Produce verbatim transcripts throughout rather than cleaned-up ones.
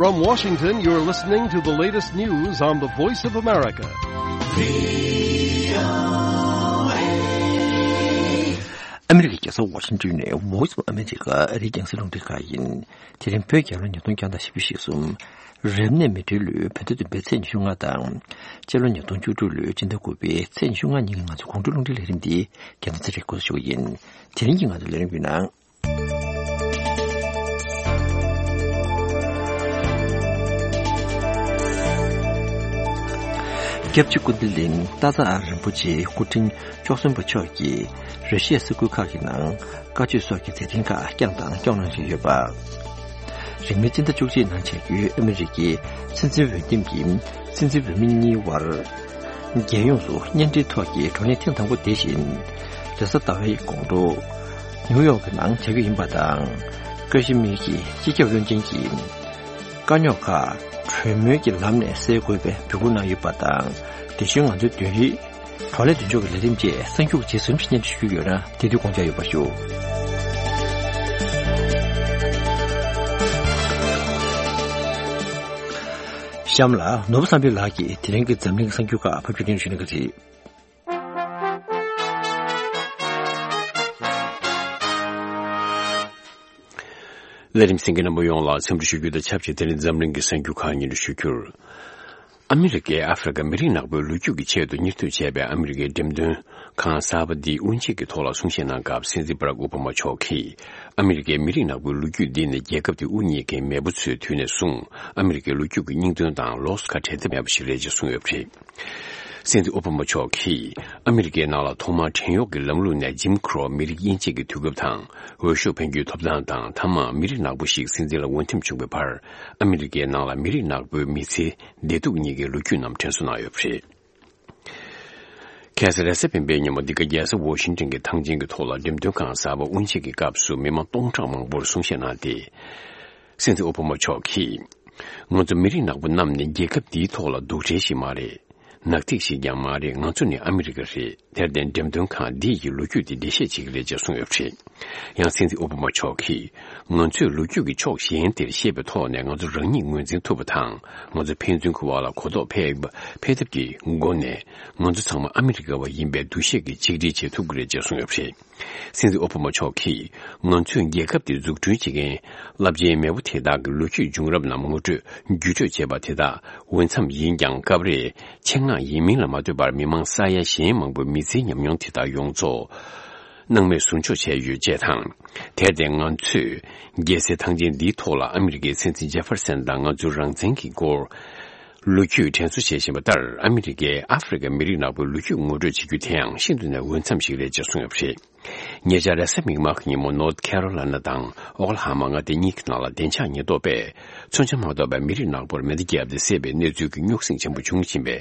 From Washington, you're listening to the latest news on the Voice of America. ཨ་མི་རི་ཀའི་རྒྱལ་ས་ཝ་ཤིང་ཊོན་ནས་Voice of America ཨ་རིའི་རྒྱང་སྲིང་རླུང་འཕྲིན་ཁང་ཡིན། དེ་རིང་བོད་རྒྱལ་ལོ་ཉིས་སྟོང་བརྒྱ་དང་བཞི་བཅུ་ཞེ་གསུམ། རབ་གནས་མེ་སྤྲེལ་ལོའི་བོད་ཟླ་བདུན་པའི་ཚེས་ཉི་ཤུ་ལྔ་དང་། སྤྱི་ལོ་ཉིས་སྟོང་བཅུ་དྲུག་ལོའི་སྤྱི་ཟླ་དགུ་པའི་ཚེས་ཉི་ཤུ་ལྔ་ཉིན་གྱི་ང་ཚོའི་དགོང་དྲོའི་རླུང་འཕྲིན་ལས་རིམ་འདི་རྒྱལ་སྟོན་ཚེ་རིང་འགོ་འཛུགས་ཞུ་གི་ཡིན། དེ་རིང་གི་ང་ཚོའི་ལས་རིམ་གྱི་ནང་། སྐྱབས་རྗེ་ཀུན་བདེ་གླིང་སྟག་འཚེར་རིན་པོ་ཆེའི་སྐུ་ཕྲེང་བཅུ་གསུམ་པ་མཆོག་གིས་ར་ཤི་ཡའི་ས་ཁུལ་ཁག་གི་ནང་བཀའ་ཆོས་སོགས་ཀྱི་མཛད་འཕྲིན་ཁག་བསྐྱངས་དང་སྐྱོང་གནང་བཞིན་ཡོད་པ། རིང་མིན་སྤྱི་ཟླ་བཅུ་གཅིག་ནང་བྱ་རྒྱུའི་ཨ་མི་རི་ཀའི་སྲིད་འཛིན་འོས་འདེམས་ཀྱི་སྲིད་འཛིན་འོས་མི་གཉིས་དབར། རྒྱལ་ཡོངས་སུ་གཉེན་སྒྲིག་ཐོག་གི་བགྲོ་གླེང་ཐེངས་དང་པོ་དེ་བཞིན། རེས་གཟའ་ཟླ་བའི་དགོང་དྲོ། ནིའུ་ཡོག་གི་ནང་བྱ་རྒྱུ་ཡིན་པ་དང་། ཀ་ཤི་མིར་གྱི་སྤྱི་ཁྱབ་བློན་ཆེན་གྱིས། དཀའ་རྙོག་ཁག་གྲོས་མོལ་གྱི་ལམ་ནས་སེལ་དགོས་པའི་འབོད་སྐུལ་གནང་ཡོད་པ་དང་། དེ་བཞིན་ང་ཚོའི་བདུན་རིག་བགྲོ་གླེང་མདུན་ལྕོག་གི་ལས་རིམ་བཅས་གསར་འགྱུར་གྱི་རྗེས་སུ་ཞིབ་སྙན་སྒྲོན་ཞུ་རྒྱུ་ཡོད་ན་དེ་དུས་དགོངས་འཇགས་ཡོད་པ་ཞུ། གཤམ་ལ་ནོར་བུ་བསམ་འཕེལ་ལགས་ཀྱིས་དེ་རིང་གི་འཛམ་གླིང་གསར་འགྱུར་ཁག་ཕབ་སྒྱུར་སྙན་སྒྲོན་ཞུ་གནང་གི་རེད། ལས་རིམ་གསན་མཁན་རྣམ་པ་ཡོངས་ལ་འཚམས་འདྲི་ཞུ་རྒྱུ་དང་ཆབས་ཅིག་དེ་རིང་འཛམ་གླིང་གི་གསར་འགྱུར་ཁག་སྙན་སྒྲོན་ཞུ་རྒྱུར། ཨ་མི་རི་ཀས་ཨ་ཧྥེ་རི་ཁ་མི་རིགས་ནག་པོའི་ལོ་རྒྱུས་ཀྱི་ཆེད་དུ་གཉེར་སྡོད་བྱས་པའི་ཨ་མི་རི་ཀའི་འགྲེམས་སྟོན་ཁང་གསར་པ་འདིའི་དབུ་འབྱེད་ཀྱི་ཐོག་ལ་གསུང་བཤད་གནང་སྐབས་སྲིད་འཛིན་བྷ་རག་ཨོ་བྷ་མ་མཆོག་གིས། ཨ་མི་རི་ཀའི་མི་རིགས་ནག་པོའི་ལོ་རྒྱུས་འདི་ནི་རྒྱལ་ཁབ་དེ་དབུ་བརྙེས་མཁན་མེས་པོ་ཚོའི་དུས་ནས་བཟུང་ཨ་མི་རི་ཀའི་ལོ་རྒྱུས་ཀྱི་སྙིང་དོན་དང་ལོགས་སུ་ཁ་བྲལ་ཐབས་མེད་པ་ཞིག་རེད་ཅེས་གསུངས་ཡོད་པ་རེད། སྲིད་འཛིན་ཨོ་བྷ་མ་མཆོག་གིས་ཨ་མི་རི་ཀའི་ནང་ལ་ཐོག་མར་བྲན་གཡོག་གི་ལམ་ལུགས་ནས་ཇིམ་ཁོ་རོ་མི་རིགས་དབྱེ་འབྱེད་ཀྱི་དུས་སྐབས་དང་འོས་ཤོག་འཕེན་རྒྱུའི་ཐོབ་ཐང་དང་མཐའ་མར་མི་རིགས་ནག་པོ་ཞིག་སྲིད་འཛིན་ལ་འོས་འདེམས་བྱུང་བའི་བར་ཨ་མི་རི་ཀའི་ནང་ལ་མི་རིགས་ནག་པོའི་མི་ཚེའི་བདེ་སྡུག་གཉིས་ཀའི་ལོ་རྒྱུས་རྣམས་དྲན་གསོ་གནང་ཡོད་པ་རེད། ཁ་སང་རེས་གཟའ་སྤེན་པའི་ཉིན་མོ་འདི་ག་རྒྱལ་ས་ཝོ་ཤིང་ཏོན་གྱི་ཐང་ཆེན་གྱི་ཐོག་ལ་འགྲེམས་སྟོན་ཁང་གསར་པ་དབུ་འབྱེད་ཀྱི་སྐབས་སུ་མི་མང་སྟོང་ཕྲག་མང་པོར་གསུང་བཤད་གནང་སྟེ། སྲིད་འཛིན་ཨོ་བྷ་མ་མཆོག་གིས། ང་ཚོ་མི་རིགས་ནག་པོ་རྣམས་ནི་རྒྱལ་ཁབ་འདིའི་ཐོག་ལ་སྡུག་འདྲེ་ཞིག་མ་རེད། ནག་ཐིག་ཞིག་ཀྱང་མ་རེད། ང་ཚོ་ནི་ཨ་མི་རི་ཀ་རེད། དེར་བརྟེན་འགྲེམས་སྟོན་ཁང་འདི་ཡི་ལོ་རྒྱུས་འདི་འགྲེལ་བཤད་བྱེད་ཀྱི་རེད་ཅེས་གསུངས་ཡོད་པ་རེད། ཡང་སྲིད་འཛིན་ཨོ་བྷ་མ་མཆོག་གིས། ང་ཚོས་ལོ་རྒྱུས་ཀྱི་ཕྱོགས་གཞན་དེར་ཤེས་པའི་ཐོག་ནས་ང་ཚོ་རང་ཉིད་ངོས་འཛིན་ཐུབ་པ་དང་། ང་ཚོ་ཕན་ཚུན་གྱི་བར་ལ་གོ་རྟོགས་འཕེལ་འཕེལ་ཐབས་ཀྱི་སྒོ་ནས། ང་ཚོ་ཚང་མ་ཨ་མི་རི་ཀ་བ་ཡིན་པའི་འདུ་ཤེས་ཀྱི་ཆིག་སྒྲིལ་བྱེད་ཐུབ་ཀྱི་རེད་ཅེས་གསུངས་ཡོད་པ་རེད། སྲིད་འཛིན་ཨོ་བྷ་མ་མཆོག་གིས། ང་ཚོས་རྒྱལ་ཁབ་དེ་འཛུགས་སྐྲུན་བྱེད་མཁན་རླབས་ཆེན་མེས་པོ་དེ་དག་གི་ལོ་རྒྱུས་བྱུང་རབས་རྣམས་ངོ་སྤྲོད་བརྒྱུད་སྤྲོད་བྱས་པ་དེ་དག་འོས་འཚམ་ཡིན་ཀྱང་། སྐབས་རེ་ཆེད་མངགས་ཡིན་མིན་ལ་མ་ལྟོས་པར་མི་མང་ས་ཡ་གཞན་མང་པོའི་མི་ཚེའི་ཉམས་མྱོང་དེ་དག་ཡོངས་རྫོགས་སྣང་མེད་ཟུར་འཇོག་བྱས་ཡོད་ཅེས་དང་། དེར་བརྟེན་ང་ཚོས་རྒྱལ་སའི་ཐང་ཆེན་འདིའི་ཐོག་ལ་ཨ་མི་རི་ཀའི་སྲིད་འཛིན་ཇེ་ཧྥེར་སན་དང་ང་ཚོའི་རང་བཙན་གྱི་སྐོར། ལོ་རྒྱུས་དྲན་གསོ་བྱེད་བཞིན་པ་ལྟར། ཨ་མི་རི་ཀས་ཨ་ཧྥེ་རི་ཁའི་མི་རིགས་ནག་པོའི་ལོ་རྒྱུས་ངོ་སྤྲོད་བྱེད་རྒྱུ་དེའང་ཤིན་ཏུ་ནས་འོས་འཚམ་ཞིག་རེད་ཅེས་གསུངས་ཡོད་པ་རེད། ཉེ་ཆར་རེས་གཟའ་མིག་དམར་གྱི་ཉིན་མོ་ནོར་ཐི་ཁེ་རོ་ལ་ན་དང་ཨོ་ཀ་ལ་ཧ་མ་མངའ་སྡེ་གཉིས་ཀྱི་ནང་ལ་བདེ་འཇགས་ཉེན་རྟོག་པས་མཚོན་ཆ་མ་གཏོགས་པའི་མི་རིགས་ནག་པོར་མེ་མདའ་བརྒྱབ་སྟེ་བསད་པའི་གནས་ཚུལ་གྱི་རྙོག་ཟིང་ཆེན་པོ་བྱུང་བཞིན་པའི་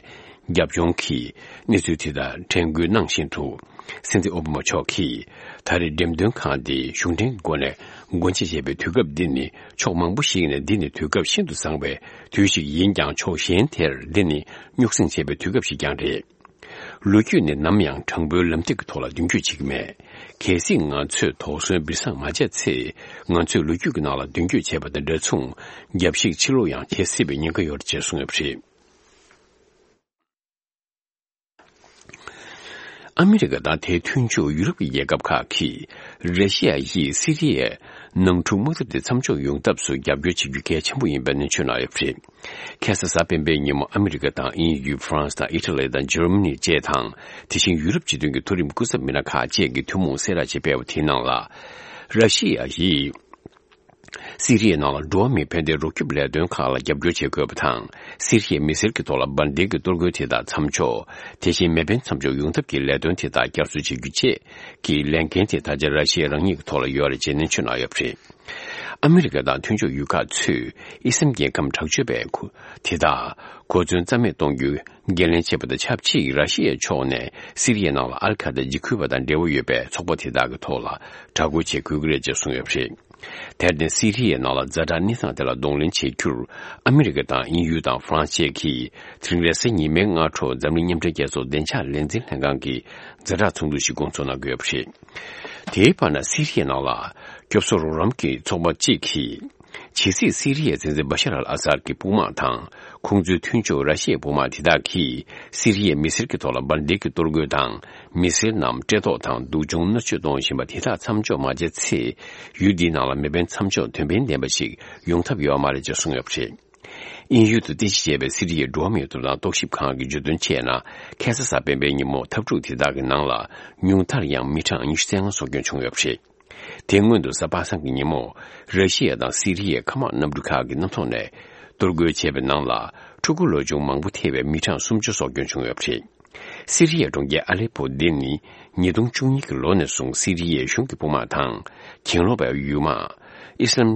རྒྱབ་ལྗོངས་ཀྱི་གནས་ཚུལ་དེ་དག་དྲན་སྐུལ་གནང་བཞིན་དུ། སྲིད་འཛིན་ཨོ་བྷ་མ་མཆོག་གིས། ད་རེས་འགྲེམས་སྟོན་ཁང་འདི་གཞུང་འབྲེལ་གྱི་སྒོ་ནས་སྒོ་འབྱེད་བྱས་པའི་དུས་སྐབས་འདི་ནི་ཕྱོགས་མང་པོ་ཞིག་ནས་འདི་ནི་དུས་སྐབས་ཤིན་ཏུ་བཟང་བའི་དུས་ཤིག་ཡིན་ཀྱང་། ཕྱོགས་གཞན་དེར་འདི་ནི་རྙོག་ཟིང་ཆེ་བའི་དུས་སྐབས་ཤིག་ཀྱང་རེད། ལོ་རྒྱུས་ནི་ནམ་ཡང་དྲང་པོའི་ལམ་ཐིག་གི་ཐོག་ལ་མདུན་སྐྱོད་བྱེད་ཀྱི་མེད། གལ་སྲིད་ང་ཚོས་དོགས་ཟོན་སྦྱིན་སྲེག་མ་བྱས་ཚེ། ང་ཚོས་ལོ་རྒྱུས་ཀྱི་ནང་ལ་མདུན་སྐྱོད་བྱས་པ་དང་འདྲ་མཚུངས། རྒྱབ་བཤིག་ཕྱིར་ལོག་ཡང་བྱེད་སྲིད་པའི་ཉེན་ཁ་ཡོད་རེད་ཅེས་གསུངས་ཡོད་པ་རེད། ཨ་མི་རི་ཀ་དང་དེའི་མཐུན་ཕྱོགས་ཡུ་རོབ་ཀྱི་རྒྱལ་ཁབ་ཁག་གིས། ར་ཤི་ཡ་ཡིས་སི་རི་ཡའི་ནང་འཁྲུག་དམག་འཐབ་དེ་མཚམས་འཇོག་ཡོང་ཐབས་སུ་རྒྱབ་སྐྱོར་བྱེད་རྒྱུ་གལ་ཆེན་པོ་ཡིན་པའི་གནས་ཚུལ་གནང་ཡོད་པ་རེད། ཁ་སང་གཟའ་སྤེན་པའི་ཉིན་མོ་ཨ་མི་རི་ཀ་དང་དབྱིན་ཡུལ། ཧྥ་རན་སི་དང་ཨི་ཊ་ལི་དང་འཇར་མ་ནི་བཅས་དང་། དེ་བཞིན་ཡུ་རོབ་སྤྱི་མཐུན་གྱི་མཐོ་རིམ་སྐུ་ཚབ་མི་སྣ་ཁག་བཅས་ཀྱིས་ཐུན་མོང་གསལ་བསྒྲགས་ཤིག་སྤེལ་བ་དེའི་ནང་ལ། ར་ཤི་ཡ་ཡིས། སི་རི་ཡའི་ནང་ལ་འགྲོ་བ་མིའི་ཕན་བདེའི་རོགས་སྐྱོབ་ལས་དོན་ཁག་ལ་རྒྱབ་སྐྱོར་བྱེད་དགོས་པ་དང་། སི་རི་ཡའི་མི་སེར་གྱི་ཐོག་ལ་འབར་མདེལ་གྱི་གཏོར་རྒོལ་དེ་དག་མཚམས་འཇོག་དེ་བཞིན་མེ་འཕེན་མཚམས་འཇོག་ཡོང་ཐབས་ཀྱི་ལས་དོན་དེ་དག་བསྐྱར་གསོ་བྱེད་རྒྱུ་བཅས་ཀྱི་ལས་འགན་དེ་ད་ཆ་ར་ཤི་ཡ་རང་ཉིད་ཀྱི་ཐོག་ལ་ཡོད་རེད་ཅེས་ནན་བརྗོད་གནང་ཡོད་པ་རེད། ཨ་མི་རི་ཀ་དང་མཐུན་ཕྱོགས་ཡུལ་ཁག་ཚོས་ཨི་སམ་རྒྱལ་ཁམས་དྲག་སྤྱོད་པའི་ཁུ་དེ་དག་གོ་མཚོན་རྩ་མེད་གཏོང་རྒྱུའི་འགན་ལེན་བྱས་པ་དང་ཆབས་ཅིག་ར་ཤི་ཡའི་ཕྱོགས་ནས་སི་རི་ཡའི་ནང་ལ་ཨལ་ཁ་ད་འཇིགས་སྐུལ་བ་དང་འབྲེལ་བ་ཡོད་པའི་ཚོགས་པ་དེ་དག་གི་ཐོག་ལ་དྲག་རྒོལ་བྱེད་དགོས་ཀྱི་རེད་ཅེས་གསུངས་ཡོད་པ་རེད། དེར་བརྟེན་སི་རི་ཡའི་ནང་ལ་ཛ་དྲག་གནས་སྟངས་དེ་ལ་གདོང་ལེན་བྱེད་རྒྱུར་ཨ་མི་རི་ཀ་དང་དབྱིན་ཡུལ་དང་ཧྥ་རན་སི་བཅས་ཀྱིས་དེ་རིང་རེས་གཟའ་ཉི་མའི་སྔ་དྲོ་འཛམ་གླིང་མཉམ་འབྲེལ་རྒྱལ་ཚོགས་བདེ་འཇགས་ལས་འཛིན་ལྷན་ཁང་གི་ཛ་དྲག་ཚོགས་འདུ་ཞིག་སྐོང་ཚོགས་གནང་གི་ཡོད་པ་རེད། དེའི་བར་ན་སི་རི་ཡའི་ནང་ལ་སྐྱོབ་གསོ་རོགས་རམ་གྱི་ཚོགས་པ་གཅིག་གིས་ ཇི་སྲིད་སི་རི་ཡའི་སྲིད་འཛིན་བ་ཤར་ཨལ་ཨ་སར་གྱི་དཔུང་དམག་དང་། ཁོང་ཚོའི་མཐུན་ཕྱོགས་ར་ཤི་ཡའི་དཔུང་དམག་དེ་དག་གིས་སི་རི་ཡའི་མི་སེར་གྱི་ཐོག་ལ་འབར་མདེལ་གྱིས་གཏོར་རྒོལ་དང་། མི་སེར་རྣམས་བཀྲེས་ལྟོགས་དང་སྡུག་སྦྱོང་མནར་གཅོད་གཏོང་བཞིན་པ་དེ་དག་མཚམས་འཇོག་མ་བྱས་ཚེ། ཡུལ་འདིའི་ནང་ལ་མེ་འཕེན་མཚམས་འཇོག་དོན་ཕན་ལྡན་པ་ཞིག་ཡོང་ཐབས་ཡོད་མ་རེད་ཅེས་གསུངས་ཡོད་པ་རེད། དབྱིན་ཡུལ་དུ་རྟེན་གཞི་བྱས་པའི་སི་རི་ཡའི་འགྲོ་བ་མིའི་ཐོབ་ཐང་རྟོག་ཞིབ་ཁང་གིས་བརྗོད་དོན་བྱས་ན། ཁ་སང་གཟའ་སྤེན་པའི་ཉིན་མོ་འཐབ་འཁྲུག་དེ་དག་གི་ནང་ལ་ཉུང་མཐར་ཡང་མི་གྲངས་ཉི་ཤུ་རྩ་ལྔ་སྲོག་སྐྱོན་བྱུང་ཡོད་པ་རེད། དེ་སྔོན་དུ་གཟའ་པ་སངས་ཀྱི་ཉིན་མོ། ར་ཤི་ཡ་དང་སི་རི་ཡའི་མཁའ་དམག་གནམ་གྲུ་ཁག་གི་གནམ་ཐོག་ནས་གཏོར་རྒོལ་བྱས་པའི་ནང་ལ། ཕྲུ་གུ་ལོ་ཆུང་མང་པོ་ཐེ་བའི་མི་གྲངས་སུམ་ཅུ་སྲོག་སྐྱོན་བྱུང་ཡོད་པ་རེད། སི་རི་ཡའི་གྲོང་ཁྱེར་ཨ་ལེ་པོ་འདི་ནི་ཉིས་སྟོང་བཅུ་གཉིས་ཀྱི་ལོ་ནས་བཟུང་སི་རི་ཡའི་གཞུང་གི་དཔུང་དམག་དང་། གྱེན་ལོག་པའི་ཡུལ་དམག་ཨི་སི་ལམ་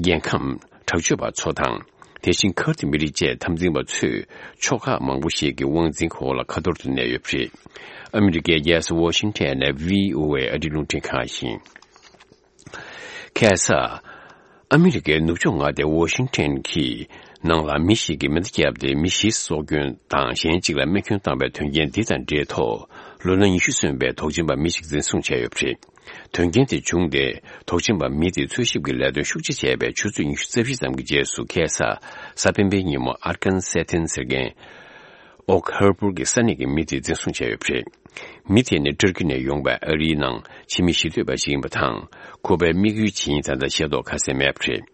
རྒྱལ་ཁམས་དྲག་སྤྱོད་པ་ཚོ་དང་། དེ་བཞིན་ཁུར་དི་མི་རིགས་བཅས་འཐབ་འཛིང་པ་ཚོས་ཕྱོགས་ཁག་མང་པོ་ཞིག་གི་དབང་འཛིན་འོག་ལ་ཁ་ཐོར་དུ་གནས་ཡོད་པ་རེད། ཨ་མི་རི་ཀའི་རྒྱལ་ས་ཝ་ཤིང་ཊོན་ནས་བྷི་ཨོ་ཨེ་ཨ་རིའི་རླུང་འཕྲིན་ཁང་ཡིན། ཁ་སང་། ཨ་མི་རི་ཀའི་ནུབ་ཕྱོགས་མངའ་སྡེ་ཝ་ཤིང་ཊོན་གྱི་ནང་ལ་མི་ཞིག་གིས་མེ་མདའ་བརྒྱབ་སྟེ་མི་བཞི་སྲོག་སྐྱོན་དང་གཞན་གཅིག་ལ་རྨས་སྐྱོན་བཏང་བའི་དོན་རྐྱེན་འདི་དང་འབྲེལ་ཐོག་ལོ་ན་ཉི་ཤུ་སོན་པའི་དོགས་ཅན་པ་མི་ཞིག་འཛིན་བཟུང་བྱས་ཡོད་པ་རེད། དོན་རྐྱེན་དེ་བྱུང་སྟེ། དོགས་ཅན་པ་མི་དེ་འཚོལ་ཞིབ་ཀྱི་ལས་དོན་ཤུགས་ཆེ་བྱས་པའི་ཆུ་ཚོད་ཉི་ཤུ་རྩ་བཞི་ཙམ་གྱི་རྗེས་སུ་ཁ་སང་གཟའ་སྤེན་པའི་ཉིན་མོ་ཨར་ཀན་སེ་ཐིན་ཟེར་མཁན། ཨོག་ཧར་པུར་གྱི་ས་གནས་ཀྱི་མི་དེ་འཛིན་བཟུང་བྱས་ཡོད་པ་རེད། མི་དེ་ནི་ཏུར་ཀི་ནས་ཡོང་བའི་ཨ་རིའི་ནང་ཕྱི་མི་གཞིས་སྡོད་པ་ཞིག་ཡིན་པ་དང་། ཁོ་པའི་དམིགས་ཡུལ་ཇི་ཡིན་ད་ལྟ་ཤེས་རྟོགས་ག་ཚད་མེད་པ་རེད།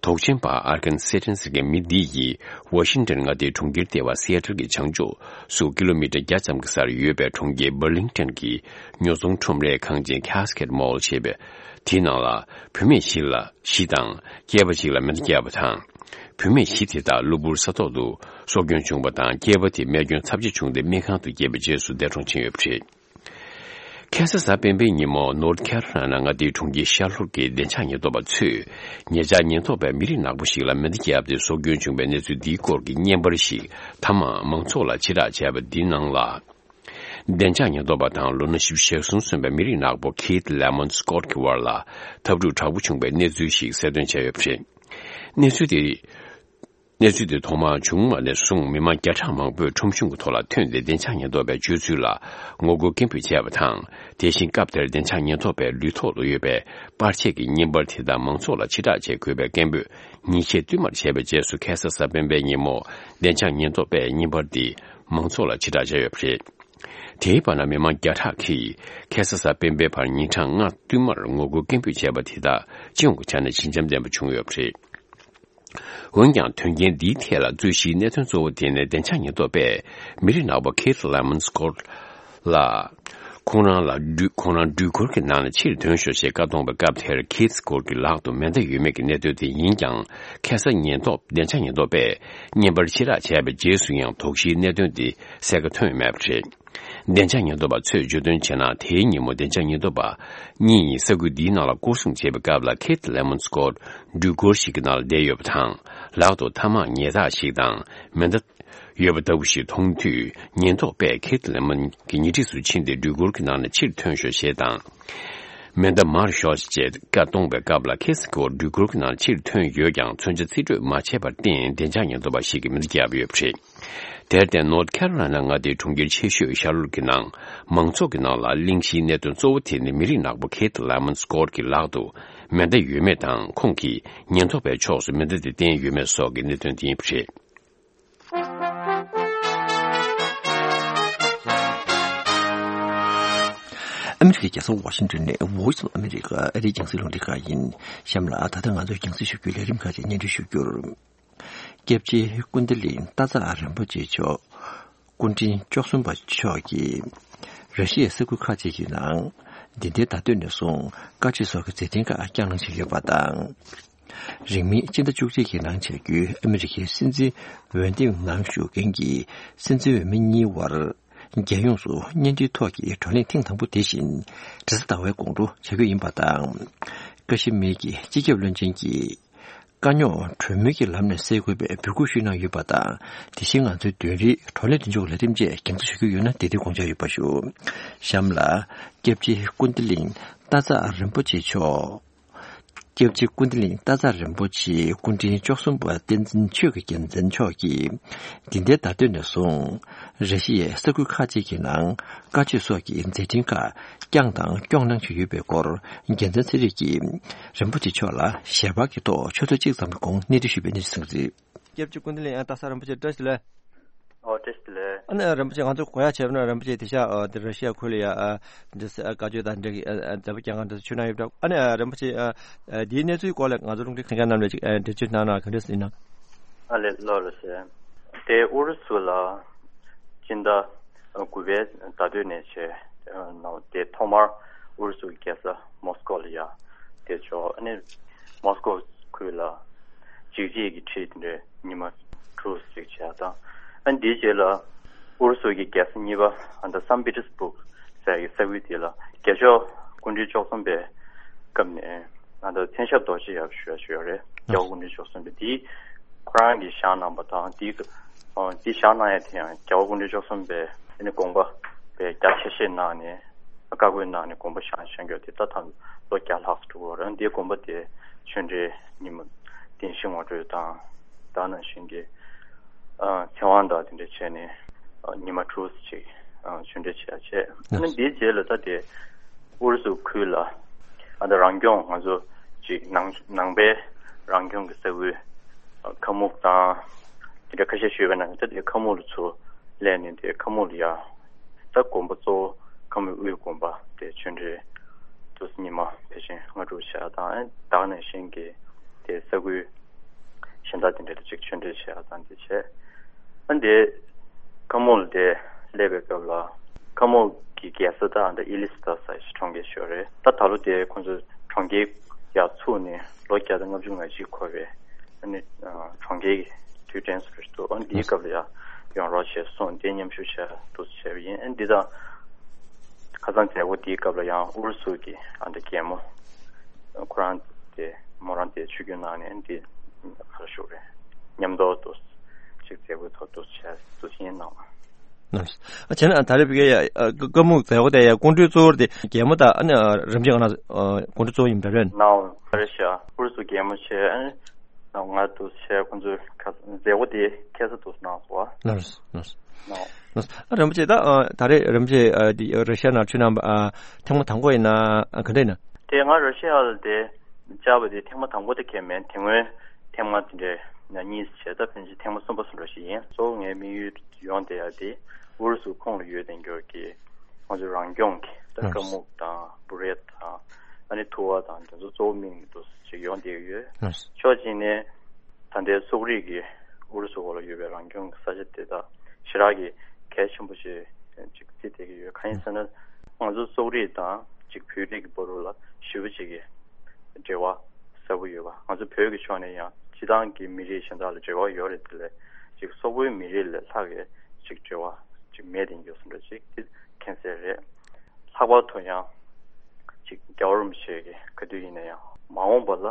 དོགས་ཅན་པ་ཨར་ཀན་སེ་ཏན་ཟེར་མཁན་མི་འདི་ཡིས་ཝ་ཤིང་ཏན་མངའ་སྡེའི་གྲོང་ཁྱེར་ལྟེ་བ་སི་ཨེ་ཏལ་གྱི་བྱང་ཕྱོགས་སུ་ཀི་ལོ་མི་ཊར་བརྒྱ་ཙམ་གྱི་སར་ཡོད་པའི་གྲོང་ཁྱེར་བར་ལིང་ཏན་གྱི་ཉོ་ཚོང་ཁྲོམ་རའི་ཁང་ཆེན་ཁེ་སི་ཀེད་མོལ་ཞེས་པའི་དེའི་ནང་ལ་བུད་མེད་བཞི་ལ་བཞི་དང་སྐྱེས་པ་གཅིག་ལ་མེ་མདའ་བརྒྱབ་པ་དང་། བུད་མེད་བཞི་དེ་དག་གློ་བུར་ས་ཐོག་ཏུ་སྲོག་སྐྱོན་བྱུང་བ་དང་། སྐྱེས་པ་དེ་རྨས་སྐྱོན་ཚབས་ཆེ་བྱུང་སྟེ་སྨན་ཁང་དུ་བསྐྱལ་བའི་རྗེས་སུ་འདས་གྲོངས་ཕྱིན་ཡོད་པ་རེད། ཁ་སང་གཟའ་སྤེན་པའི་ཉིན་མོ་ནོར་ཐ་ཁ་རོ་ལ་ན་མངའ་སྡེའི་གྲོང་ཁྱེར་ཤར་ལྷོ་ཁུལ་གྱི་བདེ་འཇགས་ཉེན་རྟོག་པ་ཚོས་ཉེ་ཆར་ཉེན་རྟོག་པས་མི་རིགས་ནག་པོ་ཞིག་ལ་མེ་མདའ་བརྒྱབ་སྟེ་སྲོག་སྐྱོན་བྱུང་བའི་གནས་ཚུལ་འདིའི་སྐོར་གྱི་བརྙན་པར་ཞིག་མཐའ་མ་མང་ཚོགས་ལ་ཕྱིར་བསྒྲགས་བྱས་པ་འདིའི་ནང་ལ། བདེ་འཇགས་ཉེན་རྟོག་པ་དང་ལོ་ན་བཞི་བཅུ་ཞེ་གསུམ་སོན་པའི་མི་རིགས་ནག་པོ་ཁེ་ཐི་ལེ་མོན་སི་ཀོ་ཊི་གི་བར་ལ་འཐབ་འཁྲུག་དྲག་པོ་བྱུང་བའི་གནས་ཚུལ་ཞིག་གསལ་སྟོན་བྱས་ཡོད་པ་རེད། གནས་ཚུལ་དེ། གནས་ཚུལ་དེ་ཐོག་མར་བྱུང་བ་ནས་བཟུང་མི་མང་བརྒྱ་ཕྲག་མང་པོས་ཁྲོམ་གཞུང་གི་ཐོག་ལ་ཐོན་ཏེ་བདེ་འཇགས་ཉེན་རྟོག་པའི་སྤྱོད་ཚུལ་ལ་ངོ་རྒོལ་སྐད་འབོད་བྱས་པ་དང་། དེ་བཞིན་སྐབས་དེར་བདེ་འཇགས་ཉེན་རྟོག་པའི་ལུས་ཐོག་ཏུ་ཡོད་པའི་པར་ཆས་ཀྱི་བརྙན་པར་དེ་དག་མང་ཚོགས་ལ་ཕྱིར་བསྒྲགས་བྱེད་དགོས་པའི་སྐད་འབོད་ཉིན་ཤས་བསྟུད་མར་བྱས་པའི་རྗེས་སུ་ཁ་སང་གཟའ་སྤེན་པའི་ཉིན་མོ་བདེ་འཇགས་ཉེན་རྟོག་པས་བརྙན་པར་འདི་མང་ཚོགས་ལ་ཕྱིར་བསྒྲགས་བྱས་ཡོད་པ་རེད། དེའི་བར་ན་མི་མང་བརྒྱ་ཕྲག་གིས་ཁ་སང་གཟའ་སྤེན་པའི་བར་ཉིན་གྲངས་ལྔ་བསྟུད་མར་ངོ་རྒོལ་སྐད་འབོད་བྱས་པ་དེ་དག་སྤྱི་ཡོངས་ཀྱི་ཆ་ནས་ཞི་འཇམ་ལྡན་པ་བྱུང་ཡོད་པ་རེད། འོན་ཀྱང་དོན་རྐྱེན་འདིའི་ཐད་ལ་རྩོད་གཞིའི་གནད་དོན་གཙོ་བོ་དེ་ནི་བདེ་འཇགས་ཉེན་རྟོག་པས་མི་རིགས་ནག་པོ་ཁེ་ཐི་ལེ་མོན་སི་ཀོ་ཊི་ལ། ཁོང་རང་ལ་འགྲུལ་ཁོང་རང་འགྲུལ་འཁོར་གྱི་ནང་ནས་ཕྱིར་ཐོན་ཤོག་ཅེས་བཀའ་གཏོང་བའི་སྐབས་དེར་ཁེ་ཐི་སི་ཀོ་ཊི་གི་ལག་ཏུ་མེ་མདའ་ཡོད་མེད་ཀྱི་གནད་དོན་དེ་ཡིན་ཀྱང་། ཁ་སང་ཉེན་རྟོག་བདེ་འཇགས་ཉེན་རྟོག་པས་བརྙན་པར་ཕྱིར་བསྒྲགས་བྱས་པའི་རྗེས་སུ་ཡང་དོགས་གཞིའི་གནད་དོན་དེ་གསལ་ཁ་ཐོན་མེད་པ་རེད། བདེ་འཇགས་ཉེན་རྟོག་པ་ཚོས་བརྗོད་དོན་བྱས་ན། དེའི་ཉིན་མོ་བདེ་འཇགས་ཉེན་རྟོག་པ་གཉིས་ཡིས་ས་ཁུལ་འདིའི་ནང་ལ་སྐོར་སྲུང་བྱེད་པའི་སྐབས་ལ་ཁེ་ཐི་ལེ་མོན་སི་ཀོ་ཊི་འགྲུལ་འཁོར་ཞིག་གི་ནང་ལ་བསྡད་ཡོད་པ་དང་། ལག་ཏུ་ཐ་མག་ཉལ་ཐག་ཞིག་དང་མེ་མདའ་ཡོད་པ་ལྟ་བུ་ཞིག་མཐོང་དུས། ཉེན་རྟོག་པས་ཁེ་ཐི་ལེ་མོན་གྱི་ཉེ་འཁྲིས་སུ་ཕྱིན་ཏེ་འགྲུལ་འཁོར་གྱི་ནང་ནས་ཕྱིར་ཐོན་ཤོག་ཅེས་དང་། མེ་མདའ་མར་ཤོག་ཅེས་བཀའ་གཏོང་བའི་སྐབས་ལ་ཁེ་ཐི་སི་ཀོ་ཊི་འགྲུལ་འཁོར་གྱི་ནང་ཕྱིར་ཐོན་ཡོད་ཀྱང་མཚོན་ཆ་རྩིས་སྤྲོད་མ་བྱས་པར་བརྟེན་བདེ་འཇགས་ཉེན་རྟོག་པ་ཞིག་གིས་མེ་མདའ་བརྒྱབ་ཡོད་པ་རེད། དེར་བརྟེན་ནོར་ཐ་ཁ་རོ་ལ་ན་མངའ་སྡེའི་གྲོང་ཁྱེར་ཆེ་ཤོས་ཤར་ལོཊ་ཀྱི་ནང་མང་ཚོགས་ཀྱི་ནང་ལ་གླེང་གཞིའི་གནད་དོན་གཙོ་བོ་དེ་ནི་མི་རིགས་ནག་པོ་ཁེ་ཐི་ལེ་མོན་སི་ཀོ་ཊི་གི་ལག་ཏུ་མེ་མདའ་ཡོད་མེད་དང་། ཁོང་གིས་ཉེན་རྟོག་པའི་ཕྱོགས་སུ་མེ་མདའ་དེ་བསྟན་ཡོད་མེད་སོགས་ཀྱི་གནད་དོན་དེ་ཡིན་པ་རེད། ཨ་མི་རི་ཀའི་རྒྱལ་ས་ཝ་ཤིང་ཏོན་ནས་Voice of America ཨ་རིའི་རྒྱང་སྲིང་རླུང་འཕྲིན་ཁང་ཡིན། གཤམ་ལ་ད་ལྟ་ང་ཚོས་རྒྱང་སྲིང་ཞུ་རྒྱུའི་ལས་རིམ་ཁག་ཅིག་སྙན་སྒྲོན་ཞུ་རྒྱུར། སྐྱབས་རྗེ་ཀུན་ད་ལི་ཏཱ་ཙ་རིན་པོ་ཆེ་མཆོག་ཀུན་མཁྱེན་བཅུ་གསུམ་པ་མཆོག་གིས་ར་ཤི་ཡའི་ས་ཁུལ་ཁག་ཅིག་གི་ནང་འདི་ཟླའི་ཟླ་སྟོད་ནས་བཟུང་དཀའ་སྤྱད་སོགས་ཀྱི་མཛད་འཕྲིན་ཁག་བསྐྱངས་གནང་བཞིན་ཡོད་པ་དང་། རིང་མིན་སྤྱི་ཟླ་བཅུ་གཅིག་གི་ནང་བྱ་རྒྱུའི་ཨ་མི་རི་ཀའི་སྲིད་འཛིན་འོས་འདེམས་ནང་ཞུགས་མཁན་གྱི་སྲིད་འཛིན་འོས་མི་གཉིས་དབར་རྒྱལ་ཡོངས་སུ་བརྙན་འཕྲིན་ཐོག་གི་བགྲོ་གླེང་ཐེངས་དང་པོ་དེ་བཞིན་རེས་གཟའ་ཟླ་བའི་དགོང་དྲོ་བྱ་རྒྱུ་ཡིན་པ་དང་། ཀ་ཤི་མིར་གྱི་སྤྱི་ཁྱབ་བློན་ཆེན་གྱིས་དཀའ་རྙོག་གྲོས་མོལ་གྱི་ལམ་ནས་སེལ་དགོས་པའི་འབོད་སྐུལ་ཞུས་གནང་ཡོད་པ་དང་། དེ་བཞིན་ང་ཚོའི་བདུན་རེའི་བགྲོ་གླེང་མདུན་ལྕོག་ལས་རིམ་བཅས་རྒྱང་སྲིང་ཞུ་རྒྱུ་ཡོད་ན་དེ་དུས་དགོངས་འཇགས་ཡོད་པ་ཞུ། གཤམ་ལ་སྐྱབས་རྗེ་ཀུན་ད་ལིང་ཏཱ་ཙ་རིན་པོ་ཆེ་མཆོག་སྐྱབས་རྗེ་ཀུན་བདེ་གླིང་སྟག་ཚང་རིན་པོ་ཆེ་སྐུ་ཕྲེང་བཅུ་གསུམ་པ་བསྟན་འཛིན་ཆོས་ཀྱི་རྒྱལ་མཚན་མཆོག་གིས། འདི་ཟླའི་ཟླ་སྟོད་ནས་བཟུང་ར་ཤི་ཡའི་ས་ཁུལ་ཁག་ཅིག་གི་ནང་བཀའ་ཆོས་སོགས་ཀྱི་མཛད་འཕྲིན་ཁག་བསྐྱངས་དང་སྐྱོང་གནང་བཞིན་ཡོད་པའི་སྐོར། རྒྱལ་མཚན་ཚེ་རིང་གིས་རིན་པོ་ཆེ་མཆོག་ལ་ཞལ་པར་གྱི་ཐོག་ཆུ་ཚོད་གཅིག་ཙམ་གྱི་གོང་གནས་འདྲི་ཞུས་པའི་གནས་ཚུལ་ཞིག་རེད། སྐྱབས་རྗེ་ཀུན་བདེ་གླིང་ཨ་སྟག་ཚང་རིན་པོ་ཆེ་བཀྲ་ཤིས་བདེ་ལེགས། ཨོ་བཀྲ་ཤིས་བདེ་ལེགས། ཨ་ནི་རིན་པོ་ཆེ་ང་ཚོ་གོ་ཡག་བྱས་པ་ན་རིན་པོ་ཆེ་དེ་ཤག་ཨ་དེ་ར་ཤི་ཡ་ཁུལ་ལ་ཡ་ཨ་འདི་ཨ་བཀའ་ཆོས་དང་འབྲེལ་གྱི་ཨ་མཛད་པ་རྒྱག་གར་འདི་ཚོ་ཆུ་ནང་ཡོད་པ་འདྲ། ཨ་ནི་ཨ་རིན་པོ་ཆེ་ཨ་ཨ་དེའི་གནས་ཚུལ་སྐོར་ལ་ང་ཚོ་རླུང་འཕྲིན་གསན་མཁན་རྣམས་ལ་ཅིག་ཨ་འགྲེལ་བརྗོད་གནང་ན་ག་འདྲ་ཡིན་ན། ཨ་ལེ་ལོ་ལོ་ཟེར། དེ་ཨུ་རུ་སུ་ལ་སྤྱི་ཟླ་དགུ་པའི་ཟླ་སྟོད་ནས་བྱས་ནང་དེ་ཐོག་མར་ཨུ་རུ་སུའི་རྒྱལ་ས་མོ་སི་ཀོ་ལ་ཡ་དེ་ཆོག་ཨ་ནི་མོ་སི་ཀོ་ཁུལ་ལ་འཇིགས་བྱེད་ཀྱི་ཁྲིད་དེ་འདྲའི་ཉི་མ་དྲུག་ཙམ་བྱས་དང་། ཨ་ནི་དེའི་རྗེས་ལ་ཨུ་རུ་སུ་གི་རྒྱལ་ས་གཉིས་པ་ཨ་ད་སན་པི་ཏེར་སྦུག་ཟེར་གྱི་ས་ཁུལ་དེ་ལ་རྒྱལ་མཆོག་སྐུ་ཕྲེང་བཅུ་གསུམ་པའི་སྐབས་ནས་ཨ་ད་མཚན་ཞབས་རྡོ་རྗེ་ཡབ་ཞུ་ཡ་ཞུ་ཡ་རེད། རྒྱལ་བ་སྐུ་ཕྲེང་བཅུ་གསུམ་པའི་དེའི་ཁོ་རང་གིས་བཞེངས་གནང་བ་དང་དེའི་ཨ་དེ་བཞེངས་གནང་ཡ་དེ་ཡང་རྒྱལ་བ་སྐུ་ཕྲེང་བཅུ་གསུམ་པའི་ཨ་ནི་དགོངས་པ་དཔེ་རྒྱ་ཆེ་ཤོས་གནང་ནས། བཀའ་བཀོད་གནང་ནས་དགོངས་པ་བཞེངས་བཞེངས་རྒྱུ་དེ་ད་ཐང་ལོ་བརྒྱ་ལྷག་ཙམ་འགྲོ་གི་རེད། འདིའི་དགོངས་པ་དེ་ཆོས་འབྲེལ་ཉིན་མོ་བདེན་བཞི་ངོ་སྤྲོད་དང་། ད་ནང་བཞིན་གྱི་ཨ་ཚེ་དབང་དང་དེ་འདྲ་བྱས་ནས་ཨ་ཉི་མ་དྲུག་ཙམ་ཅིག་ཨ་ཆོས་འབྲེལ་བྱས་བྱས། ཨ་ནི་འདིའི་རྗེས་ལ་ད་དེ་ཨུ་རུ་སུ་ཁུལ་ལ་ཨ་ད་རང་སྐྱོང་ང་ཚོ་ཅིག་ནང་ནང་པའི་རང་སྐྱོང་གི་ས་ཁུལ་ཨ་ཁ་མུག་དང་དེ་འདྲ་ཁ་ཤས་ཞུས་པ་ན་ད་དེ་ཁ་མུག་ལ་ཚུར་སླེབས་ནས་དེ་ཁ་མུག་ལ་ཡ། ད་དགོན་པ་གཙོ་བོ་ཁ་མུག་དབུས་དགོན་པ་དེ་ཆོས་འབྲེལ་དུས་ཉི་མ་ཕལ་ཆེར་ལྔ་དྲུག་བྱས་དང་། ཨ་ནི་ད་ག་ནང་བཞིན་གྱི་དེ་ས་ཁུལ་གཞན་དག་དེ་འདྲ་ཅིག་ཆོས་འབྲེལ་བྱས་དང་དེ་བྱས། ཨ་ནི་དེ་ཁ་མུག་ལ་དེ་སླེབས་པའི་སྐབས་ལ་ཁ་མུག་གི་རྒྱལ་ས་ད་ཨ་ད་ཨི་ལི་སི་ཐ་ཟེར་གྲོང་ཁྱེར་ཞིག་ཡོད་རེད། ད་ད་ལོ་དེ་ཁོང་ཚོས་གྲོང་ཁྱེར་ཡར་ཚུགས་ནས་ལོ་བརྒྱ་དང་ལྔ་བཅུ་ང་གཅིག་འཁོར་བའི་ཨ་ནི་ཨ་གྲོང་ཁྱེར་གྱི་དུས་དྲན་ཟེར་འདུག་ཨ་ནི་འདིའི་སྐབས་ལ་ཡང་ཡོང་རོགས་བྱས་གསུངས་དེ་མཉམ་ཞུགས་བྱས་འདུག་བྱས་པ་ཡིན། ཨ་ནི་འདི་དང་ཁ་སང་མཛད་སྒོ་འདིའི་སྐབས་ལ་ཡང་ཨུ་རུ་སུ་གི་ཨ་འདི་རྒྱལ་མོ་ཁོ་རང་དེ་མོ་རང་དེ་ཆིབས་བསྒྱུར་གནང་ནས་འདི་ག་རེ་ཞུ་རེད། མཉམ་དུ་འདུག་ཅིག་མཛད་སྒོའི་ཐོག་འདུག་བྱས་འདུག་བྱས་གནང་བ། ཨ་བྱས་ན་ད་རེས་བི་ཀའི་ཡ་ཀ་མུག་མཛད་སྒོ་དེ་ཡ་སྐུ་མགྲོན་གཙོ་བོར་དེ་རྒྱལ་མོ་དང་ཨ་ནི་རིམ་བྱོན་ང་ན་སྐུ་མགྲོན་གཙོ་བོ་ཡིན་པ་རེད། ནའོ་ཨ་རེ་ཤ་ཨུ་རུ་སུ་རྒྱལ་མོ་བྱས་ཨ་ནི་ང་འདུག་བྱས་ཁོང་ཚོས་ཁ་མཛད་སྒོ་དེ་ཁ་སང་འདུག་གནང་སོང་བ། ལགས་སོ་ལགས་སོ། ནའོ་ལགས་སོ། ཨ་རིན་པོ་ཆེ་ད་ཨ་ད་རེས་རིན་པོ་ཆེ་ཨ་དེ་ར་ཤི་ཡ་ནང་ཆུ་ནང་ཨ་ཐེངས་མ་དང་པོ་ཡིན་ན་ཨ་ག་འདྲ་ཡིན་ན། དེ་ང་ར་ཤི་ཡ་ལ་དེ་བཅར་བ་དེ་ཐེངས་མ་དང་པོ་དེ་གས་མིན། དེ་སྔོན་ཐེངས་མ་དེ་འདྲའི་ན་གཉིས་བྱས་ད་ཕན་ཆད་ཐེངས་མ་གསུམ་པ་སུ་འགྲོ་ཞིག་ཡིན། གཙོ་བོ་ངའི་དམིགས་ཡུལ་ཡོང་བསྡད་ཡ་དེ་ཨུ་རུ་སུ་ཁོངས་ལ་ཡོད་བསྡད་རྒྱུ་གི་ང་ཚོའི་རང་སྐྱོང་གི་ད་ཀ་མུག་དང་བུ་རེད་དང་ཨ་ནི་ཐུ་བ་དང་དེ་ཚོ་གཙོ་བོ་དམིགས་ནས་འདུག་ཅིག་ཡོང་བསྡད་ཡོད། ཕྱོགས་གཅིག་ནས་ད་ལྟའི་སོག་རིགས་ཀྱི་ཨུ་རུ་སུ་འོག་ལ་ཡོད་པའི་རང་སྐྱོང་གི་ས་ཆ་དེ་དག་ཞེ་དྲག་གི་གལ་ཆེན་པོ་ཞིག་ཅིག་བརྩིས་བསྡད་ཀྱི་ཡོད། གང་ཡིན་ཟེར་ན་ང་ཚོ་སོག་རིགས་དང་ཅིག་བོད་རིགས་ཀྱི་བར་ལ་ཞེ་པོ་ཅིག་གི་འབྲེལ་བ་ཟབ་པོ་ཡོད་པ། ང་ཚོ་བོད་ཀྱི་ཕྱོགས་ནས་ཡང་སྤྱི་བཏང་གི་མི་རིགས་གཞན་དག་ལ་འབྲེལ་བ་ཡོད་རེད། དེ་ལས་ཅིག་སོག་པོའི་མི་རིགས་ལས་ལྷག་གི་ཅིག་འབྲེལ་བ་ཅིག་མེད་དེ་འགྱོ་སོང་འདྲ་ཅིག་དེ་མཁྱེན་གསལ་རེད། ལྷག་པར་དུ་ཡང་ཅིག་རྒྱལ་བ་རིན་པོ་ཆེ་གི་ག་དུས་ཡིན་ན་ཡང་མ་འོངས་པ་ལ་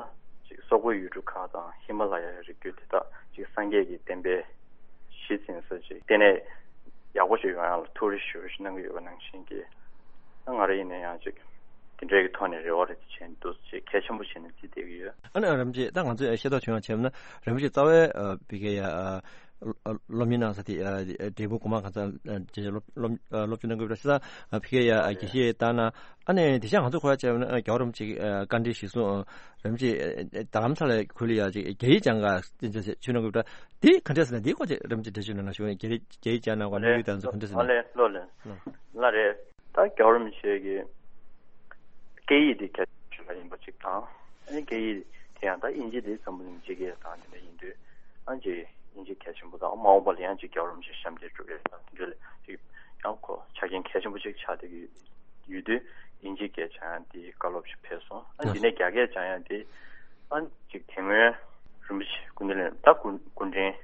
ཅིག་སོག་པོའི་ཡུལ་གྲུ་ཁག་དང་ཧི་མ་ལ་ཡའི་རི་རྒྱུད་དེ་དག་ཅིག་སངས་རྒྱས་ཀྱི་བསྟན་པའི་གཞི་འཛིན་ས་ཅིག་ལྟེ་གནས་ཡག་པོ་ཞིག་ཡོང་ཡག་ལ་ཐུགས་རེ་ཞུ་རེ་ཞུ་གནང་གི་ཡོད་པ་ནང་བཞིན་གྱི་ང་རང་ཡིན་ན་ཡང་ཅིག་དེ་འདྲའི་གི་ཐོག་ནས་རེ་བ་རེ་བྱས་འདུག་ཅིག་གལ་ཆེན་པོ་བྱས་ནས་བརྩིས་བསྡད་ཀྱི་ཡོད། ཨ་ནི་རིན་པོ་ཆེ་ད་ང་ཚོས་ཤེས་རྟོགས་བྱུང་ཡང་བྱས་ན་རིན་པོ་ཆེ་རྩ་བའི་བི་ཀའི་ཡ། སློབ་གཉེར་གནང་ས་དེ་འབྲས་སྤུངས་གོང་མ་གང་ས་རྗེས་སློབ་སློབ་སློབ་སྦྱོང་གནང་དགོས་པ་ཞིག་དང་ཕ་གིའི་དགེ་བཤེས་ལྟར་ན་ཨ་ནི་དེ་བཞིན་ང་ཚོ་གོ་ཡ་བྱས་ན་རྒྱལ་བ་རིན་པོ་ཆེ་བཀའ་འདྲི་ཞིག་གསུངས་རིན་པོ་ཆེ་རྡ་རམ་ས་ལའི་ཁུལ་ལ་ཡ་ཅིག་རྒྱ་ཡིག་སྦྱང་ག་ཅིག་ཆུ་གནང་དགོས་པ་དེ་ག་འདྲས་ཟེར་ན་དེའི་སྐོར་ཅིག་རིན་པོ་ཆེ་འགྲེལ་བརྗོད་གནང་ན་ཞུ་རྒྱ་ཡིག་རྒྱ་ཡིག་སྦྱང་གནང་བ་དམིགས་ཡུལ་དང་ཚོ་ག་འདྲས་ཟེར་ན། ལེ་ལོ་ལེ་ལ་རེད། ད་རྒྱལ་བ་རིན་པོ་ཆེ་གི་སྐད་ཡིག་དེ་གལ་ཆེ་ཤོས་ཡིན་པ་གཅིག་དང་། ཨ་ནི་སྐད་ཡིག་དེ་ཡང་ད་དབྱིན་ཇི་དེ་འཛམ་བུ་གླིང་སྤྱི་སྐད་དང་དེ་འདྲ་ཡིན་དུས་ཨ་ཅེ་དབྱིན་ཇི་གལ་ཆེན་པོ་དང་མ་འོངས་པ་ལ་ཡང་ཅིག་རྒྱལ་བ་རིན་པོ་ཆེ་ཞབས་འདེགས་སྒྲུབ་ཡས་དང་དེ་འདྲ་ལ་ཅིག་ཡང་ཁོ་ཆ་རྐྱེན་གལ་ཆེན་པོ་ཅིག་ཆགས་བསྡད་ཀྱི་ཡོད་དུས་དབྱིན་ཇི་སྐད་སྦྱང་ཡ་དེ་བཀའ་སློབ་ཅིག་ཕེབས་སོང་། ཨ་འདི་ནས་རྒྱ་སྐད་སྦྱང་ཡ་དེ་ཨ་ཅིག་དེ་སྔོན་རིན་པོ་ཆེ་སྐུ་ཕྲེང་ད་སྐུ་སྐུ་ཕྲེང་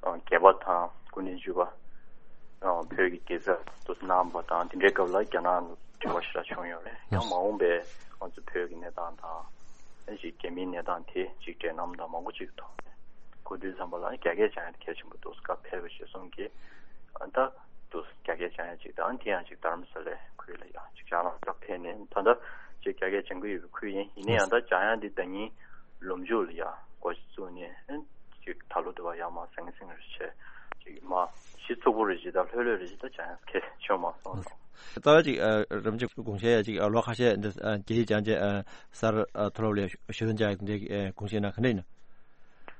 བརྒྱད་པ་དང་སྐུ་ཕྲེང་བཅུ་པ་བོད་ཀྱི་རྒྱལ་ས་དུ་གནང་བ་དང་དེ་འདྲའི་སྐབས་ལ་རྒྱ་ནག་ལ་འབྲེལ་བ་ཞེ་དྲག་བྱུང་ཡོད་རེད། ཡང་མ་འོངས་པའི་ང་ཚོ་བོད་ཀྱི་གནས་སྟངས་དང་ཨ་ཅིག་རྒྱ་མིའི་གནས་སྟངས་དེ་ཅིག་འབྲེལ་ལམ་དང་མང་པོ་ཅིག་ཐོག་ནས་གོ་དུས་ཙམ་པ་ལ་རྒྱ་སྐད་སྦྱང་ཡ་དེ་གལ་ཆེན་པོ་འདུག་སྐབས་ཕེབས་པ་ཞེས་གསུངས་ཀྱི་ཨ་ད་དུ་རྒྱ་སྐད་སྦྱང་ཡ་ཅིག་དང་དེ་ཡང་ཅིག་རྡ་རམ་ས་ལའི་ཁུལ་ལ་ཡང་ཅིག་སྦྱང་ལམ་སྐབས་ཕེབས་ནས་ད་ལྟ་ ཅིག་རྒྱ་སྐད་སྦྱང་གི་ཡོད་པའི་ཁུལ་ཡིན། ཡིན་ན་ཡང་ད་འཇམ་དབྱངས་འདི་ཟླ་ཉིན་ལོ་མཇུག་ལ་ཡ་འགོ་ཞིག་བཙུགས་ནས་ཨ་ཅིག་ད་ལོ་དུ་བ་ཡ་མ་ཟང་ཟིང་རེ་བྱས་ཅིག་མ་གཞི་ཚུགས་པོ་རེ་བཞི་དང་ལྷོད་ལྷོད་རེ་བཞི་ད་འཇམ་དབྱངས་སྐད་བྱུང་མ་སོང་། ད་ཅིག་རིན་པོ་ཆེ་དགོངས་བཞེས་ཡ་ཅིག་ལོ་ཁ་ཤས་འདི་རྒྱ་ཡིག་སྦྱང་བྱས་གསར་མཐོ་སློབ་ལ་ཞུ་དོན་བྱ་ཡ་འདི་དགོངས་བཞེས་ན་ག་འདྲ་ཡིན་ན།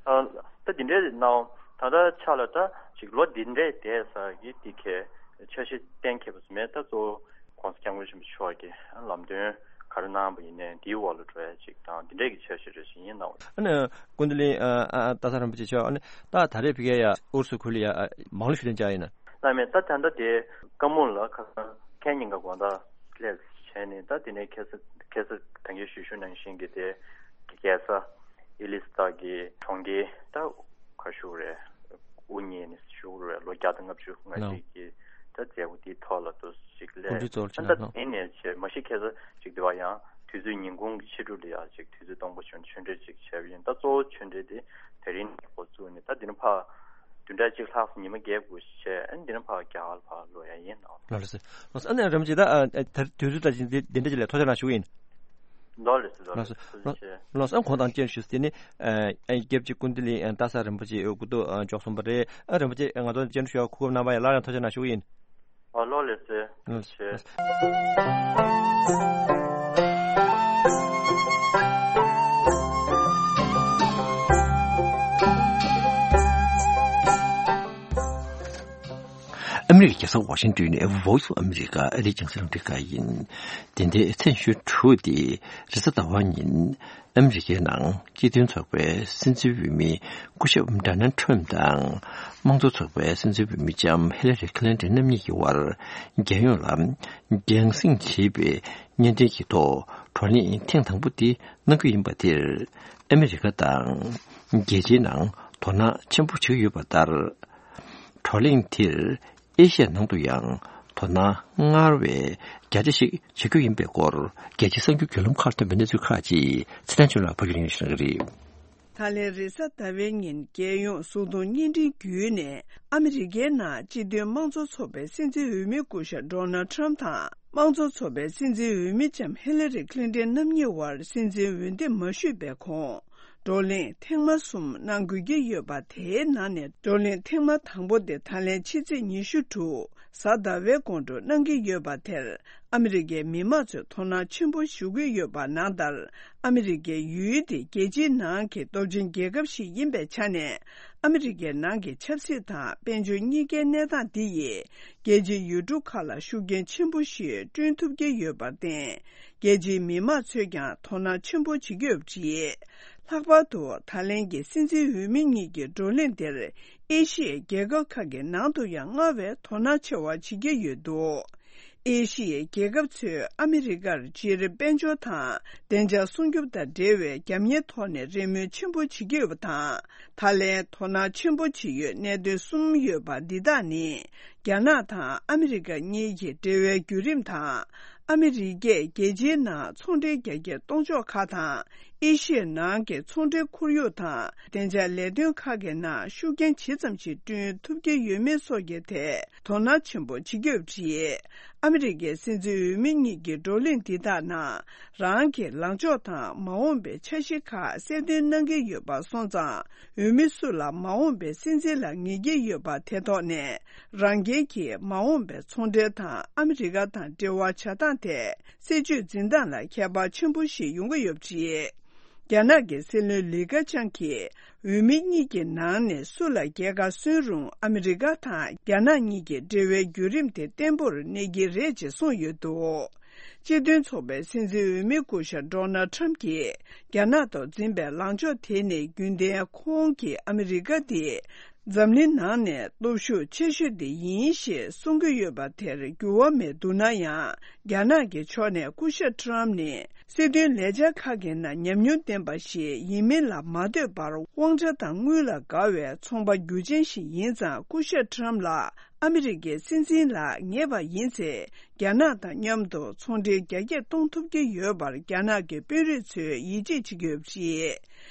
ཨ། ད་འདི་འདྲའི་གནང་ད་ལྟ་ཆ་ལ་ད་ཅིག་ལོ་འདི་འདྲའི་འདས་ས་གི་འདི་གས་འཆར་གཞི་གཏན་འཁེལ་བ་མེད། ད་གཙོ་བོ་༸གོང་ས་༸སྐྱབས་མགོན་ཆེན་པོ་མཆོག་གི་ལམ་སྟོན་ག་རེ་གནང་བ་ཡིན་ནའི་འདིའི་འོག་ལ་འགྲོ་ཡ་ཅིག་དང་འདི་འདྲའི་གི་འཆར་གཞི་རེ་ཞིག་ཡིན་གནང་བ། ཨ་ནི་ཀུན་བདེ་གླིང་ཨ་ཨ་སྟག་ཚང་རིན་པོ་ཆེ་མཆོག་ཨ་ནི་ད་ད་རེས་ཕ་གིར་ཡ་ཨུ་རུ་སུ་ཁུལ་ལ་ཡ་མང་ལོ་ཞུ་ལན་བཅར་ཡིན་ན། ལགས་མེད། ད་ད་ལྟ་དེ་ཀ་མུ་ལ་ཁ་སང་ཁེ་ཉིན་ག་དགོང་དག་སླེབས་བྱས་ནས་ད་དེ་ནས་ཁ་སང་ཁ་སང་ད་གིན་ཞུས་ཞུས་ནང་བཞིན་གྱི་དེ་རྒྱལ་ས་ཨི་ལི་སི་ཐ་གི་གྲོང་ཁྱེར་ད་ག་ཞུ་རེད། དབུ་བརྙེས་ནས་ཞུ་རེད། ལོ་བརྒྱ་དང་ལྔ་བཅུ་ང་གཅིག་གི་ད་མཛད་སྒོ་དེའི་ཐོག་ལ་དུ་ཞིག་སླེབས། ད་དེ་ནས་བྱས་མ་གཞི་ཁ་སང་ཅིག་དེ་བ་ཡང་དུས་ཚོད་ཉིན་གུང་གི་ཕྱི་དྲོ་ལ་ཡང་ཅིག་དུས་ཚོད་སྟོང་པ་བྱུང་ཆོས་འབྲེལ་ཅིག་བྱས་པ་ཡིན། ད་གཙོ་བོ་ཆོས་འབྲེལ་དེ་དེ་རིང་ནས་འགོ་བཙུགས་ནས་ད་དེ་ནས་ཕར་བདུན་ཕྲག་གཅིག་ལྷག་ཉི་མ་བརྒྱད་དགུ་བྱས། ཨ་ནི་འདི་ནས་ཕར་རྒྱ་གར་ལ་ཕར་ལོག་ཡ་ཡིན་ནོ། ལགས་ལགས་སོ། ལགས་སོ། ཨ་ནི་རིན་པོ་ཆེ་ད་ཨ་ཨ་ད་དུས་ཚོད་ད་ཅིག་འདི་འདི་འདྲ་ཅིག་ལ་ཐུགས་རྗེ་གནང་ཞུ་གི་ཡིན། ལགས་ལགས་སོ། ལགས་ལགས་སོ། ལགས་སོ། ལགས་སོ། ཨ་ནི་ཁོང་དང་བཅས་ཞུས་ཏེ་ནི་ཨ་ཨ་སྐྱབས་རྗེ་ཀུན་བདེ་གླིང་ཨ་སྟག་ཚང་རིན་པོ་ཆེ་སྐུ་ཐོག་ཨ་འབྱོར་སོང་པ་རེད། ཨ་རིན་པོ་ཆེ་ང་ཚོ་བཅར་འདྲི་ཞུ་བ་གོ་སྐབས་གནང་བ་ཡ་སླར་ཡང་ཐུགས་རྗེ་གནང་ཞུ་གི་ཡིན། ཨ་ལགས་ལགས་སོ། ལགས་སོ། ཨ་མི་རི་ཀའི་རྒྱལ་ས་ཝ་ཤིང་ཏོན་ནས་Voice of America ཨ་རིའི་རྒྱང་སྲིང་རླུང་འཕྲིན་ཁང་ཡིན། འདི་ཟླའི་མཚན་ཞོ་དྲུག་སྟེ་རེས་གཟའ་ཟླ་བ་ཉིན་ཨ་མི་རི་ཀའི་ནང་སྤྱི་མཐུན་ཚོགས་པའི་སྲིད་འཛིན་འོས་མི་སྐུ་ཞབས་ཌོ་ནལ་ཁྲམ་དང་། དམངས་གཙོ་ཚོགས་པའི་སྲིད་འཛིན་འོས་མི་ལྕམ་ཧི་ལ་རི་ཁི་ལིན་ཏོན་རྣམ་གཉིས་ཀྱི་དབར་རྒྱལ་ཡོངས་ལ་རྒྱང་སྲིང་བྱེད་པའི་གཉེན་འབྲེལ་གྱི་ཐོག་བགྲོ་གླེང་ཐེངས་དང་པོ་དེ་གནང་རྒྱུ་ཡིན་པ་དེར་ཨ་མི་རི་ཀ་དང་རྒྱལ་སྤྱིའི་ནང་དོ་སྣང་ཆེན་པོ་བྱེད་ཀྱི་ཡོད་པ་ལྟར། བགྲོ་གླེང་དེར་ཨེ་ཤི་ཡ་ནང་དུ་ཡང་དོ་སྣང་སྔར་བས་རྒྱ་ཆེ་ཞིག་བྱེད་རྒྱུ་ཡིན་པའི་སྐོར་རྒྱལ་སྤྱིའི་གསར་འགྱུར་བརྒྱུད་ལམ་ཁག་ཐོན་པའི་གནས་ཚུལ་ཁག་ཅིག་ཚེ་བརྟན་ཆོས་ལགས་ཕབ་སྒྱུར་གནང་གི་རེད། ད་ལན་རེས་གཟའ་ཟླ་བའི་ཉིན་རྒྱལ་ཡོངས་གཟུགས་མཐོང་བརྙན་འཕྲིན་བརྒྱུད་ནས་ཨ་མི་རི་ཀའི་ནང་སྤྱི་མཐུན་དམངས་གཙོ་ཚོགས་པའི་སྲིད་འཛིན་འོས་མི་སྐུ་ཞབས་ཌོ་ནལ་ཁྲམ་དང་དམངས་གཙོ་ཚོགས་པའི་སྲིད་འཛིན་འོས་མི་ལྕམ་ཧི་ལ་རི་ཁི་ལིན་ཏོན་རྣམ་གཉིས་དབར་སྲིད་འཛིན་འོས་འདེམས་མ་ཞུས་པའི་གོང་། བགྲོ་གླེང་ཐེངས་མ་གསུམ་གནང་དགོས་ཀྱི་ཡོད་པ། དེའི་ནང་ནས་བགྲོ་གླེང་ཐེངས་མ་དང་པོ་དེ་ད་ལན་ཕྱི་ཚེས་ཉི་ཤུ་དྲུག་གཟའ་ཟླ་བའི་དགོང་དྲོ་གནང་གི་ཡོད་པ་དེར་ཨ་མི་རི་ཀའི་མི་མང་ཚོས་དོ་སྣང་ཆེན་པོ་ཞུ་གི་ཡོད་པ་ནང་ལྟར། ཨ་མི་རི་ཀའི་ཡུལ་དེ་རྒྱལ་སྤྱིའི་ནང་གི་སྟོབས་ཆེན་རྒྱལ་ཁབ་ཞིག་ཡིན་པའི་ཆ་ནས། ཨ་མི་རི་ཀའི་ནང་གི་ཆབ་སྲིད་དང་དཔལ་འབྱོར་གཉིས་ཀའི་གནས་སྟངས་འདི་ཡིས་རྒྱལ་སྤྱིའི་ཡུལ་གྲུ་ཁག་ལ་ཤུགས་རྐྱེན་ཆེན་པོ་ཞིག་བསྐྲུན་ཐུབ་ཀྱི་ཡོད་པར་བརྟེན། རྒྱལ་སྤྱིའི་མི་མང་ཚོས་ཀྱང་དོ་སྣང་ཆེན་པོ་བྱེད་ཀྱི་ཡོད་པ་རེད། ལྷག་པར་དུ་ད་ལན་གྱི་སྲིད་འཛིན་འོས་མི་གཉིས་ཀྱི་བགྲོ་གླེང་དེར་ཨེ་ཤི་ཡའི་རྒྱལ་ཁབ་ཁག་གི་ནང་དུ་ཡང་སྔར་བས་དོ་སྣང་ཆེ་བ་བྱེད་ཀྱི་ཡོད་འདུག་ཨེ་ཤི་ཡའི་རྒྱལ་ཁབ་ཚོས་ཨ་མི་རི་ཀར་སྤྱིར་དཔལ་འབྱོར་དང་བདེ་འཇགས་སྲུང་སྐྱོབ་དང་འབྲེལ་བའི་རྒྱབ་གཉེར་ཐོག་ནས་རེ་སྨོན་ཆེན་པོ་བྱེད་ཀྱི་ཡོད་པ་དང་། ད་ལན་དོ་སྣང་ཆེན་པོ་བྱེད་ཡུལ་གནད་དོན་གསུམ་ཡོད་པ་འདི་དག་ནི། རྒྱ་ནག་དང་ཨ་མི་རི་ཀ་གཉིས་ཀྱི་འབྲེལ་བའི་བརྒྱུད་རིམ་དང་། ཨ་མི་རི་ཀས་རྒྱལ་སྤྱིའི་ནང་ཚོང་འབྲེལ་རྒྱ་སྐྱེད་གཏོང་ཕྱོགས་ཁག་དང་། ཨེ་ཤི་ཡའི་ནང་གི་ཚོང་འབྲེལ་ཁོར་ཡུག་དང་། བདེ་འཇགས་ལས་དོན་ཁག་གི་ནང་ཤུགས་རྐྱེན་ཇི་ཙམ་ཞིག་བསྐྲུན་ཐུབ་ཀྱི་ཡོད་མེད་སོགས་ཀྱི་ཐད་དོ་སྣང་ཆེན་པོ་བྱེད་ཀྱི་ཡོད་པ་རེད། ཨ་མི་རི་ཀའི་སྲིད་འཛིན་འོས་མི་གཉིས་ཀྱི་བགྲོ་གླེང་འདི་དག་ནང་། རང་གི་ལངས་ཕྱོགས་དང་མ་འོངས་པའི་འཆར་གཞི་ཁག་གསལ་སྟོན་གནང་གི་ཡོད་པ་སོང་ཙང་། འོས་མི་སུ་ལ་མ་འོངས་པའི་སྲིད་འཛིན་ལ་ངེས་ཀྱི་ཡོད་པ་དེ་ཐོག་ནས། རང་རྒྱལ་གྱི་མ་འོངས་པའི་ཚོང་འབྲེལ་དང་ཨ་མི་རི་ཀ་དང་འབྲེལ་བ་བྱ་སྟངས་ཐད། སྲིད་ཇུས་འཛིན་སྟངས་ལ་ཁྱད་པར་ཆེན་པོ་ཞིག་ཡོང་གི་ཡོད་པ་རེད། རྒྱ་ནག་གི་སྲིད་བློན་ལི་ཁེ་ཆང་གིས། འོས་མི་གཉིས་ཀྱི་ནང་ནས་སུ་ལ་རྒྱལ་ཁ་སོན་རུང་ཨ་མི་རི་ཀ་དང་རྒྱ་ནག་གཉིས་ཀྱི་འབྲེལ་བའི་བརྒྱུད་རིམ་དེ་བརྟན་པོར་གནས་ཀྱི་རེད་ཅེས་གསུངས་ཡོད་འདུག་སྤྱི་མཐུན་ཚོགས་པའི་སྲིད་འཛིན་འོས་མི་སྐུ་ཞབས་ཌོ་ནལ་ཁྲམ་གྱིས་རྒྱ་ནག་ཐོག་འཛིན་པའི་ལངས་ཕྱོགས་དེ་ནི་རྒྱུན་ལྡན་ཁོང་གིས་ཨ་མི་རི་ཀ་དེ་འཛམ་གླིང་ནང་ནས་སྟོབས་ཤུགས་ཆེ་ཤོས་དེ་ཡིན་ཞེས་གསུང་གི་ཡོད་པ་དེར་འགྱུར་བ་མེད་འདུག་ན་ཡང་། རྒྱ་ནག་གི་ཕྱོགས་ནས་སྐུ་ཞབས་ཁྲམ་ནི་སྲིད་དོན་ལས་འཆར་ཁག་གི་ནང་ཉམས་མྱོང་ལྡན་པ་ཞིག་ཡིན་མིན་ལ་མ་ལྟོས་པར། དབང་ཆ་དང་དངུལ་ལ་དགའ་བའི་ཚོང་པ་རྒྱུ་ཅན་ཞིག་ཡིན་ཙང་། སྐུ་ཞབས་ཁྲམ་ལ་ ཨ་མི་རི་ཀའི་སྲིད་འཛིན་ལ་ངེས་པ་ཡིན་ཚེ། རྒྱ་ནག་དང་མཉམ་དུ་ཚོང་འབྲེལ་རྒྱ་སྐྱེད་གཏོང་ཐུབ་ཀྱི་ཡོད་པར་རྒྱ་ནག་གི་དཔོན་རིགས་ཚོས་ཡིད་ཆེས་བྱེད་ཀྱི་ཡོད་པ་རེད།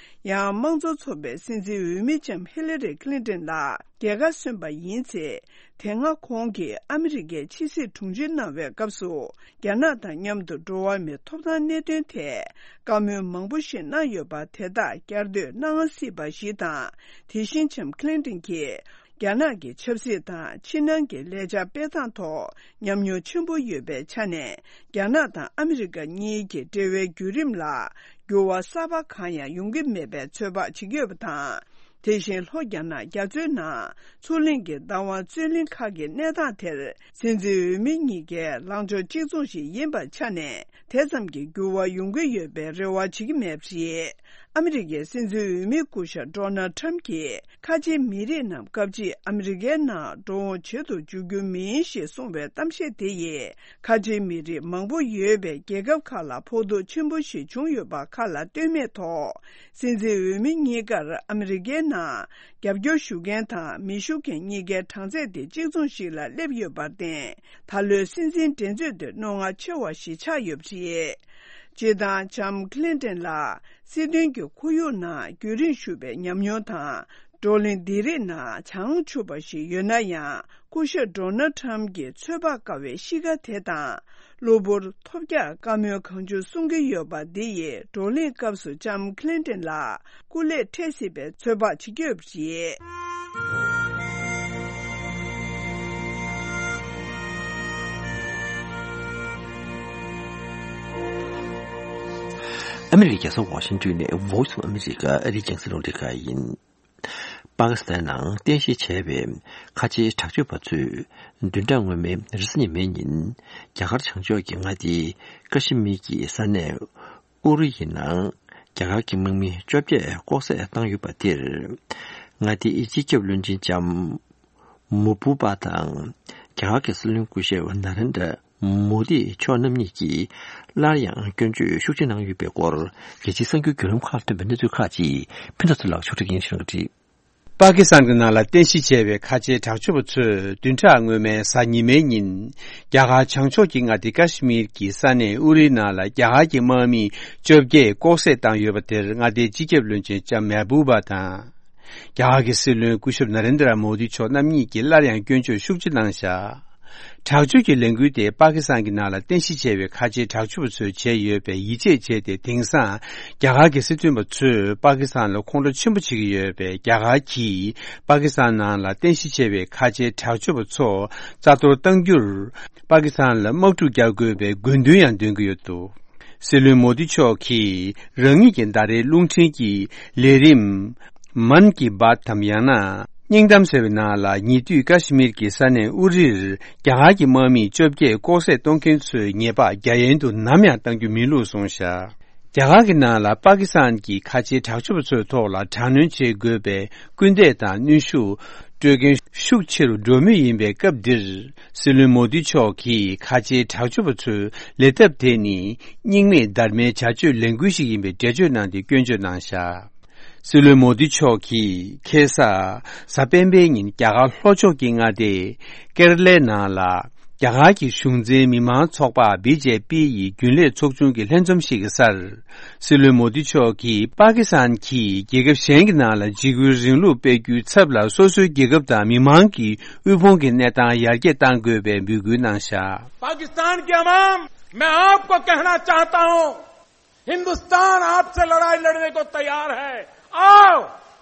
ཡང་དམངས་གཙོ་ཚོགས་པའི་སྲིད་འཛིན་འོས་མི་ལྕམ་ཧི་ལ་རི་ཁི་ལིན་ཏོན་ལགས་རྒྱལ་ཁ་སོན་པ་ཡིན་ཚེ། དེ་སྔ་ཁོང་གིས་ཨ་མི་རི་ཀའི་ཕྱི་སྲིད་དྲུང་ཆེ་གནང་བའི་སྐབས་སུ། རྒྱ་ནག་དང་མཉམ་དུ་འགྲོ་བ་མིའི་ཐོབ་ཐང་གནད་དོན་ཐད་བཀའ་མོལ་མང་པོ་ཞིག་གནང་ཡོད་པ་དེ་དག་བསྐྱར་ཟློས་གནང་སྲིད་པ་ཞིག་དང་། དེ་བཞིན་ལྕམ་ཁི་ལིན་ཏོན་གྱིས། རྒྱ་ནག་གི་ཆབ་སྲིད་དང་ཕྱི་ནང་གི་ལས་འཆར་སྤེལ་སྟངས་ཐོག་ཉམས་མྱོང་ཆེན་པོ་ཡོད་པའི་ཆ་ནས། རྒྱ་ནག་དང་ཨ་མི་རི་ཀ་གཉིས་ཀྱི་འབྲེལ་བའི་བརྒྱུད་རིམ་ལ་འགྱུར་བ་གསར་པ་གང་ཡང་ཡོང་གི་མེད་པའི་ཚོད་དཔག་བྱེད་ཀྱི་ཡོད་པ་དང་། དེ་བཞིན་ལྷོ་རྒྱ་ནག་རྒྱ་མཚོའི་ནང་མཚོ་གླིང་གི་བདག་དབང་རྩོད་གླེང་ཁག་གི་གནས་སྟངས་དེར། སྲིད་འཛིན་འོས་མི་གཉིས་ཀའི་ལངས་ཕྱོགས་གཅིག་མཚུངས་ཤིག་ཡིན་པའི་ཆ་ནས། དེ་ཙམ་གྱི་འགྱུར་བ་ཡོང་གི་ཡོད་པའི་རེ་བ་བྱེད་ཀྱི་མེད་པ་རེད། ཨ་མི་རི་ཀའི་སྲིད་འཛིན་འོས་མི་སྐུ་ཞབས་ཌོ་ནལ་ཊམ་གྱིས། ཁ་ཆེའི་མི་རིགས་རྣམས་སྐབས་གཅིག་ཨ་མི་རི་ཀའི་ནང་འགྲོ་འོང་བྱེད་དུ་འཇུག་རྒྱུ་མིན་ཞེས་གསུངས་པའི་གཏམ་བཤད་དེ་ཡིས། ཁ་ཆེའི་མི་རིགས་མང་པོ་ཡོད་པའི་རྒྱལ་ཁབ་ཁག་ལ་ཕོག་ཐུག་ཆེན་པོ་ཞིག་བྱུང་ཡོད་པ་ཁ་ལ་སྟོན་མེད་ཐོག་སྲིད་འཛིན་འོས་མི་གཉིས་ཀར་ཨ་མི་རི་ཀའི་ནང་རྒྱབ་སྐྱོར་ཞུ་མཁན་དང་མི་ཞུ་མཁན་གཉིས་ཀའི་གྲངས་ཚད་དེ་གཅིག་མཚུངས་ཤིག་ལ་སླེབས་ཡོད་པར་བརྟེན། ད་ལོའི་སྲིད་འཛིན་འགྲན་རྩོད་དེ་རྣོ་ངར་ཆེ་བ་ཞིག་ཆགས་ཡོད་པ་རེད། སྤྱིར་བཏང་ལྕམ་ཁི་ལིན་ཏོན་ལ་སྲིད་དོན་གྱི་ཁོར་ཡུག་ནང་རྒྱུན་རིང་བཞུགས་པའི་ཉམས་མྱོང་དང་། བགྲོ་གླེང་འདི་རིགས་ནང་བྱང་ཆུབ་པ་ཞིག་ཡོད་ན་ཡང་། སྐུ་ཞབས་ཌོ་ནལ་ཊམ་གྱི་ཚོད་དཔག་དཀའ་བའི་གཤིས་ཀ་དེ་དང་། གློ་བུར་ཐོལ་རྒྱག་བཀའ་མོལ་གང་བྱུང་གསུང་གི་ཡོད་པ་འདི་ཡིས། བགྲོ་གླེང་སྐབས་སུ་ལྕམ་ཁི་ལིན་ཏོན་ལ་སྐུ་ལས་འཕྲད་སྲིད་པའི་ཚོད་དཔག་བྱེད་ཀྱི་ཡོད་པ་རེད། ཨ་མི་རི་ཀའི་རྒྱལ་ས་ཝ་ཤིང་ཏོན་ནས་Voice of America ཨ་རིའི་རྒྱང་སྲིང་རླུང་འཕྲིན་ཁང་ཡིན། པ་ཀི་སི་ཐན་ནང་རྟེན་གཞི་བྱས་པའི་ཁ་ཆེའི་དྲག་སྤྱོད་པ་ཚོས་བདུན་ཕྲག་སྔོན་མའི་རེས་གཟའ་ཉི་མའི་ཉིན། རྒྱ་གར་བྱང་ཕྱོགས་ཀྱི་མངའ་སྡེ་ཀ་ཤི་མིར་གྱི་ས་གནས་ཨུ་རི་ཡི་ནང་རྒྱ་གར་གྱི་དམག་མི་བཅོ་བརྒྱད་ལྐོག་བསད་བཏང་ཡོད་པ་དེར། མངའ་སྡེའི་སྤྱི་ཁྱབ་བློན་ཆེན་ལྕམ་མོ་བུ་པ་དང་། རྒྱ་གར་གྱི་སྲིད་བློན་སྐུ་ཞབས་ན་རེན་དྲ་མོ་དི་མཆོག་རྣམ་གཉིས་ཀྱིས་སླར་ཡང་སྐྱོན་བརྗོད་ཤུགས་ཆེ་གནང་ཡོད་པའི་སྐོར། རྒྱལ་སྤྱིའི་གསར་འགྱུར་བརྒྱུད་ལམ་ཁག་ལ་ཐོན་པའི་གནས་ཚུལ་ཁག་ཅིག་ཕུན་ཚོགས་ཚེ་ལགས་ཕྱོགས་སྒྲིག་ཡིན་ཞུ་གི་རེད། པ་ཀི་སི་ཐན་གྱི་ནང་ལ་རྟེན་གཞི་བྱས་པའི་ཁ་ཆེའི་དྲག་སྤྱོད་པ་ཚོས་བདུན་ཕྲག་སྔོན་མའི་གཟའ་ཉི་མའི་ཉིན། རྒྱ་གར་བྱང་ཕྱོགས་ཀྱི་མངའ་སྡེ་ཀ་ཤི་མིར་གྱི་ས་གནས་ཨུ་རིའི་ནང་ལ་རྒྱ་གར་གྱི་དམག་མིས་བཅོ་བརྒྱད་ལྐོག་བསད་བཏང་ཡོད་པ་དེར། མངའ་སྡེའི་སྤྱི་ཁྱབ་བློན་ཆེན་ལྕམ་མེ་བྷུ་བ་དང་། རྒྱ་གར་གྱི་སྲིད་བློན་སྐུ་ཞབས་ན་རེན་དྲ་མོ་དི་མཆོག་རྣམ་གཉིས་ཀྱིས་སླར་ཡང་སྐྱོན་བརྗོད་ཤུགས་ཆེ་གནང་བཞག་དྲག་སྤྱོད་ཀྱི་ལས་འགུལ་དེ་པ་ཀི་སི་ཐན་གྱི་ནང་ལ་རྟེན་གཞི་བྱས་པའི་ཁ་ཆེའི་དྲག་སྤྱོད་པ་ཚོས་བྱས་ཡོད་པས་ཡིད་ཆེས་བྱས་ཏེ། དེང་སང་རྒྱ་གར་གྱི་སྲིད་དོན་པ་ཚོས་པ་ཀི་སི་ཐན་ལ་ཁོང་ཁྲོ་ཆེན་པོ་བྱེད་ཀྱི་ཡོད་པས། རྒྱ་གར་གྱིས་པ་ཀི་སི་ཐན་ནང་ལ་རྟེན་གཞི་བྱས་པའི་ཁ་ཆེའི་དྲག་སྤྱོད་པ་ཚོ་རྩ་གཏོར་གཏང་རྒྱུར། པ་ཀི་སི་ཐན་ལ་དམག་འཁྲུག་རྒྱག་དགོས་པའི་དགོས་འདུན་ཡང་འདོན་གྱི་ཡོད་འདུག་སྲིད་བློན་མོ་དི་མཆོག་གིས་རང་ཉིད་ཀྱི་ཟླ་རེའི་རླུང་འཕྲིན་གྱི་ལས་རིམ། མན་གྱི་བཱད་དམ་ཡང་ན་སྙིང་གཏམ་ཟེར་བའི་ནང་ལ། ཉེ་དུས་ཀ་ཤི་མིར་གྱི་ས་གནས་ཨུ་རིར་རྒྱ་གར་གྱི་དམག་མིས་བཅོ་བརྒྱད་ལྐོག་བསད་གཏོང་མཁན་ཚོའི་ཉེས་པ་རྒྱ་ཡན་དུ་ནམ་ཡང་གཏང་རྒྱུ་མིན་ལུགས་གསུངས་བཞག་རྒྱ་གར་གྱི་ནང་ལ་པ་ཀི་སི་ཐན་གྱིས་ཁ་ཆེའི་དྲག་སྤྱོད་པ་ཚོའི་ཐོག་ལ་དྲག་གནོན་བྱེད་དགོས་པའི་སྐུལ་འདེད་དང་གནོན་ཤུགས་སྤྲོད་མཁན་ཤུགས་ཆེ་རུ་འགྲོ་མུས་ཡིན་པའི་སྐབས་འདིར། སྲིད་བློན་མོ་དི་མཆོག་གིས་ཁ་ཆེའི་དྲག་སྤྱོད་པ་ཚོའི་ལས་ཐབས་དེ་ནི་རྙིང་མའི་སྡར་མའི་བྱ་སྤྱོད་ལས་འགུལ་ཞིག་ཡིན་པའི་འགྲེལ་བརྗོད་གནང་སྟེ་སྐྱོན་བརྗོད་གནང་བཞག་སྲིད་བློན་མོ་དི་མཆོག་གིས་ཁ་སང་གཟའ་སྤེན་པའི་ཉིན་རྒྱ་གར་ལྷོ་ཕྱོགས་ཀྱི་མངའ་སྡེ་ཀེ་ར་ལའི་ནང་ལ་རྒྱ་གར་གྱི་གཞུང་འཛིན་མི་མང་ཚོགས་པ་བི་ཇེ་པི་ཡི་རྒྱུན་ལས་ཚོགས་ཆུང་གི་ལྷན་འཛོམས་ཤིག་གི་སར། སྲིད་བློན་མོ་དི་མཆོག་གིས་པ་ཀི་སི་ཐན་གྱིས་རྒྱལ་ཁབ་གཞན་གྱི་ནང་ལ་འཇིགས་སྐུལ་རིང་ལུགས་སྤེལ་རྒྱུའི་ཚབ་ལ་སོ་སོའི་རྒྱལ་ཁབ་དང་མི་མང་གི་དབུལ་ཕོངས་ཀྱི་གནས་སྟངས་ཡར་རྒྱས་གཏང་དགོས་པའི་འབོད་སྐུལ་གནང་བཞག पाकिस्तान के अवाम, मैं आपको कहना चाहता हूं, हिंदुस्तान आपसे लड़ाई लड़ने को तैयार है। आओ,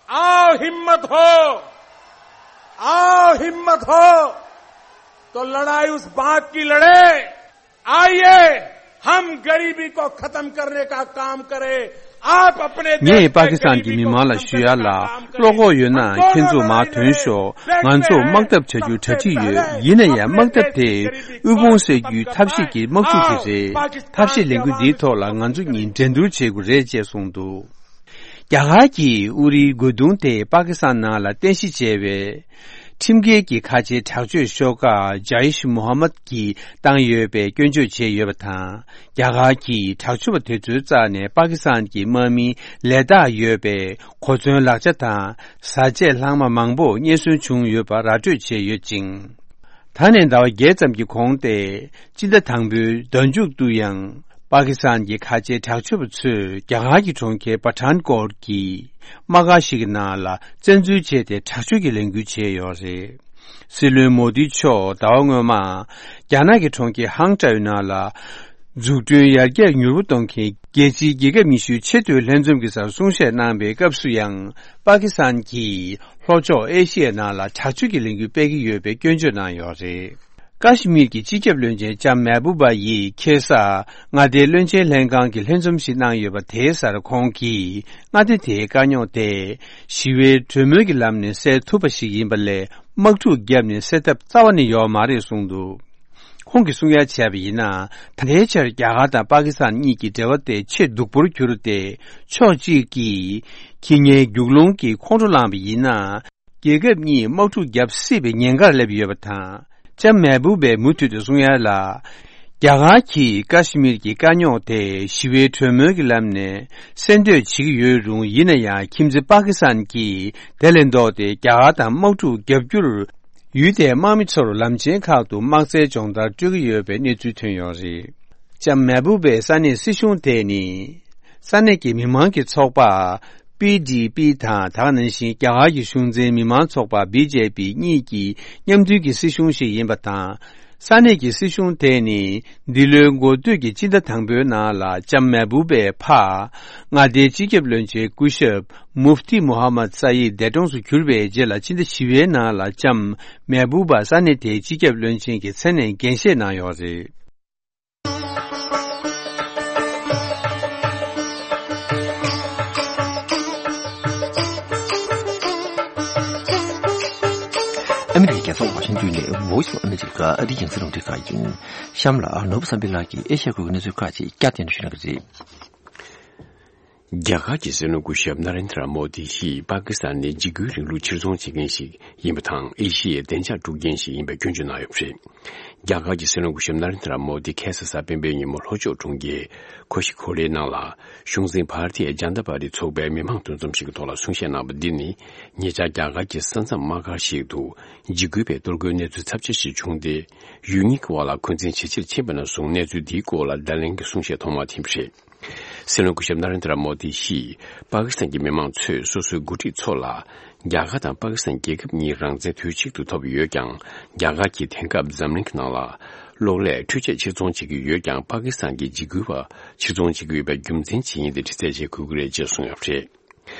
आओ, हिम्मत हो, आओ, हिम्मत हो, तो लड़ाई उस बात की लड़े। आइए, हम गरीबी को खत्म करने का काम करें। आप अपने देश में गरीबी को खत्म करने का काम करें। ངས་པ་ཀི་སི་ཐན་གྱི་མི་མང་ལ་ཞུ་ཡ་ལ། བློ་ཁོག་ཡོད་ན་ཁྱེད་ཚོ་མར་ཐོན་ཤོག་ང་ཚོ་དམག་འཐབ་བྱ་རྒྱུ་གྲ་སྒྲིག་ཡོད། ཡིན་ན་ཡང་དམག་འཐབ་དེ་དབུལ་ཕོངས་སེལ་རྒྱུའི་ཐབས་ཤེས་ཀྱི་དམག་འཁྲུག་དེ་རེད། ཐབས་ཤེས་ལས་འགུལ་འདིའི་ཐོག་ལ་ང་ཚོ་གཉིས་འགྲན་བསྡུར་བྱེད་དགོས་རེད་ཅེས་གསུངས་འདུག་རྒྱ་གར་གྱིས་ཨུ་རིའི་རྒོལ་རྡུང་དེ་པ་ཀི་སི་ཐན་ནང་ལ་རྟེན་གཞི་བྱས་པའི་ཁྲིམས་འགལ་གྱི་ཁ་ཆེའི་དྲག་སྤྱོད་ཤོག་ཁག་ཇཱ་ཡིཤ་མོ་ཧ་མད་ཀྱིས་བཏང་ཡོད་པའི་སྐྱོན་བརྗོད་བྱས་ཡོད་པ་དང་། རྒྱ་གར་གྱིས་དྲག་སྤྱོད་པ་དེ་ཚོའི་རྩ་ནས་པ་ཀི་སི་ཐན་གྱི་དམག་མིའི་ལས་རྟགས་ཡོད་པའི་གོ་མཚོན་ལག་ཆ་དང་བཟའ་ཆས་ལྷག་མ་མང་པོ་རྙེད་སོན་བྱུང་ཡོད་པ་ར་སྤྲོད་བྱས་ཡོད་ཅིང་། ད་ནས་ཟླ་བ་བརྒྱད་ཙམ་གྱི་གོང་སྟེ། སྤྱི་ཟླ་དང་པོའི་ཟླ་མཇུག་ཏུ་ཡང་པ་ཀི་སི་ཐན་གྱི་ཁ་ཆེའི་དྲག་སྤྱོད་པ་ཚོས་རྒྱ་གར་གྱི་གྲོང་ཁྱེར་པ་ཐཱན་ཀོཊ་གྱི་དམག་སྒར་ཞིག་གི་ནང་ལ་བཙན་འཛུལ་བྱས་ཏེ་དྲག་སྤྱོད་ཀྱི་ལས་འགུལ་བྱས་ཡོད་རེད། སྲིད་བློན་མོ་དི་མཆོག་ཟླ་བ་སྔོན་མ་རྒྱ་ནག་གི་གྲོང་ཁྱེར་ཧང་ཀྲའུ་ནང་ལ་འཛུགས་སྐྲུན་ཡར་རྒྱས་མྱུར་པོ་གཏོང་མཁན་རྒྱལ་སྤྱིའི་རྒྱལ་ཁབ་ཉི་ཤུའི་ཆེས་མཐོའི་ལྷན་འཛོམས་ཀྱི་སར་གསུང་བཤད་གནང་པའི་སྐབས་སུ་ཡང་པ་ཀི་སི་ཐན་གྱིས། ལྷོ་ཕྱོགས་ཨེ་ཤི་ཡའི་ནང་ལ་དྲག་སྤྱོད་ཀྱི་ལས་འགུལ་སྤེལ་གྱི་ཡོད་པའི་སྐྱོན་བརྗོད་གནང་ཡོད་རེད། ཀ་ཤི་མིར་གྱི་སྤྱི་ཁྱབ་བློན་ཆེན་ལྕམ་མེ་བུ་བ་ཡིས་ཁ་སང་མངའ་སྡེའི་བློན་ཆེན་ལྷན་ཁང་གི་ལྷན་འཛོམས་ཤིག་གནང་ཡོད་པ་དེའི་སར་ཁོང་གིས་མངའ་སྡེ་དེའི་དཀའ་རྙོག་དེ་ཞི་བའི་གྲོས་མོལ་གྱི་ལམ་ནས་སེལ་ཐུབ་པ་ཞིག་ཡིན་པ་ལས་དམག་འཁྲུག་བརྒྱབ་ནས་སེལ་ཐབས་རྩ་བ་ནས་ཡོད་མ་རེད་གསུངས་འདུག་ཁོང་གིས་གསུང་ཡ་བྱས་པ་ཡིན་ན། ད་ལྟའི་ཆར་རྒྱ་གར་དང་པ་ཀི་སི་ཐན་གཉིས་ཀྱི་འབྲེལ་བ་དེ་ཆེས་སྡུག་པོར་གྱུར་ཏེ། ཕྱོགས་གཅིག་གིས་ཁེ་ཉེན་རྒྱུག་ལོང་གི་ཁོང་ཁྲོ་ལངས་པ་ཡིན་ན། རྒྱལ་ཁབ་གཉིས་དམག་འཁྲུག་བརྒྱབ་སྲིད་པའི་ཉེན་ཁར་སླེབས་ཡོད་པ་དང་། ལྕམ་མེ་བུ་བས་མུ་མཐུད་དུ་གསུང་ཡ་ལ། རྒྱ་གར་གྱིས་ཀ་ཤི་མིར་གྱི་དཀའ་རྙོག་དེ་ཞི་བའི་གྲོས་མོལ་གྱི་ལམ་ནས་སེལ་འདོད་བྱེད་ཀྱི་ཡོད་རུང་། ཡིན་ན་ཡང་ཁྱིམ་མཚེས་པ་ཀི་སི་ཐན་གྱིས་དེ་ལས་ལྡོག་སྟེ་རྒྱ་གར་དང་དམག་འཁྲུག་བརྒྱབ་རྒྱུར། ཡུལ་དེའི་དམག་མི་ཚོར་ལམ་ཆེན་ཁག་ཏུ་དམག་རྩལ་སྦྱོང་བརྡར་སྤྲོད་ཀྱི་ཡོད་པའི་གནས་ཚུལ་ཐོན་ཡོད་རེད། ལྕམ་མེ་བུ་བས་ས་གནས་སྲིད་གཞུང་དེ་ནི། ས་གནས་ཀྱི་མི་མང་གི་ཚོགས་པ། པི་ཌི་པི་དང་། དེ་ག་ནང་བཞིན་རྒྱ་གར་གྱི་གཞུང་འཛིན་མི་མང་ཚོགས་པ། བི་ཇེ་པི་གཉིས་ཀྱི་མཉམ་འདུས་ཀྱི་སྲིད་གཞུང་ཞིག་ཡིན་པ་དང་། ས་གནས་ཀྱི་སྲིད་གཞུང་དེ་ནི། འདི་ལོའི་འགོ་སྟོད་ཀྱི་སྤྱི་ཟླ་དང་པོའི་ནང་ལ་ལྕམ་མེ་བུ་བའི་ཕ། མངའ་སྡེའི་སྤྱི་ཁྱབ་བློན་ཆེན་སྐུ་ཞབས་མུཕ་ཏི་མུ་ཧམ་མད་ས་ཡིད་འདས་གྲོངས་སུ་གྱུར་བའི་རྗེས་ལ། ཕྱི་ཟླ་བཞི་པའི་ནང་ལ་ལྕམ་མེ་བུ་བ་ས་གནས་དེའི་སྤྱི་ཁྱབ་བློན་ཆེན་གྱི་མཚན་ནས་འགན་བཞེས་གནང་ཡོད་རེད། ཨ་མི་རི་ཀའི་རྒྱལ་ས་ཝ་ཤིང་ཏོན་ནས་Voice of America ཨ་རིའི་རྒྱང་སྲིང་རླུང་འཕྲིན་ཁང་ཡིན། གཤམ་ལ་ནོར་བུ་བསམ་འཕེལ་ལགས་ཀྱིས་ཨེ་ཤ་ཡ་ཁུལ་གྱི་གནས་ཚུལ་ཁག་ཅིག་བསྐྱར་ཟློས་ཞུ་གནང་གི་རེད། རྒྱ་གར་གྱི་སྲིད་བློན་སྐུ་ཞབས་ན་རེན་དྲ་མོ་དི་ཡིས་པ་ཀི་སི་ཐན་ནི་འཇིགས་སྐུལ་རིང་ལུགས་ཕྱིར་ཚོང་བྱེད་མཁན་ཞིག་ཡིན་པ་དང་། ཨེ་ཤི་ཡའི་བདེ་འཇགས་དཀྲུག་མཁན་ཞིག་ཡིན་པའི་སྐྱོན་བརྗོད་གནང་ཡོད་པ་རེད། རྒྱ་གར་གྱི་སྲིད་བློན་སྐུ་ཞབས་ན་རེན་དྲ་མོ་དི་ཁ་སང་གཟའ་སྤེན་པའི་ཉིན་མོ་ལྷོ་ཕྱོགས་གྲོང་ཁྱེར་ཁོ་ཤི་ཁོ་ལེའི་ནང་ལ། གཞུང་འཛིན་བྷ་ར་ཏི་ཡ་ཇན་ད་པར་ཏི་ཚོགས་པའི་མི་མང་འདུ་འཛོམས་ཤིག་གི་ཐོག་ལ་གསུང་བཤད་གནང་བ་འདི་ནི། ཉེ་ཆར་རྒྱ་གར་གྱི་ས་མཚམས་དམག་སྒར་ཞིག་ཏུ་འཇིགས་སྐུལ་བའི་གཏོར་རྒོལ་གནས་ཚུལ་ཚབས་ཆེ་ཞིག་བྱུང་སྟེ། ཡུལ་གཉིས་ཀྱི་དབར་ལ་འཁོན་འཛིན་ཇེ་ཆེར་ཕྱིན་པ་ནས་བཟུང་གནས་ཚུལ་འདིའི་སྐོར་ལ་བརྡ་ལན་གྱི་གསུང་བཤད་ཐོག་མ་ཐེངས་པ་རེད། སྲིད་བློན་སྐུ་ཞབས་ན་རེན་དྲ་མོ་དི་ཡིས་པ་ཀི་སི་ཐན་གྱི་མི་མང་ཚོས་སོ་སོའི་འགོ་ཁྲིད་ཚོ་ལ། རྒྱ་གར་དང་པ་ཀི་སི་ཐན་རྒྱལ་ཁབ་གཉིས་རང་བཙན་དུས་གཅིག་ཏུ་ཐོབ་ཡོད་ཀྱང་། རྒྱ་གར་གྱིས་དེང་སྐབས་འཛམ་གླིང་གི་ནང་ལ་གློག་ཀླད་འཕྲུལ་ཆས་ཕྱིར་ཚོང་བྱེད་ཀྱི་ཡོད་ཀྱང་། པ་ཀི་སི་ཐན་གྱི་འཇིགས་སྐུལ་བ་ཕྱིར་ཚོང་བྱེད་ཀྱི་ཡོད་པའི་རྒྱུ་མཚན་ཅི་ཡིན་དེ་དྲི་རྩད་བྱེད་དགོས་ཀྱི་རེད་ཅེས་གསུངས་ཡོད་པ་རེད།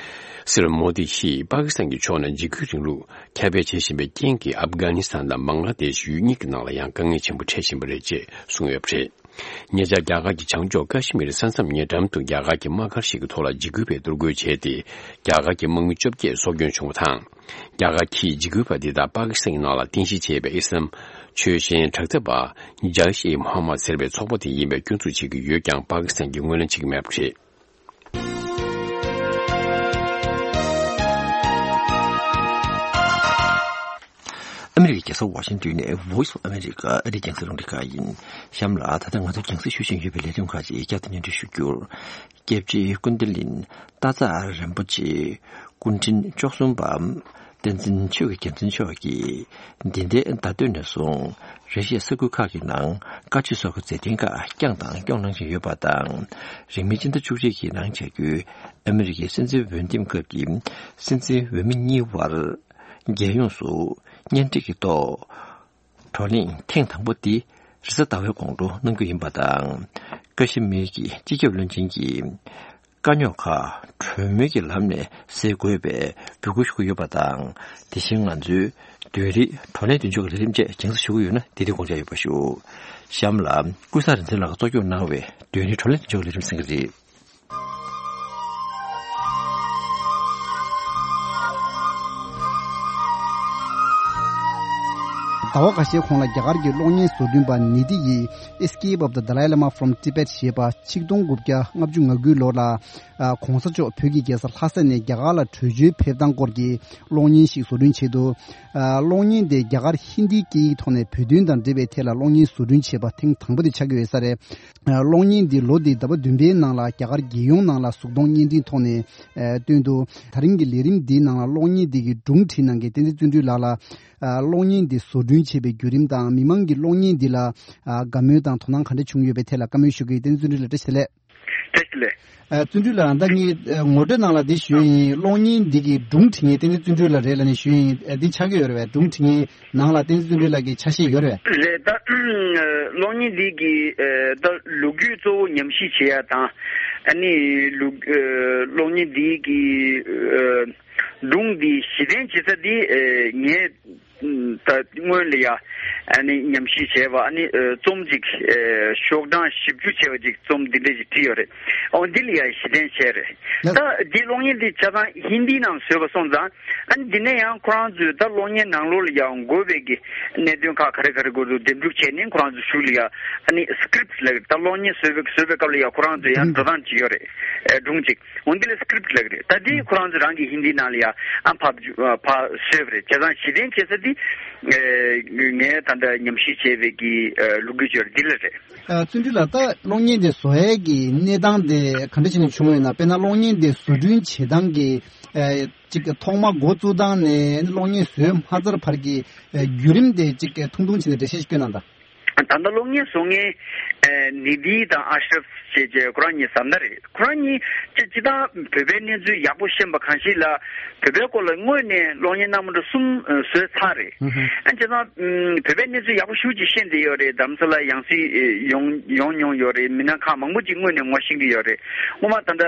སྲིད་བློན་མོ་དི་ཡིས་པ་ཀི་སི་ཐན་གྱི་ཕྱོགས་ནས་འཇིགས་སྐུལ་རིང་ལུགས་ཁྱབ་སྤེལ་བྱེད་བཞིན་པའི་རྐྱེན་གྱིས་ཨབ་གྷ་ནི་སི་ཐན་དང་བང་ལ་དེ་ཤི་ཡུལ་གཉིས་ཀྱི་ནང་ལ་ཡང་དཀའ་ངལ་ཆེན་པོ་འཕྲད་བཞིན་པ་རེད་ཅེས་གསུངས་ཡོད་པ་རེད། ཉེ་ཆར་རྒྱ་གར་གྱི་བྱང་ཕྱོགས་ཀ་ཤི་མིར་ས་མཚམས་ཉེ་འགྲམ་དུ་རྒྱ་གར་གྱི་དམག་སྒར་ཞིག་གི་ཐོག་ལ་འཇིགས་སྐུལ་བའི་གཏོར་རྒོལ་བྱས་ཏེ། རྒྱ་གར་གྱི་དམག་མི་བཅོ་བརྒྱད་སྲོག་སྐྱོན་བྱུང་བ་དང་། རྒྱ་གར་གྱིས་འཇིགས་སྐུལ་བ་འདི་དག་པ་ཀི་སི་ཐན་གྱི་ནང་ལ་རྟེན་གཞི་བྱས་པའི་ཨི་སི་ལམ་ཆོས་ཅན་དྲག་འཐབ་པ་ཇའི་ཤི་ཨི་མོ་ཧམ་མད་ཟེར་བའི་ཚོགས་པ་དེ་ཡིན་པའི་སྐྱོན་འཛུགས་བྱེད་ཀྱི་ཡོད་ཀྱང་། པ་ཀི་སི་ཐན་གྱིས་ངོས་ལེན་བྱེད་ཀྱི་མེད་པ་རེད། ཨ་མི་རི་ཀའི་རྒྱལ་ས་ཝ་ཤིང་ཏོན་ནས་Voice of America ཨ་རིའི་རྒྱང་སྲིང་རླུང་འཕྲིན་ཁང་ཡིན། གཤམ་ལ་ད་ལྟ་ང་ཚོ་རྒྱང་སྲིང་ཞུ་བཞིན་ཡོད་པའི་ལས་རིམ་ཁག་ཅིག་བསྐྱར་དུ་སྙན་སྒྲོན་ཞུ་རྒྱུར། སྐྱབས་རྗེ་ཀུན་བདེ་གླིང་སྟག་འཚེར་རིན་པོ་ཆེ། སྐུ་ཕྲེང་བཅུ་གསུམ་པ། བསྟན་འཛིན་ཆོས་ཀྱི་རྒྱལ་མཚན་མཆོག་གིས། འདི་ཟླའི་ཟླ་སྟོད་ནས་བཟུང་། རེ་ཞིག་ས་ཁུལ་ཁག་གི་ནང་བཀའ་ཆོས་སོགས་ཀྱི་མཛད་འཕྲིན་ཁག་བསྐྱངས་དང་སྐྱོང་གནང་བཞིན་ཡོད་པ་དང་། རིང་མིན་སྤྱི་ཟླ་བཅུ་གཅིག་གི་ནང་བྱ་རྒྱུའི་ཨ་མི་རི་ཀའི་སྲིད་འཛིན་འོས་འདེམས་སྐབས་ཀྱི་སྲིད་འཛིན་འོས་མི་གཉིས་དབར། རྒྱལ་ཡོངས་སུ་གཉེན་སྒྲིག་གི་ཐོག་བགྲོ་གླེང་ཐེངས་དང་པོ་འདི་རེས་གཟའ་ཟླ་བའི་དགོང་དྲོ་གནང་རྒྱུ་ཡིན་པ་དང་། ཀ་ཤི་མིར་གྱི་སྤྱི་ཁྱབ་བློན་ཆེན་གྱིས། དཀའ་རྙོག་ཁག་གྲོས་མོལ་གྱི་ལམ་ནས་སེལ་དགོས་པའི་འབོད་སྐུལ་ཞུ་གི་ཡོད་པ་དང་། དེ་བཞིན་ང་ཚོའི་བདུན་རེའི་བགྲོ་གླེང་མདུན་ལྕོག་གི་ལས་རིམ་བཅས་རྒྱང་སྲིང་ཞུ་གི་ཡོད་ན། དེ་དུས་དགོངས་འཇགས་ཡོད་པ་ཞུ། གཤམ་ལ་ཀུན་བཟང་རིག་འཛིན་ལགས་ཀྱིས་གཙོ་སྐྱོང་གནང་བའི་བདུན་རེའི་བགྲོ་གླེང་མདུན་ལྕོག་གི་ལས་རིམ་གསན་གྱི་རེད། ཟླ་བ་ཁ་ཤས་གོང་ལ་རྒྱ་གར་གྱི་གློག་བརྙན་བཟོ་སྐྲུན་པ་ནི་ཏི་ཡིས་Escape of the Dalai Lama from Tibet ཞེས་པ་ཆིག་སྟོང་དགུ་བརྒྱ་ལྔ་བཅུ་ང་དགུའི་ལོ་ལ། ཨ། གོང་ས་མཆོག་བོད་ཀྱི་རྒྱལ་ས་ལྷ་ས་ནས་རྒྱ་གར་ལ་བྲོས་བྱོལ་ཕེབས་སྟངས་སྐོར་གྱི་གློག་བརྙན་ཞིག་བཟོ་སྐྲུན་བྱས་འདུག་ཨ། གློག་བརྙན་དེ་རྒྱ་གར་ཧིན་དིའི་སྐད་ཡིག་ཐོག་ནས་བོད་དོན་དང་འབྲེལ་བའི་ཐད་ལ་གློག་བརྙན་བཟོ་སྐྲུན་བྱས་པ་ཐེངས་དང་པོ་དེ་ཆགས་ཀྱི་ཡོད་ས་རེད། ཨ། གློག་བརྙན་འདི་ལོ་འདིའི་ཟླ་བ་བདུན་པའི་ནང་ལ་རྒྱ་གར་རྒྱལ་ཡོངས་ནང་ལ་གཟུགས་མཐོང་བརྙན་འཕྲིན་ཐོག་ནས། ཨ། བཏོན་འདུག་དེ་རིང་གི་ལས་རིམ་འདིའི་ནང་ལ་གློག་བརྙན་འདི་གི་སྒྲུང་བྲིས་གནང་མཁན་བསྟན་འཛིན་བརྩོན་འགྲུས་ལགས་ལ། ཨ་གློག་བརྙན་འདི་བཟོ་སྐྲུན་བྱེད་པའི་བརྒྱུད་རིམ་དང་། མི་མང་གིས་གློག་བརྙན་འདི་ལ་ཨ་དགའ་མོས་དང་དོ་སྣང་ག་འདྲ་བྱུང་ཡོད་པའི་ཐད་ལ་བཀའ་མོལ་ཞུ་གི་ཡོད། བསྟན་འཛིན་བརྩོན་འགྲུས་ལགས་བཀྲ་ཤིས་བདེ་ལེགས། བཀྲ་ཤིས་བདེ་ལེགས། ཨ་བརྩོན་འགྲུས་ལགས། ད་ངས་ཨ་ངོ་སྤྲོད་ནང་ལ་འདི་ཞུས་ཡིན། གློག་བརྙན་འདི་གི་སྒྲུང་འབྲི་མཁན་བསྟན་འཛིན་བརྩོན་འགྲུས་ལགས་རེད་ལབ་ནས་ཞུས་ཡིན། ཨ་འདི་ཆགས་ཀྱི་ཡོད་རེད་པས། སྒྲུང་འབྲི་མཁན་ནང་ལ་བསྟན་འཛིན་བརྩོན་འགྲུས་ལགས་ཀྱི་ཆ་ཤས་ཡོད་རེད་པས། རེད། ད་གློག་བརྙན་འདི་གི་ཨ་ད་ལོ་རྒྱུས་གཙོ་བོ་ཉམས་ཞིབ་བྱེད་ཡ་དང་། ཨ་ནི་ལོ་ཨ་གློག་བརྙན་འདི་གི་ཨ་སྒྲུང་འདི་གཞི་རྟེན་བྱེད་ས་འདི་ཨ་ངས་ད་སྔོན་ལ་ཡ་ཨ་ནི་ཉམས་ཞིབ་བྱས་པ། ཨ་ནི་ཨ་རྩོམ་ཅིག་ཨ་ཤོག་གྲངས་བཞི་བཅུ་བྱས་པ་ཅིག་རྩོམ་འདི་འདྲ་ཞིག་བྲིས་ཡོད་རེད། ཨོ་འདི་ལ་ཡ་གཞི་རྟེན་བྱས་རེད། ད་འདི་གློག་བརྙན་འདི་ཆ་ཚང་ཧིན་དིའི་ནང་བཟོས་པ་སོང་ཙང་། ཨ་ནི་འདི་ནས་ཡང་ཁོ་རང་ཚོས་ད་གློག་བརྙན་ནང་ལོགས་ལ་ཡང་དགོས་པའི་གི་གནད་དོན་ཁག་ག་རེ་ག་རེ་དགོས་འདུག་འདེམས་སྒྲུག་བྱས་ནས། ཁོ་རང་ཚོ་གཞུག་ལ་ཡ་ཨ་ནི་སི་ཀི་རིབ་ལབ་ཀྱི་རེད། ད་གློག་བརྙན་བཟོས་པའི་བཟོས་པའི་སྐབས་ལ་ཡ་ཁོ་རང་ཚོས་ཡང་འགྲོ་སྟངས་ཅིག་ཡོད་རེད། ཨེ་སྒྲུང་ཅིག་འོ་འདི་ལ་སི་ཀི་རིབ་ལབ་ཀྱི་རེད། ད་འདི་ཁོ་རང་ཚོ་རང་གི་ཧིན་དིའི་ནང་ལ་ཡ་ཨ་ཕབ་ཕབ་བཟོས་པ་རེད། བྱས་ཙང་གཞི་རྟེན་བྱེད་ས་འདི་ཨེ་ངས་ད་ལྟ་ཉམས་ཞིབ་བྱས་པའི་གི་ཨེ་ལོ་རྒྱུས་ཅིག་ཡོད་རེད། འདི་ལ་རེད། ཨ་བརྩོན་འགྲུས་ལགས། ད་གློག་བརྙན་དེ་བཟོ་ཡས་ཀྱི་གནས་སྟངས་དེ་ག་འདྲ་བྱས་ནས་བྱུང་བ་ཡིན་ན། དཔེར་ན་གློག་བརྙན་དེ་བཟོ་སྐྲུན་བྱེད་སྟངས་ཀྱི་ཨེ་ཅིག་ཐོག་མ་འགོ་བཙུགས་སྟངས་ནས་གློག་བརྙན་བཟོས་མ་ཚར་བར་གྱི་ཨེ་བརྒྱུད་རིམ་དེ་ཅིག་ཐུང་ཐུང་བྱས་ནས་འགྲེལ་བཤད་ཞིག་སྐྱོན་གནང་དང་། ད་ལྟ་གློག་བརྙན་བཟོ་མཁན་ཨེ་ནི་དྷི་དང་ཨ་ཤྲབ་ཅེས་བྱས་ཁོ་རང་གཉིས་བཟའ་ཟླ་རེད། ཁོ་རང་གཉིས་སྤྱི་སྤྱི་བཏང་བོད་པའི་གནས་ཚུལ་ཡག་པོ་ཤེས་པ་གང་ཞིག་ལ། བོད་པའི་སྐོར་ལ་སྔོན་ནས་གློག་བརྙན་སྣ་མང་པོ་གསུམ་ཨ་བཟོས་ཚར་རེད། ཨ་བྱས་ཙང་ཨམ་བོད་པའི་གནས་ཚུལ་ཡག་པོ་ཞེ་པོ་ཅིག་ཤེས་བསྡད་ཡོད་རེད། རྡ་རམ་ས་ལ་ཡང་སྲིད་ཨེ་ཡོང་ཡོང་མྱོང་ཡོད་རེད། མི་སྣ་ཁག་མང་པོ་ཅིག་སྔོན་ནས་ངོ་ཤེས་ཀྱི་ཡོད་རེད། སྔོན་མ་ད་ལྟ་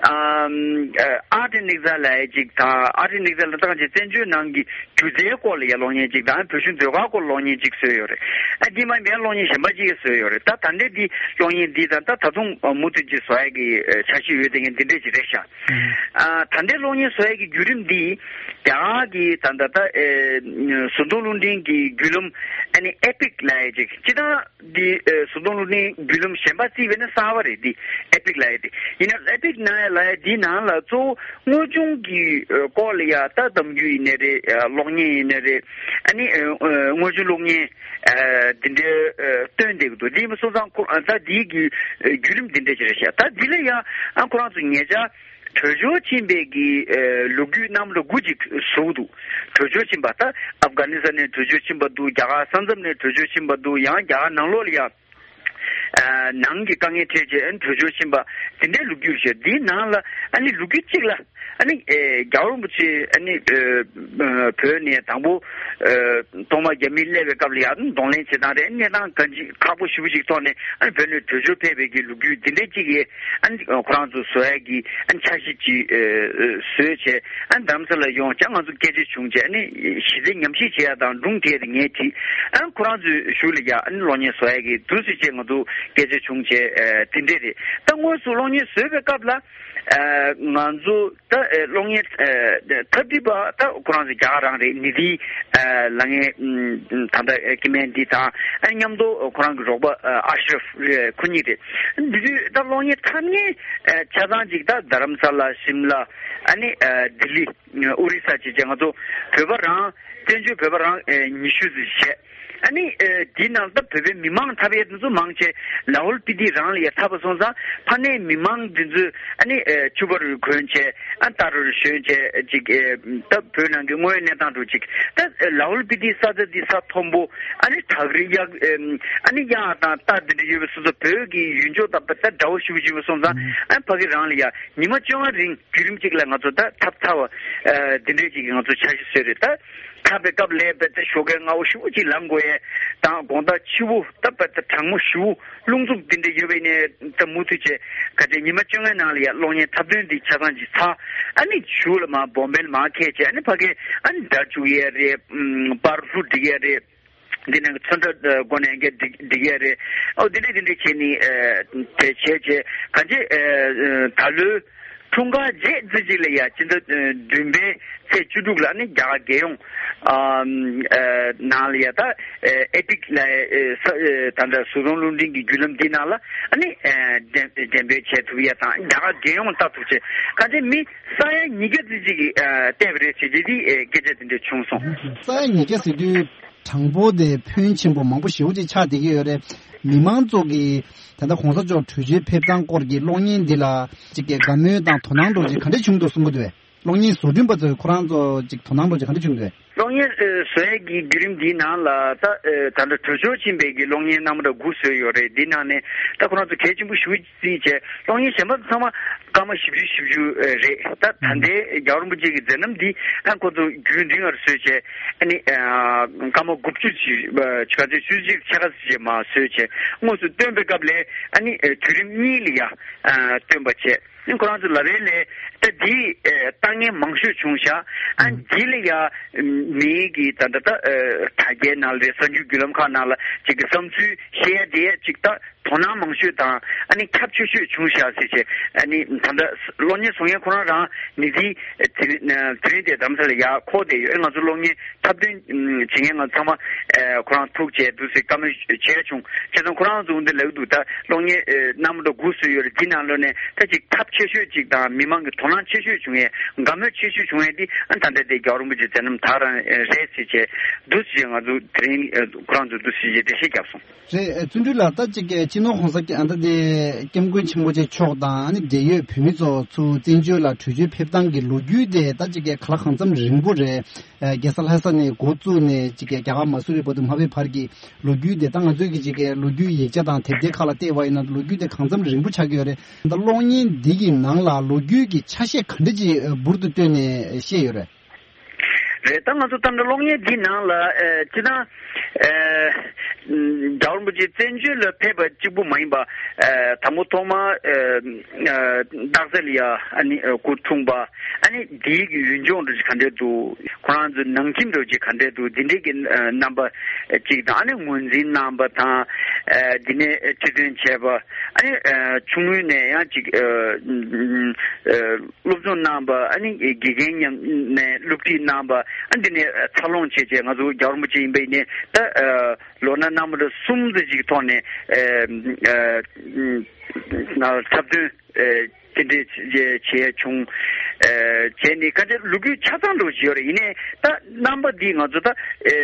ཨམ་ཨ་ཨར་ཊི་ཨེན་ཨེག་ཛའི་ལབ་ཡས་ཅིག་དང་། ཨར་ཊི་ཨེན་ཨེག་ཛའི་ལ་ད་གང་ཅིག་བཙན་བྱོལ་ནང་གི་སྒྱུ་རྩལ་སྐོར་ལ་ཡ་གློག་བརྙན་ཅིག་དང་། བོད་གཞུང་ཟློས་གར་སྐོར་གློག་བརྙན་ཅིག་བཟོས་ཡོད་རེད། ཨ་དེ་མ་ཡིན་པའི་གློག་བརྙན་གཞན་པ་ཅིག་བཟོས་ཡོད་རེད། ད་ད་ལྟའི་འདི་གློག་བརྙན་འདི་དང་ད་ད་དུང་མུ་མཐུད་ཅིག་བཟོ་ཡ་གི་འཆར་གཞི་ཡོད་དེ་ངས་འདི་འདྲས་ཅིག་རེད་ཤག་ཨ་ད་ལྟའི་གློག་བརྙན་བཟོ་ཡ་གི་བརྒྱུད་རིམ་འདི་རྒྱ་གར་གི་ད་ད་ད་ཨེ་བཟོ་སྐྲུན་རླུང་འཕྲིན་གྱི་བརྒྱུད་རིམ་ཨ་ནི་ཨེ་པིག་ལབ་ཡ་ཅིག་སྤྱིར་བཏང་འདི་ཨེ་བཟོ་སྐྲུན་རླུང་འཕྲིན་བརྒྱུད་རིམ་གཞན་པ་བརྩིས་པས་ན་གསར་པ་རེད། འདི་ཨེ་པིག་ལབ་ཡ་དེ་ཡིན་ན། ཨེ་པིག་ནང་ཡ་ལབ་ཡ་འདི་ནང་ལ་གཙོ་བོ་དངོས་བྱུང་གི་ཨེ་སྐོར་ལ་ཡ་ད་གཏམ་རྒྱུད་ཡིན་ནའི་རེད། ཨེ་གློག་བརྙན་ཡིན་ནའི་རེད། ཨ་ནི་ཨེ་ཨེ་དངོས་བྱུང་གློག་བརྙན་ཨེ་འདི་འདྲའི་ཨེ་སྟོན་བསྡད་ཀྱི་འདུག་འདི་ཡིན་པ་སོང་ཙང་ཁོ་ཨ་ད་འདི་གི་ཨེ་བརྒྱུད་རིམ་འདི་འདྲ་ཞིག་རེད་ཤག་ད་འདི་ལ་ཡ་ཨ་ཁོ་རང་ཚོ་ཉེ་ཆར་བྲོས་བྱོལ་ཕྱིན་པའི་གི་ཨེ་ལོ་རྒྱུས་རྣམ་པ་དགུ་ཅིག་བཟོས་འདུག་བྲོས་བྱོལ་ཕྱིན་པ། ད་ཨབ་གྷ་ནི་སི་ཐན་ནས་བྲོས་བྱོལ་ཕྱིན་པ་འདུག་རྒྱ་གར་ས་མཚམས་ནས་བྲོས་བྱོལ་ཕྱིན་པ་འདུག་ཡང་རྒྱ་གར་ནང་ལོགས་ལ་ཡ་ཨ་ནང་གི་དཀའ་ངལ་འཕྲད་བྱས་ཨ་ནི་བྲོས་བྱོལ་ཕྱིན་པ་དེ་འདྲའི་ལོ་རྒྱུས་ཤིག་འདིའི་ནང་ལ་ཨ་ནི་ལོ་རྒྱུས་གཅིག་ལ་ཨ་ནི་ཨེ་རྒྱལ་བ་རིན་པོ་ཆེ་ཨ་ནི་ཨེ་བོད་ནས་དང་པོ་ཨེ་ཐོག་མ་རྒྱ་མིས་སླེབས་པའི་སྐབས་ལ་ཡ་གདོང་ལེན་བྱེད་སྟངས་རེད། གནས་སྟངས་གང་ཅི་ཁག་པོ་ཞེ་པོ་ཞིག་ཐོག་ནས་ཨ་ནི་བོད་ནས་བྲོས་བྱོལ་ཕེབས་པའི་གི་ལོ་རྒྱུས་འདི་འདྲའི་གཅིག་གིས་ཨ་ནི་ཁོ་རང་ཚོ་བཟོ་ཡ་གི་ཨ་ནི་འཆར་གཞི་ཅིག་ཨེ་བཟོས་བྱས། ཨ་ནི་རྡ་རམ་ས་ལ་ཡོང་བྱས་ང་ཚོ་སྐད་ཆ་བྱུང་བྱས། ཨ་ནི་གཞི་རྩའི་ཉམས་ཞིབ་བྱེད་ཡ་དང་སྒྲུང་དེ་ངས་བྲིས། ཨ་ནི་ཁོ་རང་ཚོའི་གཞུག་ལ་ཡ་ཨ་ནི་གློག་བརྙན་བཟོ་ཡ་གི་འདུག་སེ་བྱས་ང་ཚོ་སྐད་ཆ་བྱུང་བྱས། ཨ་དེ་འདྲས་རེད། ད་དངོས་སུ་གློག་བརྙན་བཟོས་པའི་སྐབས་ལ་ཨ་ང་ཚོ་ད་ཨ་གློག་བརྙན་ཨ་ཐབས་འདྲི་པ་ད་ཁོ་རང་ཚོ་རྒྱ་གར་རང་རེད། ནི་དྷི་ཨ་ལབ་མཁན་ཨ་ད་ལྟ་ཨ་སྐྱེ་དམན་འདི་དང་ཨ་མཉམ་དུ་ཁོ་རང་གི་རོགས་པ་ཨ་ཨ་ཤྲབ་རེད། ཁོ་གཉིས་རེད། འདི་དུས་ད་གློག་བརྙན་འཁྲབ་མཁན་ཨ་ཆ་ཚང་ཅིག་ད་རྡ་རམ་ས་ལ། ཤིམ་ལ། ཨ་ནི་ཨ་ལྡི་ལི། ཨོ་རི་ས་བྱས་བྱས་ང་ཚོ་བོད་པ་རང་། བཙན་བྱོལ་བོད་པ་རང་ཨེ་ཉི་ཤུ་ཙམ་བྱས། ཨ་ནི་ཨེ་འདི་ནང་ད་བོད་པའི་མི་མང་འཁྲབ་ཡས་དེ་ཚོ་མང་ཆེ་ལ་ཧོལ་སྤི་ཏི་རང་ལ་ཡ་འཁྲབ་པ་སོང་ཙང་ཕ་ནས་མི་མང་འདི་ཚོས་ཨ་ནི་ཨེ་ཕྱུ་པ་རུ་གོན་བྱས། ཨ་རྟ་རུ་ཞོན་བྱས་ཅིག་ཨེ་ད་བོད་ནང་གི་དངོས་ཡོད་གནས་སྟངས་རུ་ཅིག་ད་ཨེ་ལ་ཧོལ་སྤི་ཏི་ས་ཆ་འདི་ས་མཐོན་པོ། ཨ་ནི་བྲག་རི་གཡག་ཨེ་ཨ་ནི་གཡག་དང་རྟ་འདི་འདྲ་ཡོད་པའི་སོ་སོ་བོད་ཀྱི་ཡུལ་ལྗོངས་དང་ད་འདྲ་བོ་ཞེ་པོ་ཅིག་ཡོད་པ་སོང་ཙང་ཨ་ཕ་གི་རང་ལ་ཡ་ཉི་མ་བཅོ་ལྔ་རིང་བརྒྱུད་རིམ་གཅིག་ལ་ང་ཚོ་ད་འཁྲབ་ཚར་བ་ཨ་འདི་འདྲས་ཅིག་གི་ང་ཚོ་འཆར་གཞི་བཟོས་རེད། ད་འཁྲབ་པའི་སྐབས་ལ་དཔེ་ད་ཞོགས་ཀས་སྔ་པོ་ཞེ་པོ་ཅིག་ལངས་དགོས་ཡས་དང་། དགོང་དག་ཕྱི་པོ་ད་དཔེ་ད་གྲང་མོ་ཞེ་པོ་རླུང་འཚུབ་འདི་འདྲས་ཡོད་པ་ཡིན་ནའི་ད་མུ་མཐུད་བྱས་ག་ཚོད་ཉི་མ་བཅོ་ལྔའི་ནང་ལ་ཡ་གློག་བརྙན་འཁྲབ་སྟོན་འདི་ཆ་ཚང་ཅིག་ཚར། ཨ་ནི་གཞུག་ལ་མར་བོམ་བེ་ལ་མར་ཁྱེར་བྱས་ཨ་ནི་ཕ་གིར་ཨ་ནི་སྒྲ་བཅུག་ཡས་རེད། ཨམ་པར་ལྷུ་སྒྲིག་ཡས་རེད། འདི་ནང་གི་ཚོན་ཁྲ་ཨ་སྒོ་ནས་འགན་སྒྲིག་སྒྲིག་ཡས་རེད། ཨོ་འདི་འདྲས་འདི་འདྲས་བྱས་ནས་ཨ་དེ་བྱས་བྱས་ག་ཚོད་ཨ་ད་ལོའི་འཁྲུངས་སྐར་རྗེས་ཙམ་ཅིག་ལ་ཡ་སྤྱི་ཟླ་ཨ་བདུན་པའི་ཚེས་བཅུ་དྲུག་ལ་ནི་རྒྱ་གར་རྒྱལ་ཡོངས་ཨ་ཨ་ནང་ལ་ཡ་ད་ཨ་ཨེ་པིག་ལ་ཨ་ས་ཨ་ད་ལྟ་བཟོ་སྐྲུན་རླུང་འཕྲིན་གྱི་བརྒྱུད་ལམ་འདི་ནང་ལ་ཨ་ནི་ཨ་འགྲེམས་འགྲེམས་སྤེལ་བྱེད་ཐུབ་ཡ་དང་། རྒྱ་གར་རྒྱལ་ཡོངས་ལྟ་ཐུབ་ཆེད་ག་ཚོད་མི་ས་ཡ་ཉིས་བརྒྱ་ཙམ་ཅིག་གིས་ཨ་བལྟས་པ་རེད་ཟེར་གྱི་འདི་ཨ་སྐད་ཆ་དེ་འདྲ་བྱུང་སོང་། ས་ཡ་ཉིས་བརྒྱ་ཟེར་དུས་གྲངས་འབོར་དེ་ཕོན་ཆེན་པོ་མང་པོ་ཞེ་པོ་ཅིག་ཆགས་བསྡད་ཀྱི་ཡོད་རེད། མི་མང་ཚོ་གིས་ད་ལྟ་གོང་ས་མཆོག་བྲོས་བྱོལ་ཕེབས་སྟངས་སྐོར་གྱི་གློག་བརྙན་འདི་ལ་ཅིག་གི་དགའ་མོས་དང་དོ་སྣང་འདྲ་ཅིག་ག་འདྲ་བྱུང་འདུག་གསུང་གི་འདུག་པས། གློག་བརྙན་བཟོ་སྐྲུན་པ་ཚོས་ཁོ་རང་ཚོ་ཅིག་དོ་སྣང་འདྲ་ཅིག་ག་འདྲ་བྱུང་འདུག་གློག་བརྙན་ཨ་བཟོ་ཡས་ཀྱི་བརྒྱུད་རིམ་འདིའི་ནང་ལ་ད་ཨ་ད་ལྟ་གྲོས་ཆོད་ཕྱིན་པའི་གི་གློག་བརྙན་རྣམ་པ་འདྲ་དགུ་བཟོས་ཡོད་རེད། འདི་ནང་ནས་ད་ཁོ་རང་ཚོ་གལ་ཆེན་པོ་ཞེ་པོ་བརྩིས་བྱས། གློག་བརྙན་གཞན་པ་ཚང་མ་སྐར་མ་བཞི་བཅུ་ཞེ་བཅུ་རེད། ད་ད་ལྟའི་རྒྱལ་བ་རིན་པོ་ཆེ་གི་མཛད་རྣམ་འདི་ཨ་ཁོ་ཚོ་རྒྱུན་རིང་བར་བཟོས་བྱས། ཨ་ནི་ཨ་སྐར་མ་དགུ་བཅུ་ཅིག་ཨ་ཆུ་ཚོད་བཅུ་གཅིག་ཕྱེད་ཀ་ཙམ་མར་བཟོས་བྱས། དངོས་སུ་སྟོན་པའི་སྐབས་ལ་ཨ་ནི་ཨ་དུས་རིམ་གཉིས་ལ་ཡ་ཨ་སྟོན་པ་བྱས། ཁོ་རང་ཚོ་ལབ་པ་ལ་ད་འདི་ཨ་ལྟ་མཁན་མང་ཤོས་བྱུང་ཤག་ཨ་འདི་ལ་ཡ་མིའི་གི་ད་ད་ད་ཨ་དྲ་རྒྱའི་ནང་ལ་རེད། གསར་འགྱུར་བརྒྱུད་ལམ་ཁག་ནང་ལ་ཅིག་གི་བསམ་ཚུལ་བཤད་ཡ་དེ་ཅིག་ད་དོ་སྣང་མང་ཤོས་དང་ཨ་ནི་ཁྱབ་ཆེ་ཤོས་བྱུང་ཤག་ཟེར་བྱས། ཨ་ནི་ད་ལྟ་གློག་བརྙན་བཟོ་མཁན་ཁོ་རང་རང་ནི་དེ་དེ་རིང་དེ་རིང་དེ་རྡ་རམ་ས་ལ་ཡར་འཁོར་བསྡད་ཡོད། ཨེ་ང་ཚོ་གློག་བརྙན་འཁྲབ་སྟོན་བྱེད་མཁན་ང་ཚང་མ་ཨེ་ཁོ་རང་ཐུག་བྱས་འདུག་ཟེར་བཀའ་མོལ་བྱས་བྱུང་། བྱས་ཙང་ཁོ་རང་ཚོ་འདི་ལབ་འདུག་ད་གློག་བརྙན་ཨེ་རྣམ་པ་འདྲ་དགུ་བཟོས་ཡོད་རེད། འདི་ནང་ལོགས་ནས་ད་ཅིག་ཁྱབ་ཆེ་ཤོས་ཅིག་དང་མི་མང་གི་དོ་སྣང་ཆེ་ཤོས་བྱུང་ཡས་དགའ་མོས་ཆེ་ཤོས་བྱུང་ཡས་འདི་ཨ་ད་ལྟ་དེ་རྒྱལ་བ་རིན་པོ་ཆེ་མཛད་རྣམ་དག་རང་ཨེ་རེད་ཟེར་བྱས་འདུག་ཟེར་བྱས། ང་ཚོ་དེ་རིང་ཨེ་ཁོ་རང་ཚོ་འདུག་ཟེར་བྱས་འགྲེལ་བཤད་བརྒྱབ་སོང་། རེད། བརྩོན་འགྲུས་ལགས། ད་ཅིག་གི་སྤྱི་ནོར་གོང་ས་ཨ་ད་དེ་སྐྱབས་མགོན་ཆེན་པོ་མཆོག་དང་ཨ་ནི་འབྲེལ་ཡོད་བོད་མི་ཚོ་ཚུར་བཙན་བྱོལ་ལ་བྲོས་བྱོལ་ཕེབས་སྟངས་ཀྱི་ལོ་རྒྱུས་དེ་ད་ཅིག་གི་ག་ལ་གང་འཚམ་རིང་པོ་རེད། ཨ་རྒྱལ་ས་ལྷ་ས་ནས་འགོ་བཙུགས་ནས་ཅིག་གི་རྒྱ་གར་མ་སུ་རི་བར་དུ་མ་ཕེབས་བར་གྱི་ལོ་རྒྱུས་དེ། ད་ང་ཚོས་ཀྱི་ཅིག་གི་ལོ་རྒྱུས་ཡིག་ཆ་དང་དེབ་ཐེར་ཁག་ལ་བལྟས་པ་ཡིན་ན་ལོ་རྒྱུས་དེ་གང་འཚམ་རིང་པོ་ཆགས་ཀྱི་ཡོད་རེད། ད་གློག་བརྙན་འདི་གི་ནང་ལ་ལོ་རྒྱུས་ཀྱི་ཆ་ཤས་ག་འདྲ་ཅིག་འབུར་དུ་བཏོན་ནས་བཤད་ཡོད་རེད། རེད། ད་ང་ཚོ་ད་ལྟ་གློག་བརྙན་འདི་ནང་ལ་ཨེ་སྤྱིར་བཏང་ཨེ་རྒྱལ་བ་རིན་པོ་ཆེ་བཙན་བྱོལ་ལ་ཕེབས་པ་གཅིག་པུ་མ་ཡིན་པ། ཨེ་དང་པོ་ཐོག་མ་ཨེ་ཨེ་སྟག་རྩེ་ལ་ཡ་ཨ་ནི་ཨེ་སྐུ་འཁྲུངས་པ། ཨ་ནི་འདིའི་གི་ཡུལ་ལྗོངས་འདྲ་ཅིག་ག་འདྲས་འདུག་ཁོ་རང་ཚོའི་ནང་ཁྱིམ་འདྲ་ཅིག་ག་འདྲས་འདུག་འདི་འདྲས་ཀྱི་ཨེ་རྣམ་པ་ཅིག་དང་། ཨ་ནི་ངོས་འཛིན་གནང་པ་དང་། ཨེ་འདི་ནས་ཁྲི་སྟོན་བྱས་པ། ཨ་ནི་ཨེ་ཆུང་ངུ་ནས་ཡང་ཅིག་ཨེ་ཨེ་སློབ་སྦྱོང་གནང་པ། ཨ་ནི་དགེ་རྒན་མཉམ་ནས་སློབ་ཁྲིད་གནང་པ། ཨ་འདི་ནས་འཚར་ལོངས་བྱས་བྱས་ང་ཚོ་རྒྱལ་བ་རིན་པོ་ཆེ་ཡིན་པ་ཡིན་ནའི་ད་ཨ་ལོ་ན་རྣམ་པ་འདྲ་གསུམ་ཙམ་ཅིག་ཐོག་ནས་ཨ་ཨ་འཁྲབ་སྟོན་ཨ་དེ་འདྲས་བྱས་བྱས་བྱུང་། ཨ་བྱས་ནས་ག་འདྲ་ལོ་རྒྱུས་ཆ་ཚང་འདྲ་ཅིག་ཡོད་རེད། ཡིན་ནའི་ད་རྣམ་པ་འདི་ང་ཚོ་ད་ཨ་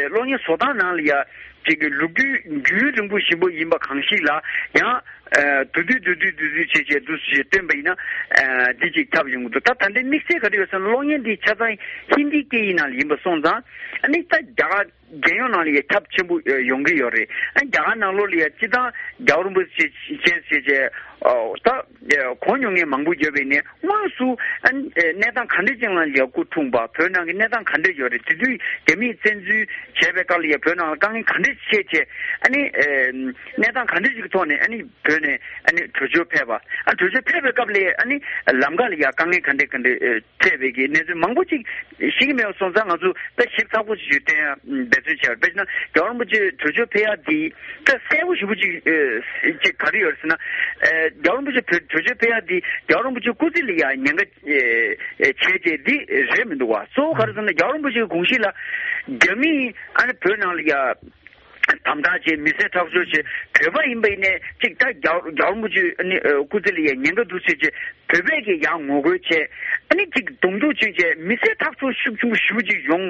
གློག་བརྙན་བཟོ་སྟངས་ནང་ལ་ཡ་ཅིག་གི་ལོ་རྒྱུས་རྒྱུན་རིང་པོ་ཞིག་པོ་ཡིན་པ་གང་ཞིག་ལ་ཡང་། ཨ་བསྡུས་བསྡུས་བསྡུས་བསྡུས་བསྡུས་བྱས་བྱས་འདུག་སེ་བཏོན་པ་ཡིན་ན། ཨ་འདི་ཅིག་ཁྱབ་ཡོང་གི་འདུག་ད་ད་ལྟའི་དམིགས་བསལ་ག་རེ་ཡོད་ཟེར་ན་གློག་བརྙན་འདི་ཆ་ཚང་ཧིན་དི་སྐད་ཡིག་ནང་ལ་ཡིན་པ་སོང་ཙང་། ཨ་ནི་ད་རྒྱ་གར་རྒྱལ་ཡོངས་ནང་ལ་ཡ་ཁྱབ་ཆེན་པོ་ཡོང་གི་ཡོད་རེད། ཨ་རྒྱ་གར་ནང་ལོགས་ལ་ཡ་སྤྱིར་བཏང་རྒྱལ་བ་རིན་པོ་ཆེ་བྱས་བྱས་བྱས་ཨོ་ད་གོ་མྱོང་མཁན་མང་པོ་ཡོད་པ་ཡིན་ནའི། དངོས་སུ་ཨ་ནི་གནས་སྟངས་ག་འདྲ་ཅིག་ནང་ལ་ཡ་སྐུ་འཁྲུངས་པ། བོད་ནང་གི་གནས་སྟངས་ག་འདྲ་ཡོད་རེད། དེ་དུས་རྒྱ་མིས་བཙན་འཛུལ་བྱས་པའི་སྐབས་ལ་ཡ་བོད་ནང་ལ་དཀའ་ངལ་ག་འདྲ་ཞིག་འཕྲད་བྱས། ཨ་ནི་ཨེ་གནས་སྟངས་ག་འདྲ་ཞིག་གི་ཐོག་ནས་ཨ་ནི་བོད་ནས་ཨ་ནི་བྲོས་བྱོལ་ཕེབས་པ། ཨ་བྲོས་བྱོལ་ཕེབས་པའི་སྐབས་ལ་ཨ་ནི་ལམ་ཁ་ལ་ཡ་དཀའ་ངལ་ག་འདྲ་ག་འདྲ་ཨེ་འཕྲད་པའི་གི་གནས་ཚུལ་མང་པོ་ཅིག་ཤེས་ཀྱི་མེད་པ་སོང་ཙང་། ང་ཚོ་ད་ཞིབ་ཚགས་པོ་ཞིག་བསྟན་ཡ་འབད་བརྩོན་བྱས་པ། དཔེར་ན་རྒྱལ་བ་རིན་པོ་ཆེ་བྲོས་བྱོལ་ཕེབས་ཡ་འདི་ད་གསལ་པོ་ཞེ་པོ་ཅིག་ཨེ་ཅིག་ག་རེ་ཡོད་ཟེར་ན། ཨེ་རྒྱལ་བ་རིན་པོ་ཆེ་བྲོས་བྲོས་བྱོལ་ཕེབས་ཡ་འདི་རྒྱལ་བ་རིན་པོ་ཆེ་སྐུ་ཚེ་ལ་ཡ་ཉེན་ཁ་ཨེ་ཨེ་བྱས་བྱས་འདི་རེད་མི་འདུག་བ། གཙོ་བོ་ག་རེ་ཟེར་ན་རྒྱལ་བ་རིན་པོ་ཆེའི་དགོངས་གཞི་ལ་རྒྱ་མིས་ཨ་ནི་བོད་ནང་ལ་ཡ་དམ་དྲག་བྱས། མི་བསད་ཁྲག་སྦྱོར་བྱས། བོད་པ་ཡིན་པ་ཡིན་ནའི་ཅིག་ད་རྒྱལ་རྒྱལ་བ་རིན་པོ་ཆེ་ཨ་ནི་ཨ་སྐུ་ཚེ་ལ་ཡ་ཉེན་ཁ་འདུག་ཟེར་བྱས། བོད་པས་ཀྱི་ཡང་ངོ་རྒོལ་བྱས། ཨ་ནི་ཅིག་གདོང་ཐུག་ཕྱིན་བྱས་མི་བསད་ཁྲག་སྦྱོར་ཤུགས་ཆེན་པོ་ཞེ་པོ་ཅིག་ཡོང་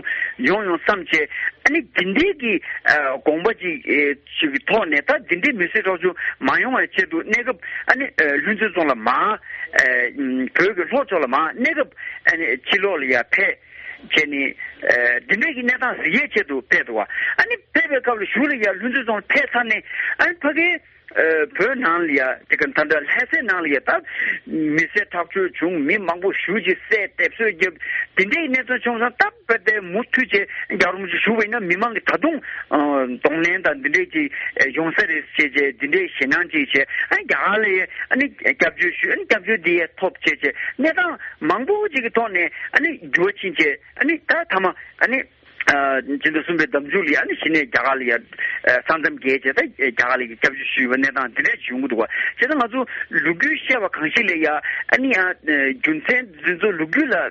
ཡོང་ཡོང་བསམ་བྱས། ཨ་ནི་འདི་འདྲའི་གི་ཨ་དགོངས་པ་ཅིག་ཨེ་ཅིག་གི་ཐོག་ནས་ད་འདི་འདྲའི་མི་བསད་ཁྲག་སྦྱོར་མ་ཡོང་བའི་ཆེད་དུ་གནས་སྐབས་ཨ་ནི་ཨ་ལྷུན་རྩེ་རྫོང་ལ་མར་ཨེ་བོད་ཀྱི་ལྷོ་ཕྱོགས་ལ་མར་གནས་སྐབས་ཨ་ནི་ཕྱི་ལོགས་ལ་ཡ་ཕེབས། བྱས་ནས་ཨ་འདི་འདྲའི་གི་གནས་སྟངས་གཟིགས་ཡས་ཆེད་དུ་ཕེབས་འདུག་བ། ཨ་ནི་ཕེབས་པའི་སྐབས་ལ་གཞུག་ལ་ཡ་ལྷུན་རྩེ་རྫོང་ཕེབས་ཚར་ནས་ཨ་ནི་ཕ་གིའི་ཨ་བོད་ནང་ལ་ཡ་དེ་ག་ད་ལྟ་ལྷ་སའི་ནང་ལ་ཡ་ད་མི་བསད་ཁྲག་སྦྱོར་བྱུང་། མི་མང་པོ་ཞེ་པོ་ཅིག་བསད་དེ་གསོད་བརྒྱབ། འདི་འདྲའི་གནས་ཚུལ་བྱུང་ཙང་སྟབས་བདེ་མུ་མཐུད་བྱས་རྒྱལ་བ་རིན་པོ་ཆེ་བཞུགས་པ་ཡིན་ན་མི་མང་གིས་ད་དུང་ཨ་གདོང་ལེན་དང་འདི་འདྲའི་ཅིག་ཡོང་ས་རེད་ཅེས་བྱས་འདི་འདྲའི་ཞེད་སྣང་ཅིག་བྱས། ཨ་རྒྱ་གར་ལ་ཡ་ཨ་ནི་སྐྱབས་བཅོལ་ཞུས། ཨ་ནི་སྐྱབས་བཅོལ་འདི་ཡ་ཐོབ་ཅེས་བྱས་གནས་སྟངས་མང་པོ་ཅིག་གི་ཐོག་ནས་ཨ་ནི་འགྱུར་བ་ཕྱིན་བྱས། ཨ་ནི་ད་མཐའ་མ་ཨ་ནི་ཨ་སྤྱི་ཟླ་གསུམ་པའི་ཟླ་མཇུག་ལ་ཨ་ནི་གཞི་ནས་རྒྱ་གར་ལ་ཡ་ཨ་ས་མཚམས་བརྒལ་བྱས་ད་རྒྱ་གར་ལ་ཡ་སྐྱབས་བཅོལ་ཞུས་པ་གནས་སྟངས་འདི་འདྲ་ཞིག་ཡོང་གི་འདུག་བ། བྱས་ཙང་ང་ཚོ་ལོ་རྒྱུས་བཤད་པ་གང་ཞིག་ལ་ཡ་ཨ་ནི་ཡང་ཨ་རྒྱུ་མཚན་འདི་ཚོ་ལོ་རྒྱུས་ལ་ཨ་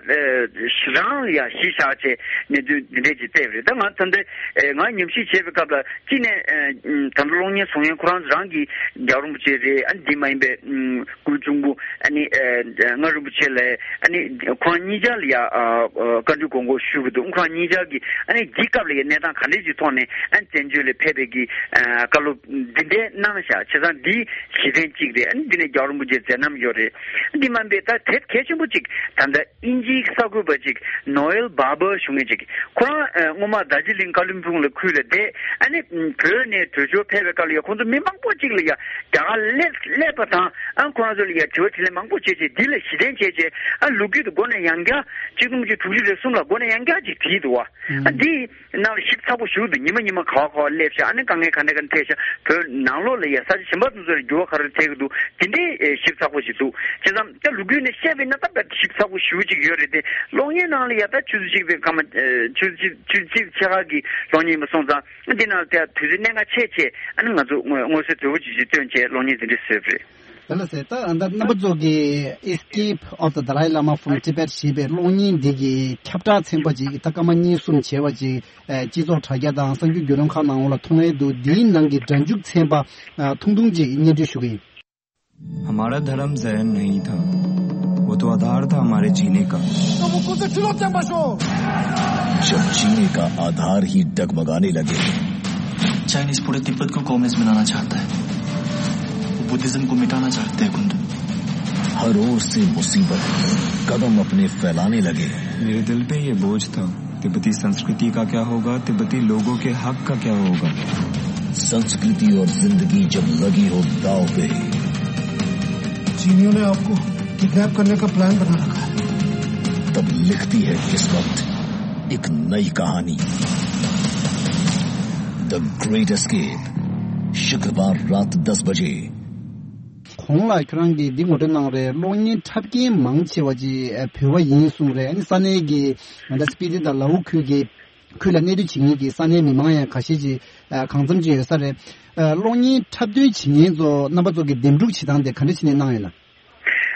རང་ལ་ཡ་གཞི་བཞག་བྱས་གནད་དོན་འདི་འདྲ་ཅིག་བལྟས་པ་རེད། ད་ང་ད་ལྟ་ཨ་ང་ཉམས་ཞིབ་བྱས་པའི་སྐབས་ལ་གཅིག་ནས་ཨ་ད་ལྟ་གློག་བརྙན་བཟོ་མཁན་ཁོ་རང་རང་གི་རྒྱལ་བ་རིན་པོ་ཆེ་རེད། ཨ་འདི་མ་ཡིན་པའི་ཨ་སྐུ་གཅུང་པོ་ཨ་ནི་ཨ་མངའ་རིན་པོ་ཆེ་ལགས། ཨ་ནི་ཁོ་རང་གཉིས་ཆ་ལ་ཡ་ཨ་ཨ་བཀའ་འདྲི་དགོངས་སྐོར་ཞུ་གི་འདུག་ཁོ་རང་གཉིས་ཆ་གི་ ཨ་ནི་འདི་སྐབས་ལ་ཡ་གནས་སྟངས་ག་འདྲས་ཅིག་ཐོག་ནས་ཨ་ནི་བཙན་བྱོལ་ལ་ཕེབས་པའི་གི་ཨ་བཀའ་སློབ་འདི་འདྲས་གནང་བཞག་བྱས་ཙང་འདི་གཞི་རྟེན་གཅིག་རེད། ཨ་ནི་འདི་ནས་རྒྱལ་བ་རིན་པོ་ཆེའི་མཛད་རྣམ་ཡོད་རེད། འདི་མ་འབད་ད་དེབ་གལ་ཆེན་པོ་གཅིག་ད་ལྟ་དབྱིན་ཇིའི་གསར་འགོད་པ་གཅིག་ནོ་ཨེལ་བྷ་བྷར་ཞུ་མཁན་གཅིག་ཁོ་རང་ཨ་སྔོན་མ་རྡོ་རྗེ་གླིང་ཀ་ལིམ་པོང་ལ་ཁུལ་ལ་བསྡད། ཨ་ནི་བོད་ནས་བྲོས་བྱོལ་ཕེབས་པའི་སྐབས་ལ་ཡ་ཁོང་ཚོ་མི་མང་པོ་གཅིག་ལ་ཡ་རྒྱ་གར་སླེབས་སླེབས་པ་དང་ཨ་ཁོ་རང་ཚོ་ལ་ཡ་དྲི་བ་དྲིས་ལན་མང་པོ་བྱས་བྱས་འདི་ལ་གཞི་རྟེན་བྱས་བྱས་ཨ་ལོ་རྒྱུས་དེ་མགོ་ནས་ཡང་བསྐྱར་གཅིག་སྟོང་དགུ་བརྒྱ་དྲུག་ཅུ་རེ་གསུམ་ལ་མགོ་ནས་ཡང་བསྐྱར་གཅིག་བྲིས་འདུག་བ། ཨ་འདི་ནང་ལ་ཞིབ་ཚགས་པོ་ཞུ་འདུག་ཉི་མ་ཉི་མ་ག་བ་ག་བ་སླེབས་ཤག་ཨ་ནི་དཀའ་ངལ་ག་འདྲ་ག་འདྲ་འཕྲད་ཤག་བོད་ནང་ལོགས་ལ་ཡ་ས་ཆ་གཞན་པ་དེ་ཚོ་ལ་འགྱུར་བ་ག་རེ་འཕྲད་ཀྱི་འདུག་དེ་འདྲའི་ཞིབ་ཚགས་པོ་ཞིག་འདུག་བྱས་ཙང་ད་ལོ་རྒྱུས་ནས་བཤད་པ་ཡིན་ན་ད་དཔེ་ཞིབ་ཚགས་པོ་ཞེ་པོ་ཅིག་ཡོད་རེད་དེ། གློག་བརྙན་ནང་ལ་ཡ་ད་ཆུ་ཚོད་གཅིག་དེ་སྐར་མ་ཆུ་ཚོད་ཆུ་ཚོད་གཅིག་ཕྱེད་ཀ་གི་གློག་བརྙན་ཡིན་པ་སོང་ཙང་འདི་ནང་ལ་དེ་དུས་ཚོད་གནད་འགག་ཆེ་ཆེ་ཨ་ནི་ང་ཚོ་མངོན་གསལ་དོད་པོ་ཅིག་ཅིག་སྟོན་བྱས་གློག་བརྙན་དེ་འདྲ་བཟོས་པ་རེད། དེ་ལ་ཟེར་ད་ཨ་ད་རྣམ་པ་ཚོ་གི་Escape of the Dalai Lama from Tibet ཞེས་པའི་གློག་བརྙན་འདི་གི་ཁྱབ་བསྒྲགས་ཚན་པ་ཅིག་ད་སྐར་མ་གཉིས་གསུམ་བྱས་པ་ཅིག་ཨ་སྤྱི་ཚོགས་དྲ་རྒྱ་དང་གསར་འགྱུར་བརྒྱུད་ལམ་ཁག་ནང་ལ་མཐོང་ཡས་འདུག་འདིའི་ནང་གི་སྒྲ་འཇུག་ཚན་པ་ཨ་ཐུང་ཐུང་ཅིག་སྙན་སྒྲོན་ཞུ་གི་ཡིན། हमारा धर्म जैन नहीं था, वो तो आधार था हमारे जीने का। तो वो कुछ ठुलो चंबा शो। जब जीने का आधार ही डगमगाने लगे। चाइनीज पूरे तिब्बत को कम्युनिस्ट बनाना चाहता है, वो बुद्धिज्म को मिटाना चाहते हैं कुंदन। हर ओर से मुसीबत कदम अपने फैलाने लगे। मेरे दिल पे ये बोझ था, तिब्बती संस्कृति का क्या होगा, तिब्बती लोगों के हक का क्या होगा? संस्कृति और जिंदगी जब लगी हो दाव पे। चीनियों ने आपको किडनैप करने का प्लान बना रखा है। तब लिखती है किस्मत एक नई कहानी। The Great Escape, शुक्रवार रात दस बजे। གོང་ལ་ཁྱོད་རང་གིས་འདི་ངོ་སྤྲོད་གནང་རེད། གློག་བརྙན་འཁྲབ་མཁན་མང་ཆེ་བ་ཅིག་ཨ་བོད་པ་ཡིན་གསུངས་རེད། ཨ་ནི་ས་གནས་ཀྱི་ང་ཚོ་སྤི་ཏི་དང་ལའུ་ཁུལ་གྱི་ཁུལ་ལ་གནས་སྡོད་བྱེད་མཁན་གྱི་ས་གནས་མི་མང་ཡང་ཁ་ཤས་ཅིག་ཨ་གང་འཚམ་ཅིག་ཡོད་ས་རེད། ཨ་གློག་བརྙན་འཁྲབ་སྟོན་བྱེད་མཁན་ཚོ་རྣམ་པ་ཚོ་གི་འདེམས་སྒྲུག་བྱེད་སྟངས་དེ་ག་འདྲ་བྱས་ནས་གནང་ཡོད་ན།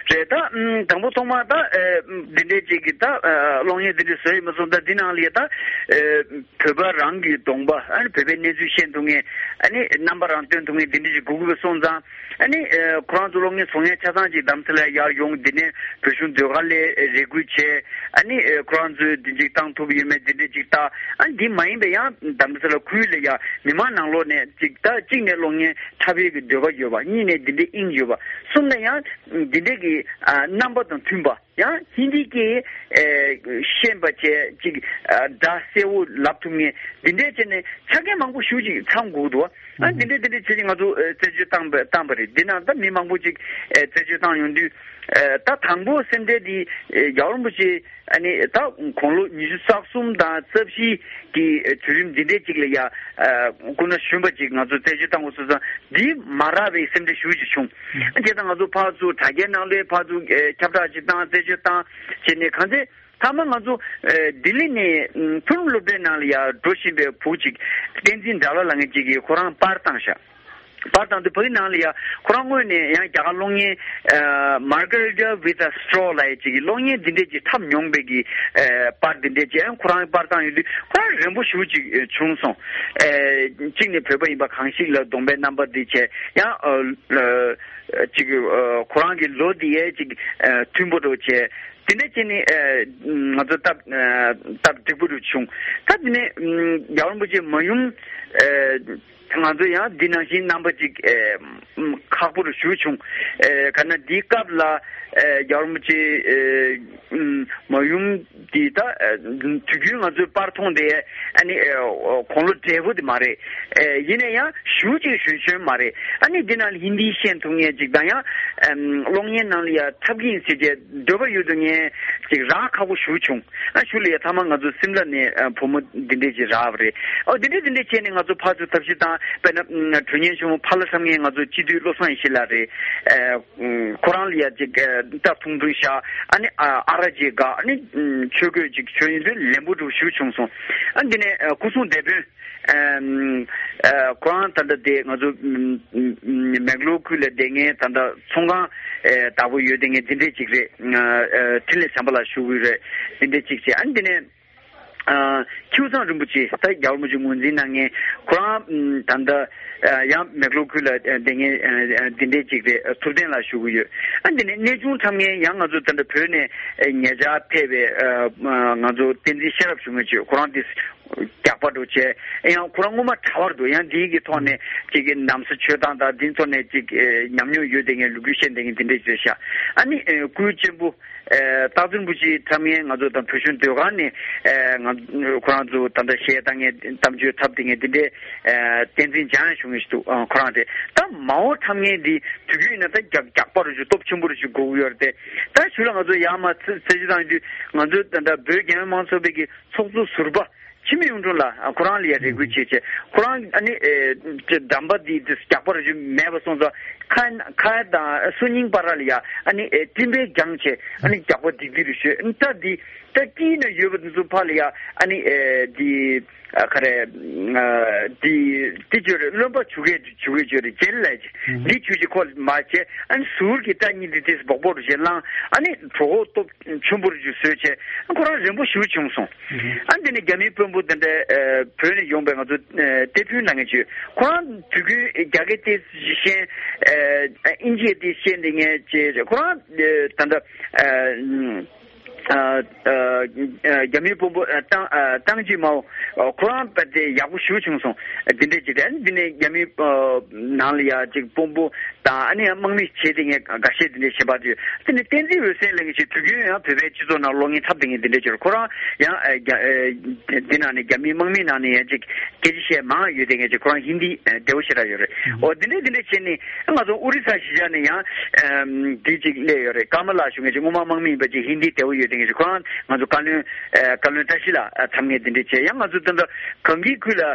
རེད་ད། ཨམ་དང་པོ་ཐོག་མ་ད་ཨེ་འདི་འདྲའི་ཅིག་གི་ད་ཨ་གློག་བརྙན་འདི་འདྲ་བཟོས་ཡོད་མ་སོང་། ད་འདི་ནང་ལ་ཡ་ད་ཨེ་བོད་པ་རང་གི་གདོང་པ་ཨ་ནི་བོད་པའི་གནས་ཚུལ་ཤེས་ཐུབ་མཁན་ཨ་ནི་རྣམ་པ་རང་སྟོན་ཐུབ་མཁན་འདི་འདྲ་ཅིག་དགོས་ཀྱི་སོང་ཙང་ཨ་ནི་ཨེ་ཁོ་རང་ཚོ་གློག་བརྙན་བཟོ་མཁན་ཆ་ཚང་ཅིག་རྡ་རམ་ས་ལ་ཡར་ཡོང་། འདི་ནས་བོད་གཞུང་ཟློས་གར་ལ་རེ་སྐུལ་བྱས། ཨ་ནི་ཨེ་ཁོ་རང་ཚོས་འདི་ཅིག་བཏང་ཐུབ་ཡོད་མེད་འདི་འདྲ་ཅིག་ལྟ། ཨ་ནི་འདི་མ་ཡིན་པའི་ཡང་རྡ་རམ་ས་ལ་ཁུལ་ལ་ཡ་མི་མང་ནང་ལོགས་ནས་ཅིག་ད་གཅིག་ནས་གློག་བརྙན་འཁྲབ་ཡས་ཀྱི་འདོད་པ་ཡོད་པ། གཉིས་ནས་འདི་འདྲའི་དབྱིངས་ཡོད་པ། གསུམ་ནས་ཡང་འདི་འདྲའི་གི་ཨ་རྣམ་པ་དང་མཐུན་པ། ཡང་ཧིན་དི་སྐད་ཨེ་ཤེས་པ་བྱས་ཅིག་ཨ་སྒྲ་གསལ་བོ་ལབ་ཐུབ་མཁན་འདི་འདྲའི་བྱས་ནས་ཆ་རྐྱེན་མང་པོ་ཞེ་པོ་ཅིག་ཚང་དགོས་འདུག་ཨ་འདི་འདྲའི་འདི་འདྲའི་བྱས་ནས་ང་ཚོ་ཨེ་རྩད་གཅོད་བཏང་པ་བཏང་པ་རེད། འདི་ནང་ད་མི་མང་པོ་ཅིག་ཨེ་རྩད་གཅོད་བཏང་ཡོང་དུས་ཨེ་ད་དང་པོ་སེམས་ཁྲལ་འདི་ཨེ་རྒྱལ་བ་རིན་པོ་ཆེ་ཨ་ནི་ད་དགུང་ལོ་ཉི་ཤུ་རྩ་གསུམ་དང་རྩ་བཞི་གི་དུས་རིམ་འདི་འདྲའི་ཅིག་ལ་ཡ་ཨ་སྐུ་ན་གཞོན་པ་ཅིག་ང་ཚོ་རྩད་གཅོད་བཏང་དགོས་སོང་ཙང་འདི་མ་རག་པའི་སེམས་ཁྲལ་ཞེ་པོ་ཅིག་བྱུང་། ཨ་དེ་ད་ང་ཚོ་ཕར་ཚུར་དྲ་རྒྱའི་ནང་ལ་ཕར་ཚུར་ཨེ་ཁྱབ་བསྒྲགས་ཅིག་བཏང་རྩད་གཅོད་བཏང་བྱས་ནས་གང་ཚེ་མཐའ་མ་ང་ཚོ་ཨེ་ལྡི་ལི་ནས་ཨམ་མཐོ་རིམ་སློབ་གྲྭའི་ནང་ལ་ཡ་འགྲོ་བཞིན་པའི་བུ་ཅིག་བསྟན་འཛིན་དགྲ་ལྷ་ལབ་མཁན་ཅིག་གིས་ཁོ་རང་པར་བཏང་ཤག་པར་བཏང་དུས་ཕ་གི་ནང་ལ་ཡ་ཁོ་རང་དངོས་ནས་ཡང་རྒྱ་གར་གློག་བརྙན་ཨ་Margarita with a Straw ལབ་ཡ་ཅིག་གི་གློག་བརྙན་འདི་འདྲས་ཅིག་འཁྲབ་མྱོང་བའི་གི་ཨ་པར་འདི་འདྲས་ཅིག་ཡང་ཁོ་རང་པར་བཏང་ཡོད་དུས་ཁོ་རང་རན་པོ་ཞེ་པོ་ཅིག་ཨ་བྱུང་སོང་། ཨ་གཅིག་ནས་བོད་པ་ཡིན་པ་གང་ཞིག་ལ་གདོང་པའི་རྣམ་པ་འདི་བྱས་ཡང་ཨ་ཨ་ཅིག་ཨ་ཁོ་རང་གི་ལོ་འདི་ཡས་ཅིག་ཨ་མཐུན་པོ་འདྲ་བོ་བྱས། དེ་འདྲ་བྱས་ནས་ཨ་ང་ཚོ་སྟབས་ཨ་སྟབས་འགྲིག་པོ་རུ་བྱུང་། ད་དེ་ནས་ཨམ་རྒྱལ་བ་རིན་པོ་ཆེ་མ་ཡུམ་ཨ་ང་ཚོ་ཡང་འདི་ནང་བཞིན་རྣམ་པ་ཅིག་ཨ་ཨམ་ཁག་པོ་རུ་ཞུ་བྱུང་། ཨ་ག་ན་འདིའི་སྐབས་ལ་ཨ་རྒྱལ་བ་རིན་པོ་ཆེ་ཨ་ཨམ་མ་ཡུམ་འདི་ད་ཨ་དུས་རྒྱུན་ང་ཚོའི་པར་མཐོང་དེ་ཨ་ནི་ཨ་དགུང་ལོ་བགྲེས་པོ་དེ་མ་རེད། ཨ་ཡིན་ན་ཡང་ཞེ་པོ་ཅིག་གཞོན་གཞོན་མ་རེད། ཨ་ནི་འདི་ནང་ལ་ཧིན་དི་ཤེས་ཐུབ་མཁན་ཅིག་དང་ཡང་ཨམ་གློག་བརྙན་ནང་ལ་ཡང་འཁྲབ་ཀྱི་ཡིན་ཟེར་བྱས་འདོད་པ་ཡོད་དུ་ངས་ཅིག་རག་ཁག་པོ་ཞེ་པོ་བྱུང་། ཨ་ཞུ་ལ་ཡ་ཐ་མ་ང་ཚོ་སིམ་ལ་ནས་ཨ་བུ་མོ་འདི་འདྲས་ཅིག་རག་པ་རེད། ཨོ་འདི་འདྲས་འདི་འདྲས་བྱས་ནས་ང་ཚོ་ཕར་ཚུར་ཐབས་ཤེས་བཏང་། དཔེར་ན་ཨ་དྲུང་ཆེ་ཆེན་མོ་ཕ་ལྷ་བསམ་མཁན་ང་ཚོ་སྤྱི་འཐུས་བློ་བཟང་ཡེ་ཤེས་ལགས་རེད། ཨ་ཁོ་རང་ལ་ཡ་ཅིག་ཨ་སྐྲ་ཐུང་ཐུང་བཞག་ཨ་ནི་ཨ་ཨ་ར་ཅིག་དགའ་ཨ་ནི་ཨ་ཆོས་གོས་ཅིག་གྱོན་ཡོང་དུས་ལན་པོ་འདྲ་བོ་ཞེ་པོ་བྱུང་སོང་། ཨ་འདི་ནས་ཨ་སྐུ་སྲུང་སྡེ་དཔོན་ཨམ་ཨ་ཁོ་རང་ད་ལྟ་དེ་ང་ཚོ་ཨམ་ཨམ་མེག་ལོར་ཁུལ་ལ་བསྡད་མཁན་ད་ལྟ་ཚོང་ཁང་ཨེ་བདག་པོ་ཡོད་བསྡད་མཁན་འདི་འདྲས་ཅིག་རེད། ཨ་ཨ་འཕྲིན་ལས་བྱམས་པ་ལགས་ཞུ་གི་ཡོད་རེད། འདི་འདྲས་ཅིག་བྱས་ཨ་འདི་ནས་ཨ་ཁྱེའུ་ཚང་རིན་པོ་ཆེ་ད་རྒྱལ་བ་རིན་པོ་ཆེ་ངོས་འཛིན་གནང་མཁན་ཁོ་རང་ཨམ་ད་ལྟ་ཨ་ཡང་མེག་ལོར་ཁུལ་ལ་ཨ་བསྡད་མཁན་ཨ་ཨ་འདི་འདྲས་ཅིག་རེད། ཨ་ཐུབ་བསྟན་ལགས་ཞུ་གི་ཡོད། ཨ་འདི་ནས་གནས་ཆུང་འཁྲབ་མཁན་ཡང་ང་ཚོ་ད་ལྟ་བོད་ནས་ཨ་ཉེ་ཆར་ཕེབས་པའི་ཨ་ང་ཚོ་བསྟན་འཛིན་ཤེས་རབ་ཞུ་མཁན་ཅིག་ཁོ་རང་འདི་ རྒྱག་པ་འདྲ་བྱས། ཡང་ཁོ་རང་སྔོན་མ་གྲྭ་བར་འདུག། ཡང་འདིའི་གི་ཐོག་ནས་ཅིག་གི་ན་བཟའ་མཆོད་སྟངས་དང་འདིའི་ཐོག་ནས་ཅིག་ཨེ་ཉམས་མྱོང་ཡོད་དེ་ངས་ལོ་རྒྱུས་བཤད་དེ་ངས་འདི་འདྲས་བྱས་ཤག། ཨ་ནི་ཨེ་སྐུའི་གཅེན་པོ་ཨེ་སྟག་འཛིན་བུ་ཆེའི་འཁྲབ་མཁན་ང་ཚོ་དང་བོད་གཞུང་ཟློས་གར་ནས་ཨེ་ང་ཁོ་རང་ཚོ་ད་ལྟ་གཞས་བཏང་མཁན་གཏམ་བརྗོད་འཁྲབ་དེ་ངས་འདི་འདྲས་ཨེ་བསྟན་འཛིན་འཇམ་དབྱངས་ཞུ་མཁན་ཞིག་འདུག། ཨ་ཁོ་རང་དེ་ད་མ་འོངས་འཁྲབ་མཁན་འདི་དུས་རྒྱུན་ཡིན་ན་ད་རྒྱག་རྒྱག་པ་རུ་ཞིག་སྟོབས་ཆེན་པོ་རུ་ཞིག་དགོས་ཀྱི་ཡོད་རེད་དེ། ད་གཞུག་ལ་ང་ཚོ་ཡར་མར་ཚེ་ཚེ་གཅིག་བཏང་དུས་ང་ཚོ་ད་ལྟ་བོད་རྒྱལ་ཡོངས་མང་གཙོ་བོད་ཀྱི་ཚོགས་གཙོ་ཟུར་པ་འཆི་མེད་གཡུང་དྲུང་ལགས་ཁོ་རང་ལ་ཡ་རེ་སྐུལ་བྱས་བྱས། ཁོ་རང་ཨ་ནི་ཨེ་ཅེ་འགྲམ་པ་འདི་དེ་རྒྱག་པ་རུ་ཞིག་མེད་པ་སོང་ཙང་ཁ་ཁ་དང་སོ་སྙིང་བར་ལ་ཡ་ཨ་ནི་ཨེ་སྤྲིན་པས་བརྒྱངས་བྱས་ཨ་ནི་རྒྱག་པ་ལྡིག་ལྡིག་རུ་ཤོད། ཨ་ནི་ད་འདི་ད་དཀྱིལ་ན་ཡོད་པ་འདི་ཚོ་ཕར་ལ་ཡ་ཨ་ནི་ཨེ་འདི་ཨ་ག་རེ་ཨ་འདི་འདི་བརྗོད་རེད། རློན་པ་བྱུག་གེ་བྱུག་གེ་བརྗོད་རེད། ཇེལ་ལབ་ཀྱི་འདི་བྱུག་ཅིག་ཁོ་མ་བྱས། ཨ་ནི་ཟུར་གྱི་སྐྲ་གཉིས་འདི་དེ་སྦོག་སྦོག་རུ་བྱས་བླངས། ཨ་ནི་གྲོད་ཁོག་སྟོབས་ཆེན་པོ་རུ་ཞིག་བཟོས་བྱས་ཁོ་རང་རན་པོ་ཞེ་པོ་བྱུང་སོང་། ཨ་འདི་ནས་རྒྱ་མིའི་དཔོན་པོ་འདི་འདྲ་ཨ་བོད་ནས་ཡོང་པའི་ང་ཚོ་ཨ་ཏེ་ཕུན་ལབ་མཁན་ཅིག་ཡོད། ཁོ་རང་དུས་རྒྱུན་རྒྱ་སྐད་ཏོག་ཙམ་ཤེས། ཨ་ཨིན་ཇིའི་ཏོག་ཙམ་ཤེས་འདི་ངས་བྱས་ཁོ་རང་ཨ་ད་ལྟ་ཨ་ཨ་ཨ་རྒྱ་མིའི་དཔོན་པོ་ཨ་ཏང་ཨ་ཏང་ཅི་མའོ་ཁོ་རང་དཔེ་དེ་ཡག་པོ་ཞེ་པོ་བྱུང་སོང་། འདི་འདྲས་ཅིག་རེད། འདི་ནས་རྒྱ་མིའི་ཨ་ནང་ལ་ཡ་ཅིག་དཔོན་པོ་དང་ཨ་ནི་དམག་མི་བྱས་ཏེ་ངས་འགའ་ཤས་འདི་འདྲས་བྱེད་པ་དུས་དེ་ནས་བསྟན་འཛིན་འོད་ཟེར་ལབ་མཁན་ཞིག་དུས་རྒྱུན་ཡང་བོད་པའི་སྤྱི་ཚོགས་ནང་གློག་བརྙན་འཁྲབ་བསྡད་མཁན་འདི་འདྲས་ཅིག་རེད། ཁོ་རང་ཡང་ཨ་རྒྱ་ཨ་འདི་ནང་ནས་རྒྱ་མིའི་དམག་མིའི་ནང་ནས་ཡང་ཅིག་སྐད་ཆ་བཤད་མང་ཡོད་དེ་ངས་ཅིག་ཁོ་རང་ཧིན་དི་ཨ་བདེ་བོ་ཞེ་དྲག་ཡོད་རེད། ཨོ་འདི་འདྲས་འདི་འདྲས་བྱས་ནས་ང་ཚོ་ཨོ་རི་ས་གཞིས་ཆགས་ནས་ཡང་ཨམ་འདི་ཅིག་སླེབས་ཡོད་རེད། ཀརྨ་ལགས་ཞུ་མཁན་ཅིག་སྔོན་མ་དམག་མི་ཡིན་པ་ཅིག་ཧིན་དི་བདེ་བོ་ཡོད་དེ་ངས་ཅིག་ཁོ་རང་ང་ཚོ་བཀའ་བློན་ཨ་བཀའ་བློན་བཀྲ་ཤིས་ལགས་ཨ་འཁྲབ་མཁན་འདི་འདྲས་བྱས། ཡང་ང་ཚོ་ད་ལྟ་གངས་སྐྱིད་ཁུལ་ལ་ཨ་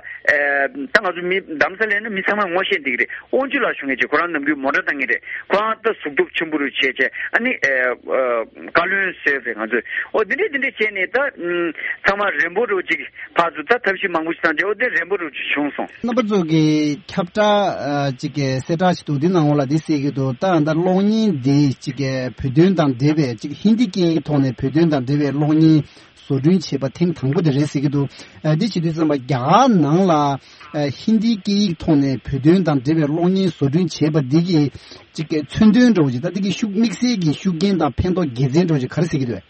ད་ང་ཚོ་མི་རྡ་རམ་ས་ལའི་ནང་མི་ཚང་མས་ངོ་ཤེས་འདི་གི་རེད། དབང་ཕྱུག་ལགས་ཞུ་མཁན་ཅིག་ཁོ་རང་ནམ་རྒྱུན་མོ་ཊ་བཏང་མཁན་རེད། ཁོ་རང་ད་གཟུགས་སྟོབས་ཆེན་པོ་རུ་བྱས་བྱས་ཨ་ནི་ཨ་ཨ་བཀའ་བློན་བཟོས་རེད། ང་ཚོས་ཨོ་འདི་འདྲས་འདི་འདྲས་བྱས་ནས་ད་ཨམ་ཚང་མ་རན་པོ་རུ་ཅིག་ཕར་ཚུར་ད་ཐབས་ཤེས་མང་པོ་ཞིག་བཏང་བྱས་ཨོ་དེ་རན་པོ་རུ་ཅིག་བྱུང་སོང་། རྣམ་པ་ཚོ་གི་ཁྱབ་བསྒྲགས་ཨ་ཅིག་གི་གསལ་བསྒྲགས་ཤིག་འདུག། འདི་ནང་ལོགས་ལ་འདི་གསལ་གྱི་འདུག། ད་ད་གློག་བརྙན་འདི་ཅིག་གི་བོད་དོན་དང་འབྲེལ་བའི་ཅིག་ཧིན་དི་སྐད་ཡིག་ཐོག་ནས་བོད་དོན་དང་འབྲེལ་བའི་གློག་བརྙན་བཟོ་སྐྲུན་བྱས་པ་ཐེངས་དང་པོ་དེ་རེད་ཟེར་གྱི་འདུག། ཨ་འདི་བྱེད་དུས་ཙམ་པ་རྒྱ་གར་ནང་ལ་ཨ་ཧིན་དི་སྐད་ཡིག་ཐོག་ནས་བོད་དོན་དང་འབྲེལ་བའི་གློག་བརྙན་བཟོ་སྐྲུན་བྱས་པ་འདི་གི་ཅིག་གི་མཚོན་དོན་འདྲ་བོ་ཅིག་ད་འདི་གི་ཤུགས་དམིགས་བསལ་གྱི་ཤུགས་རྐྱེན་དང་ཕན་ཐོགས་དགེ་མཚན་འདྲ་བོ་ཅིག་ག་རེ་ཟེར་གྱི་འདུག།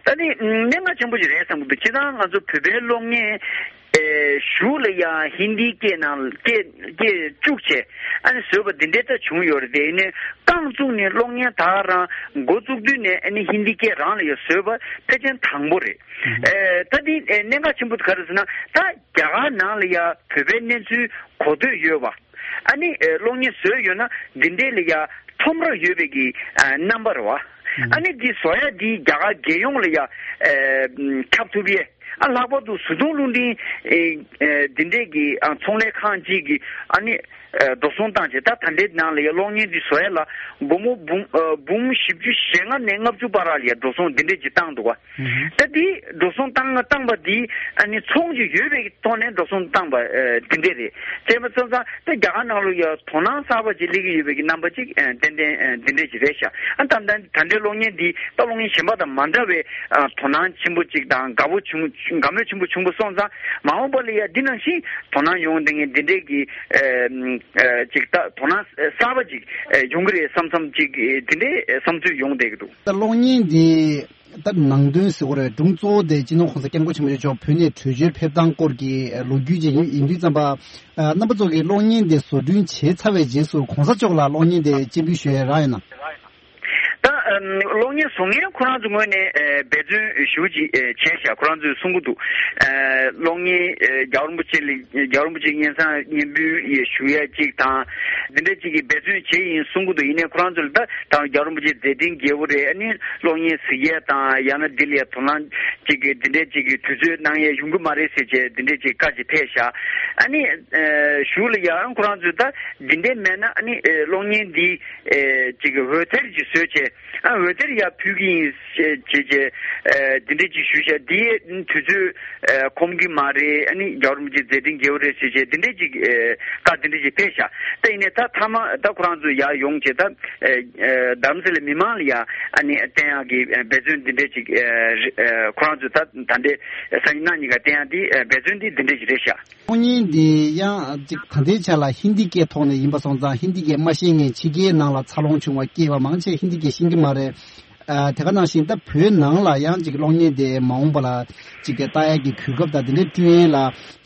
ད་ནི་གནད་འགག་ཆེན་པོ་ཞིག་རེད་བསམ་གྱི་འདུག། སྤྱིར་བཏང་ང་ཚོ་བོད་པའི་གློག་བརྙན་ཨེ་གཞུག་ལ་ཡང་ཧིན་དིའི་སྐད་ནང་སྐད་སྐད་བཅུག་བྱས་ཨ་ནི་བཟོས་པ་འདི་འདྲའི་ད་བྱུང་ཡོད་རེད། དེ་ནས་རྐང་བཙུགས་ནས་གློག་བརྙན་ད་རང་འགོ་བཙུགས་དུས་ནས་ཨ་ནི་ཧིན་དིའི་སྐད་རང་ལ་ཡང་བཟོས་པ་ཕལ་ཆེར་དང་པོ་རེད། ཨེ་ད་འདི་ཨེ་གནད་འགག་ཆེན་པོ་ག་རེ་ཟེར་ན་ད་རྒྱ་གར་ནང་ལ་ཡང་བོད་པའི་གནས་ཚུལ་གོ་ཐོས་ཡོད་པ། ཨ་ནི་ཨེ་གློག་བརྙན་བཟོས་ཡོད་ན་འདི་འདྲའི་ལ་ཡ་ཁྲོམ་ར་ཡོད་པའི་གི་ཨ་རྣམ་པ་རེད་བ། ཨ་ནི་འདི་བཟོ་ཡ་འདི་རྒྱ་གར་རྒྱལ་ཡོངས་ལ་ཡ་ཨེ་ཁྱབ་ཐུབ་ཡས། ཨ་ལྷག་པར་དུ་བཟོ་ཚོང་རླུང་འཕྲིན་ཨེ་ཨེ་འདི་འདྲའི་གི་ཨ་ཚོང་ལས་ཁང་གཅིག་གི་ཨ་ནི་ཨེ་འགྲོ་སོང་བཏང་བྱས་ད་ད་ལྟའི་ནང་ལ་ཡ་གློག་བརྙན་འདི་བཟོ་ཡ་ལ་སྒོར་མོ་འབུམ་ཨ་འབུམ་བཞི་བཅུ་ཞེ་ལྔ་ནས་ལྔ་བཅུ་བར་ལ་ཡ་འགྲོ་སོང་འདི་འདྲས་ཅིག་བཏང་འདུག་བ། ད་འདི་འགྲོ་སོང་བཏང་བཏང་པ་འདི་ཨ་ནི་ཚོང་ཅིག་ཡོད་པའི་ཐོག་ནས་འགྲོ་སོང་བཏང་པ་ཨ་འདི་འདྲས་རེད། བྱས་པ་སོང་ཙང་ད་རྒྱ་གར་ནང་ལ་ཡ་དོ་སྣང་གསར་པ་ཅིག་སླེབས་ཀྱི་ཡོད་པའི་གི་རྣམ་པ་ཅིག་ཨ་ཏན་ཏན་ཨ་འདི་འདྲས་ཅིག་རེད་ཤག། ཨ་ད་ད་ད་ལྟའི་གློག་བརྙན་འདི་ད་གློག་བརྙན་གཞན་པ་དང་མ་འདྲ་བའི་ཨ་དོ་སྣང་ཆེན་པོ་ཅིག་དང་དགའ་པོ་བྱུང་དགའ་མོས་ཆེན་པོ་བྱུང་པ་སོང་ཙང་མ་འོངས་པ་ལ་ཡ་འདི་ནང་བཞིན་དོ་སྣང་ཡོང་བསྡད་མཁན་འདི་འདྲས་ཀྱི་ཨ་ཨ་ཅིག་ད་དོ་སྣང་གསར་པ་ཅིག་ཨ་ཡོང་གི་རེད་བསམ་བསམ་ཅིག་འདི་འདྲས་བསམ་ཚུལ་ཡོང་བསྡད་ཀྱི་འདུག། ད་གློག་བརྙན་འདི་ད་ནང་དོན་ཟེར་དགོས་རེད། སྒྲུང་གཙོ་བོ་དེ་སྤྱི་ནོར་གོང་ས་སྐྱབས་མགོན་ཆེན་པོ་མཆོག་བོད་ནས་བྲོས་བྱོལ་ཕེབས་སྟངས་སྐོར་གྱི་ལོ་རྒྱུས་ཅིག་ཡིན་ཡིན་དུས་ཙམ་པ། རྣམ་པ་ཚོ་གིས་གློག་བརྙན་དེ་བཟོ་སྐྲུན་བྱས་ཚར་བའི་རྗེས་སུ་གོང་ས་མཆོག་ལ་གློག་བརྙན་དེ་སྤྱན་འབུལ་ཞུ་ཡས་རག་ཡོད་ན། ད་ཨམ་གློག་བརྙན་བཟོ་མཁན་ཁོ་རང་ཚོ་ངོས་ནས་ཨེ་འབད་བརྩོན་ཞུ་ཅིག་ཨེ་བྱས་ཤག། ཁོ་རང་ཚོས་གསུང་གི་འདུག། ཨེ་གློག་བརྙན་ཨེ་རྒྱལ་བ་རིན་པོ་ཆེ་ལ་རྒྱལ་བ་རིན་པོ་ཆེ་སྙན་སེང་སྙན་འབུལ་ཡས་ཞུ་ཡས་ཅིག་དང་འདི་འདྲ་ཅིག་གི་འབད་བརྩོན་བྱས་ཡིན་གསུང་གི་འདུག། ཡིན་ནའི་ཁོ་རང་ཚོ་ལ་ད་ད་རྒྱལ་བ་རིན་པོ་ཆེ་མཛད་འཕྲིན་རྒྱས་པོ་རེད། ཨ་ནི་གློག་བརྙན་གཟིགས་ཡས་དང་ཡང་ན་འདི་ལ་ཡ་དོ་སྣང་ཅིག་གི་འདི་འདྲས་ཅིག་གི་དུས་ཚོད་གནང་ཡས་ཡོང་གི་མ་རེད་ཟེར་བྱས་འདི་འདྲས་ཅིག་བཀའ་ཅིག་ཕེབས་ཤག། ཨ་ནི་ཨེ་གཞུག་ལ་ཡང་ཁོ་རང་ཚོས་ད་འདི་འདྲས་མེད་ན་ཨ་ནི་ཨེ་གློག་བརྙན་འདི་ཨེ་ཅིག་གི་འོད་སྡེར་ཅིག་བཟོས་བྱས་ཨ་འོད་སྡེར་ཡར་ཕུལ་གི་ཡིན་ཟེར་བྱས་བྱས་ཨེ་འདི་འདྲས་ཅིག་ཞུས་ཤག། འདི་དུས་ཚོད་ཨེ་ཁོམ་གི་མ་རེད། ཨ་ནི་རྒྱལ་བ་རིན་པོ་ཆེ་མཛད་འཕྲིན་རྒྱས་པོ་རེད་ཟེར་བྱས་འདི་འདྲས་ཅིག་ཨེ་བཀའ་འདི་འདྲས་ཅིག་ཕེབས་ཤག། ད་ཡིན་ནའི་ད་མཐའ་མ་ད་ཁོ་རང་ཚོ་ཡར་ཡོང་བྱས་ད་ཨེ་ཨེ་རྡ་རམ་ས་ལའི་མི་མང་ལ་ཡ་ཨ་ནི་བསྟན་ཡག་གི་ཨེ་འབད་བརྩོན་འདི་འདྲས་ཅིག་ཨེ་རེ་ཨེ་ཁོ་རང་ཚོས་ད་ད་ལྟའི་སང་ཉིན་གནངས་ཉིན་ཀ་བསྟན་ཡག་འདི་ཨེ་འབད་བརྩོན་འདི་འདི་འདྲས་ཅིག་རེད་ཤག། གློག་བརྙན་འདི་ཡང་ཅིག་ད་ལྟའི་ཆ་ལ་ཧིན་དི་སྐད་ཐོག་ནས་ཡིན་པ་སོང་ཙང་ཧིན་དི་སྐད་མ་ཤེས་མཁན་ཕྱི་རྒྱལ་ནང་ལ་འཚར་ལོངས་བྱུང་བ་སྐྱེས་པ་མང་ཆེ་ཧིན་དི་སྐད་ཤེས་ཀྱི་མ་རེད། ཨ་དེ་ག་ནང་བཞིན་ད་བོད་ནང་ལ་ཡང་ཅིག་གློག་བརྙན་དེ་མ་འོངས་པ་ལ་ཅིག་གི་ལྟ་ཡག་གི་གོ་སྐབས་དང་དེ་འདྲའི་སྤྲོད་ཡས་ལ་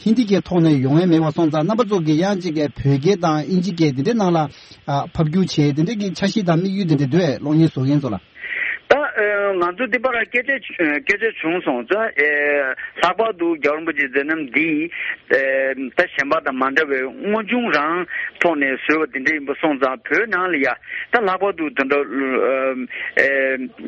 ཧིན་དི་སྐད་ཐོག་ནས་ཡོང་ཡས་མེད་པ་སོང་ཙང་རྣམ་པ་ཚོ་གི་ཡང་ཅིག་གི་བོད་སྐད་དང་དབྱིན་ཇི་སྐད་དེ་འདྲའི་ནང་ལ་ཨ་ཕབ་སྒྱུར་བྱས་དེ་འདྲའི་གི་འཆར་གཞི་དང་དམིགས་ཡུལ་དེ་འདྲ་འདུག་གས། གློག་བརྙན་བཟོ་མཁན་ཚོ་ལ། ད་ཨ་ང་ཚོ་འདི་པར་སྐད་ཆ་སྐད་ཆ་བྱུང་སོང་ཙང་ཨ་ལྷག་པར་དུ་རྒྱལ་བ་རིན་པོ་ཆེའི་མཛད་རྣམ་འདི་ཨ་ད་གཞན་པ་དང་མ་འདྲ་བའི་དངོས་བྱུང་རང་ཐོག་ནས་བཟོས་པ་འདི་འདྲ་ཡིན་པ་སོང་ཙང་བོད་ནང་ལ་ཡ་ད་ལྷག་པར་དུ་དེ་འདྲ་ཨ་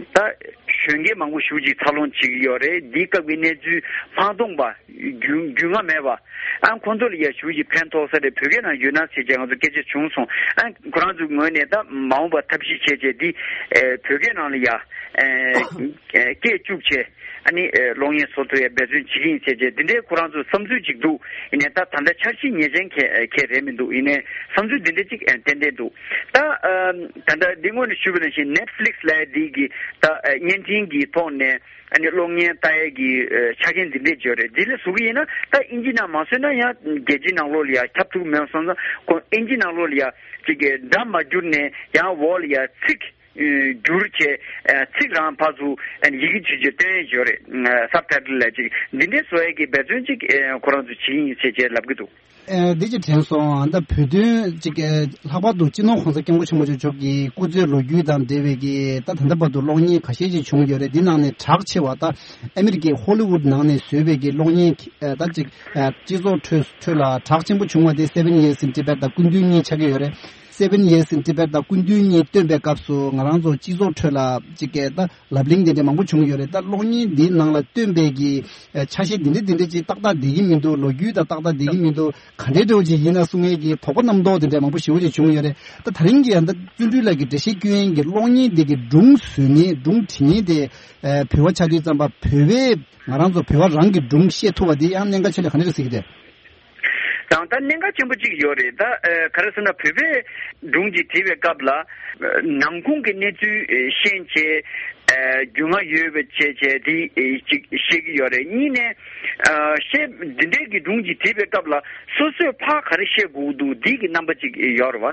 ད་གཞོན་སྐྱེས་མང་པོ་ཞེ་པོ་ཅིག་འཚར་ལོངས་བྱེད་ཀྱི་ཡོད་རེད། འདིའི་སྐབས་ཀྱི་གནས་ཚུལ་མ་མཐོང་པ་རྒྱུས་རྒྱུས་མངའ་མེད་པ། ཨ་ཁོང་ཚོ་ལ་ཡ་ཞེ་པོ་ཅིག་ཕན་ཐོགས་ས་རེད། བོད་སྐད་ནང་ཡོད་ན་ཟེར་བྱས་ང་ཚོ་སྐད་ཆ་བྱུང་སོང་། ཨ་ཁོ་རང་ཚོའི་ངོས་ནས་ད་མ་འོངས་པ་ཐབས་ཤེས་བྱས་བྱས་འདི་ཨེ་བོད་སྐད་ནང་ལ་ཡ་ཨེ་སྐད་བཅུག་བྱས་ཨ་ནི་ཨེ་གློག་བརྙན་བཟོ་ཐུབ་ཡ་འབད་བརྩོན་བྱེད་ཀྱི་ཡིན་ཟེར་བྱས་འདི་འདྲའི་ཁོ་རང་ཚོ་བསམ་ཚུལ་ཅིག་འདུག། ཡིན་ནའི་ད་ད་ལྟ་འཆར་གཞི་ངེས་ཅན་ག་ག་རེད་མི་འདུག། ཡིན་ནའི་བསམ་ཚུལ་འདི་འདྲ་ཅིག་ཨེ་ཏན་ཏན་འདུག། ད་ཨ་ད་ལྟ་འདི་སྔོན་ནས་ཞུས་པ་ནང་བཞིན་ནེཊ་ཕི་ལིག་སི་ལབ་ཡ་འདི་གི་ད་ཨེ་བརྙན་འཕྲིན་གྱི་ཐོག་ནས། ཨ་ནི་གློག་བརྙན་ལྟ་ཡས་ཀྱི་ཨ་ཆ་རྐྱེན་འདི་འདྲས་བརྗོད་རེད། འདི་ལས་བཟོ་གི་ཡིན་ན་ད་ཨིན་ཇི་ནང་མ་བཟོས་ན་ཡང་རྒྱལ་སྤྱིའི་ནང་ལོགས་ལ་ཡང་ཁྱབ་ཐུབ་མེད་སོང་ཙང་ཁོ་ཨིན་ཇི་ནང་ལོགས་ལ་ཡང་ཅིག་གི་སྒྲ་མ་བསྒྱུར་ནས་ཡང་འོག་ལ་ཡང་ཚིག་ཨ་བསྒྱུར་བྱས་ཨ་ཚིག་རང་ཕར་ཚུར་ཨ་ནི་ཡི་གེ་ཆུ་ཆུ་སྟོན་ཡས་བརྗོད་རེད། སབ་ཊའི་ཊལ་ལ་ཅིག་འདི་འདྲས་བཟོ་ཡས་ཀྱི་འབད་བརྩོན་ཅིག་ཨ་ཁོ་རང་ཚོ་བྱེད་ཀྱི་ཡིན་ཟེར་བྱས་ལབ་ཀྱི་འདུག། ཨེ་འདི་ཅིག་དྲན་སོང་། ཨ་ད་བོད་དོན་ཅིག་ཨེ་ལྷག་པར་དུ་སྤྱི་ནོར་གོང་ས་སྐྱབས་མགོན་ཆེན་པོ་མཆོག་གི་སྐུ་ཚེའི་ལོ་རྒྱུས་དང་འབྲེལ་བའི་གི་ད་ད་ལྟ་བར་དུ་གློག་བརྙན་ཁ་ཤས་ཅིག་བྱུང་ཡོད་རེད། འདི་ནང་ནས་གྲགས་ཆེ་བ་ད་ཨ་མི་རི་ཀའི་ཧོ་ལི་ཝུད་ནང་ནས་བཟོས་པའི་གི་གློག་བརྙན་ཨེ་ད་ཅིག་ཨེ་སྤྱི་ཚོགས་ཁྲོད་ཁྲོད་ལ་གྲགས་ཆེན་པོ་བྱུང་བ་དེ་Seven Years in Tibet དང་སྐུ་མདུན་གཉིས་ཆགས་ཀྱི་ཡོད་རེད། Seven Years in Tibet དང་སྐུ་མདུན་གཉིས་བཏོན་པའི་སྐབས་སུ་ང་རང་ཚོ་སྤྱི་ཚོགས་ཁྲོད་ལ་ཅིག་གི་ད་ལབ་གླེང་དེ་འདྲ་མང་པོ་བྱུང་ཡོད་རེད། ད་གློག་བརྙན་འདིའི་ནང་ལ་སྟོན་པའི་གི་ཨ་ཆ་ཤས་འདི་འདྲ་འདི་འདྲ་ཅིག་ཏག་ཏག་བསྡད་ཀྱི་མི་འདུག། ལོ་རྒྱུས་དང་ཏག་ཏག་བསྡད་ཀྱི་མི་འདུག། ག་འདྲའི་འདྲ་བོ་ཅིག་ཡིན་ན་གསུང་མཁན་གྱི་དོགས་པ་རྣམ་རྟོག་དེ་འདྲ་མང་པོ་ཞེ་པོ་ཅིག་བྱུང་ཡོད་རེད། ད་ད་རིང་གི་ཡང་ད་བརྩོན་འགྲུས་ལགས་ཀྱིས་འགྲེལ་བཤད་སྐྱོན་མཁན་གྱི་གློག་བརྙན་འདི་གི་སྒྲུང་བཟོ་མཁན་སྒྲུང་འབྲི་མཁན་དེ་ཨ་བོད་པ་ཆགས་དུས་ཙམ་པ་བོད་པའི་ང་རང་ཚོ་བོད་པ་རང་གི་སྒྲུང་བཤད་ཐུབ་པ་དེ་ཡང་གནད་འགག་ཆེ་ལ་ག་འདྲ་རེད་ཟེར་གྱི་རེད། དང་ད་གནད་འགག་ཆེན་པོ་གཅིག་ཡོད་རེད། ད་ཨ་ག་རེ་ཟེར་ན་བོད་པའི་སྒྲུང་གཅིག་བྲིས་པའི་སྐབས་ལ་ཨ་ནང་ཁུངས་ཀྱི་གནས་ཚུལ་ཨ་ཤེས་བྱས་ཨ་རྒྱུས་མངའ་ཡོད་པ་བྱས་བྱས་དེ་ཨ་གཅིག་བཤད་ཀྱི་ཡོད་རེད། གཉིས་ནས་ཨ་བཤད་འདི་འདྲའི་གི་སྒྲུང་གཅིག་བྲིས་པའི་སྐབས་ལ་སོ་སོས་ཕར་ག་རེ་བཤད་དགོས་ཀྱི་འདུག་འདི་གི་རྣམ་པ་གཅིག་ཡོད་རེད་བ།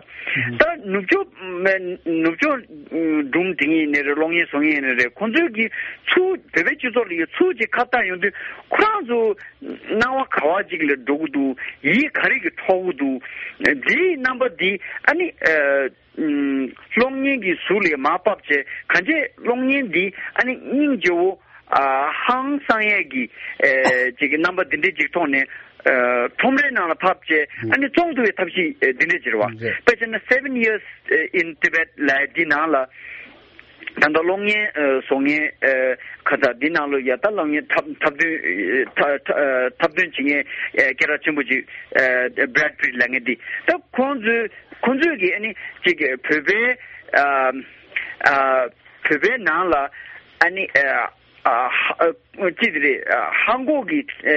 ད་ནུབ་ཕྱོགས་ནུབ་ཕྱོགས་སྒྲུང་འབྲི་མཁན་ཡིན་ནའི་རེད། གློག་བརྙན་བཟོ་མཁན་ཡིན་ནའི་རེད། ཁོང་ཚོས་ཀྱི་ཚུར་བོད་པའི་སྤྱི་ཚོགས་ལ་ཡི་ཚུར་གཅིག་ཁ་བཏང་ཡོང་དུས་ཁོ་རང་ཚོ་སྣང་བ་ག་བ་ཅིག་ལ་འགྲོ་གི་འདུག། ཡིད་ག་རེ་གི་འཕྲོག་གི་འདུག། འདིའི་རྣམ་པ་འདི་ཨ་ནི་ཨ་ཨུམ་གློག་བརྙན་གྱི་གཟུགས་ལ་མར་ཕབ་བྱས་གང་བྱས་གློག་བརྙན་འདི་ཨ་ནི་སྙིང་རྗེ་བོ་ཨ་ཧང་སང་ཡས་ཀྱི་ཨེ་ཅིག་གི་རྣམ་པ་འདི་འདྲའི་ཅིག་ཐོག་ནས་ཨ་ཁྲོམ་རའི་ནང་ལ་ཕབ་བྱས་ཨ་ནི་བཙོང་ཐུབ་པའི་ཐབས་ཤེས་ཨེ་འདི་འདྲ་ཅིག་རེད་བ། རེད། དཔེ་བྱས་ན་Seven Years in Tibet ལབ་ཡས་འདི་ནང་ལ། ད་ལྟ་གློག་བརྙན་ཨ་བཟོ་མཁན་ཨ་ཁ་ཚ་འདི་ནང་ལོ་ཡ་ད་གློག་བརྙན་འཁྲབ་འཁྲབ་སྟོན་ཨ་འཁྲབ་ཨ་འཁྲབ་སྟོན་བྱེད་མཁན་ཨ་སྐད་གྲགས་ཆེན་པོ་ཅིག་ཨ་Brad Pitt ལབ་མཁན་འདི་ད་ཁོང་ཚོས་ཁོང་ཚོས་ཀྱི་ཨ་ནི་ཅིག་གི་བོད་པའི་ཨ་ཨ་བོད་པའི་ནང་ལ་ཨ་ནི་ཨ་ཨ་ཧ་ཨ་ཅི་ཟེར་རེད། ཨ་ཧང་གོ་གི་ཨ་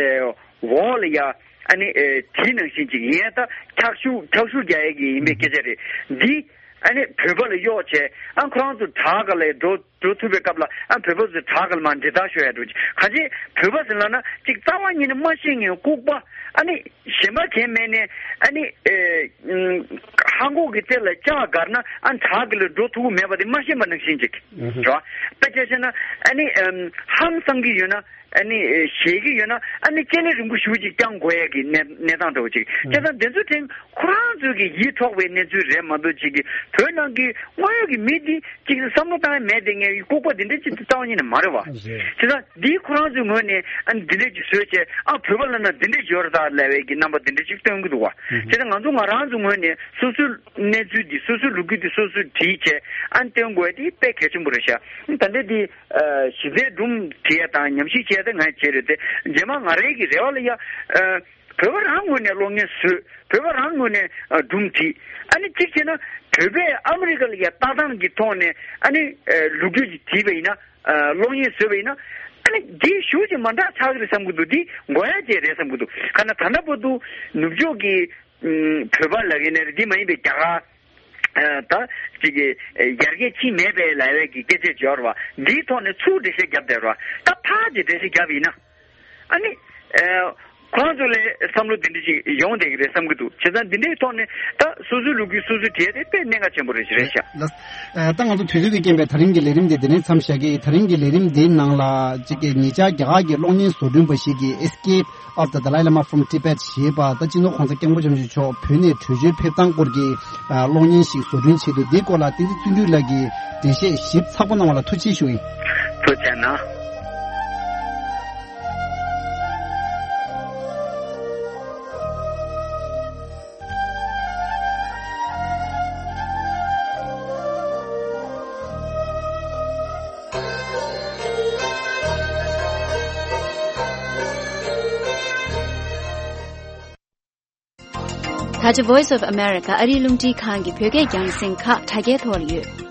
འོག་ལ་ཡ་ཨ་ནི་ཨ་དེ་ནང་བཞིན་ཅིག་ཡིན་ད་འཁྱག་ཤུགས་འཁྱག་ཤུགས་རྒྱག་ཡས་ཀྱི་ཡིན་པའི་སྐད་ཆ་རེད་འདི། ཨ་ནི་བོད་པ་ལ་གཡོག་བྱས་ཨ་ཁོ་རང་ཚོ་བྲག་ག་ལ་འགྲོ་འགྲོ་ཐུབ་པའི་སྐབས་ལ་ཨ་བོད་པ་ཚོ་བྲག་ག་ལ་མར་འདྲེད་བརྡར་ཤོར་ཡ་འགྲོ་གི་གང་ཅི་བོད་པ་ཟེར་ལབ་ན་ཅིག་རྩ་བ་ཉིད་ནས་མ་ཤེས་མཁན་ལྐུགས་པ་ཨ་ནི་གཞན་པ་གང་མེད་ནས་ཨ་ནི་ཨེ་ཧང་གོ་གི་རྩེ་ལ་ལྕགས་བསྒར་ན་ཨ་བྲག་ག་ལ་འགྲོ་ཐུབ་ཀྱི་མེད་པ་དེ་མ་ཤེས་པ་ནང་བཞིན་ཅིག་རེད་བ། དཔེ་ཆ་བཤད་ན་ཨ་ནི་ཧང་སང་གི་ཡོད་ན། ཨ་ནི་ཞེད་ཀྱི་ཡོད་ན་ཨ་ནི་སྤྱན་ནི་རིང་པོ་ཞེ་པོ་ཅིག་བརྐྱང་དགོས་ཡ་གི་གནས་གནས་སྟངས་འདྲ་བོ་ཅིག་བྱས་ཙང་དེ་ཚོའི་ཐད་ཁོ་རང་ཚོའི་གི་ཡིད་འཕྲོག་པའི་གནས་ཚུལ་རེད་མ་གཏོགས་ཅིག་གི་བོད་ནང་གི་དངོས་ཡོད་ཀྱི་མི་འདི་ཅིག་བསམ་བློ་བཏང་ཡ་མེད་དེ་ངས་ལྐུགས་པ་འདི་འདྲ་ཅིག་རྩ་བ་ཉིད་ནས་མ་རེད་བ། རེད། བྱས་ཙང་འདིའི་ཁོ་རང་ཚོའི་ངོས་ནས་ཨ་ནི་འདི་འདྲ་ཅིག་བཟོས་བྱས་ཨ་བོད་པ་ལབ་ན་འདི་འདྲ་ཅིག་ཡོད་རེད་ད་ལབ་པའི་གི་རྣམ་པ་འདི་འདྲ་ཅིག་སྟོན་གི་འདུག་བ། བྱས་ཙང་ང་ཚོ་ང་རང་ཚོའི་ངོས་ནས་སོ་སོའི་གནས་ཚུལ་འདི་སོ་སོའི་ལོ་རྒྱུས་འདི་སོ་སོས་བྲིས་བྱས་ཨ་ནི་སྟོན་དགོས་ཡ་དེ་དཔེ་གལ་ཆེན་པོ་རེད་ཤག། ད་ལྟ་འདི། ཨ་གཞི་རྩའི་སྒྲུང་བྲིས་ཡ་དང་ཉམས་ཞིབ་བྱས་ཏེ་ང་བྱས་རེད་དེ། རྗེས་མ་ང་རང་གི་རེ་བ་ལ་ཡ། ཨ་བོད་པ་རང་ངོས་ནས་གློག་བརྙན་བཟོས། བོད་པ་རང་ངོས་ནས་ཨ་སྒྲུང་བྲིས། ཨ་ནི་གཅིག་བྱས་ན་བོད་པས་ཨ་མི་རི་ཀ་ལ་ཡ་ལྟ་སྟངས་ཀྱི་ཐོག་ནས་ཨ་ནི་ཨ་ལོ་རྒྱུས་ཀྱི་བྲིས་པ་ཡིན་ན། ཨ་གློག་བརྙན་བཟོས་པ་ཡིན་ན། ཨ་ནི་འདི་ཞེ་པོ་ཅིག་མ་འདྲ་ཆགས་ཀྱི་རེད་བསམ་གྱི་འདུག། འདི་དགོས་ཡ་ཅིག་རེད་བསམ་གྱི་འདུག། ག་ན་ད་ལྟ་བར་དུ་ནུབ་ཕྱོགས་ཀྱི་ཨ་བོད་པ་ལབ་ཀྱི་ནི་རེད། འདི་མ་ཡིན་པའི་རྒྱ་གར། ཨ་ད་ཅིག་གི་ཡར་རྒྱས་ཕྱིན་མེད་པའི་ལབ་ཡས་ཀྱི་སྐད་ཆ་ཅིག་ཡོད་རེད་བ། འདིའི་ཐོག་ནས་ཚུར་འགྲེལ་བཤད་བརྒྱབ་བསྡད་རེད་བ། ད་ཕར་གྱི་འགྲེལ་བཤད་བརྒྱབ་ཡིན་ན། ཨ་ནི་ཨ་ ཁོ་རང་ཚོ་ལ་བསམ་བློ་དེ་འདྲ་ཞིག་ཡོང་བསྡད་ཀྱི་རེད་བསམ་གྱི་འདུག་བྱས་ཙང་འདི་འདྲའི་ཐོག་ནས་ད་སོ་སོའི་ལོ་རྒྱུས་སོ་སོས་བྲིས་ཏེ་དཔེ་གནད་འགག་ཆེན་པོ་རེད་ཞིག་རེད་ཤག་ལགས། ད་ང་ཚོ་དུས་ཚོད་ཀྱི་རྐྱེན་པས་ད་རིང་གི་ལས་རིམ་འདི་འདི་ནས་མཚམས་བཞག་གི། ད་རིང་གི་ལས་རིམ་འདིའི་ནང་ལ་གཅིག་གི་ཉེ་ཆར་རྒྱ་གར་གྱི་གློག་བརྙན་བཟོ་སྐྲུན་པ་ཞིག་གིས་Escape of the Dalai Lama from Tibet ཞེས་པ། ད་སྤྱི་ནོར་༸གོང་ས་༸སྐྱབས་མགོན་ཆེན་པོ་མཆོག་བོད་ནས་བྲོས་བྱོལ་ཕེབས་སྟངས་སྐོར་གྱི་གློག་བརྙན་ཞིག་བཟོ་སྐྲུན་བྱས་འདུག་འདིའི་སྐོར་ལ་བསྟན་འཛིན་བརྩོན་འགྲུས་ལགས་ཀྱིས་འགྲེལ་བཤད་ཞིབ་ཚགས་པོ་གནང་བ་ལ་ཐུགས་རྗེ་ཆེ་ཞུ་ཡིན། ཐུགས་རྗེ་གནང་། ད་ཆ་Voice of America ཨ་རིའི་རླུང་འཕྲིན་ཁང་གི་བོད་སྐད་རྒྱང་སྲིང་ཁག་དྲ་རྒྱའི་ཐོག་ལ་ཡོད།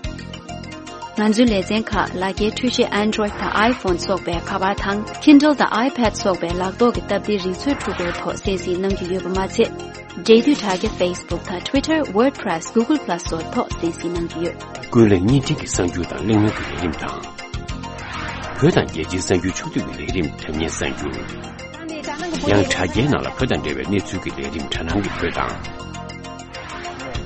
ང་ཚོའི་ལེ་ཚན་ཁག་ལག་འཁྱེར་འཕྲུལ་ཆས་Android་དང་iPhone སོགས་པའི་ཁ་པར་དང་Kindle དང་iPad སོགས་པའི་ལག་ཐོག་གི་སྟབས་བདེའི་རིག་མཛོད་འཕྲུལ་འཁོར་ཐོག་གསན་གཟིགས་གནང་རྒྱུ་ཡོད་པ་མ་ཚད། འབྲེལ་མཐུད་དྲ་རྒྱ་Facebook དང་Twitter, WordPress, Google Plus སོགས་ཐོག་གསན་གཟིགས་གནང་རྒྱུ་ཡོད། ཀུན་གླེང་བརྙན་འཕྲིན་གྱི་གསར་འགྱུར་དང་གླེང་མོལ་གྱི་ལས་རིམ་དང་། བོད་དང་རྒྱལ་སྤྱིའི་གསར་འགྱུར་ཕྱོགས་བསྡུས་ཀྱི་ལས་རིམ་དྲ་བརྙན་གསར་འགྱུར། ཡང་དྲ་རྒྱའི་ནང་ལ་བོད་དང་འབྲེལ་བའི་གནས་ཚུལ་གྱི་ལས་རིམ་དྲ་སྣང་གི་བོད་དང་།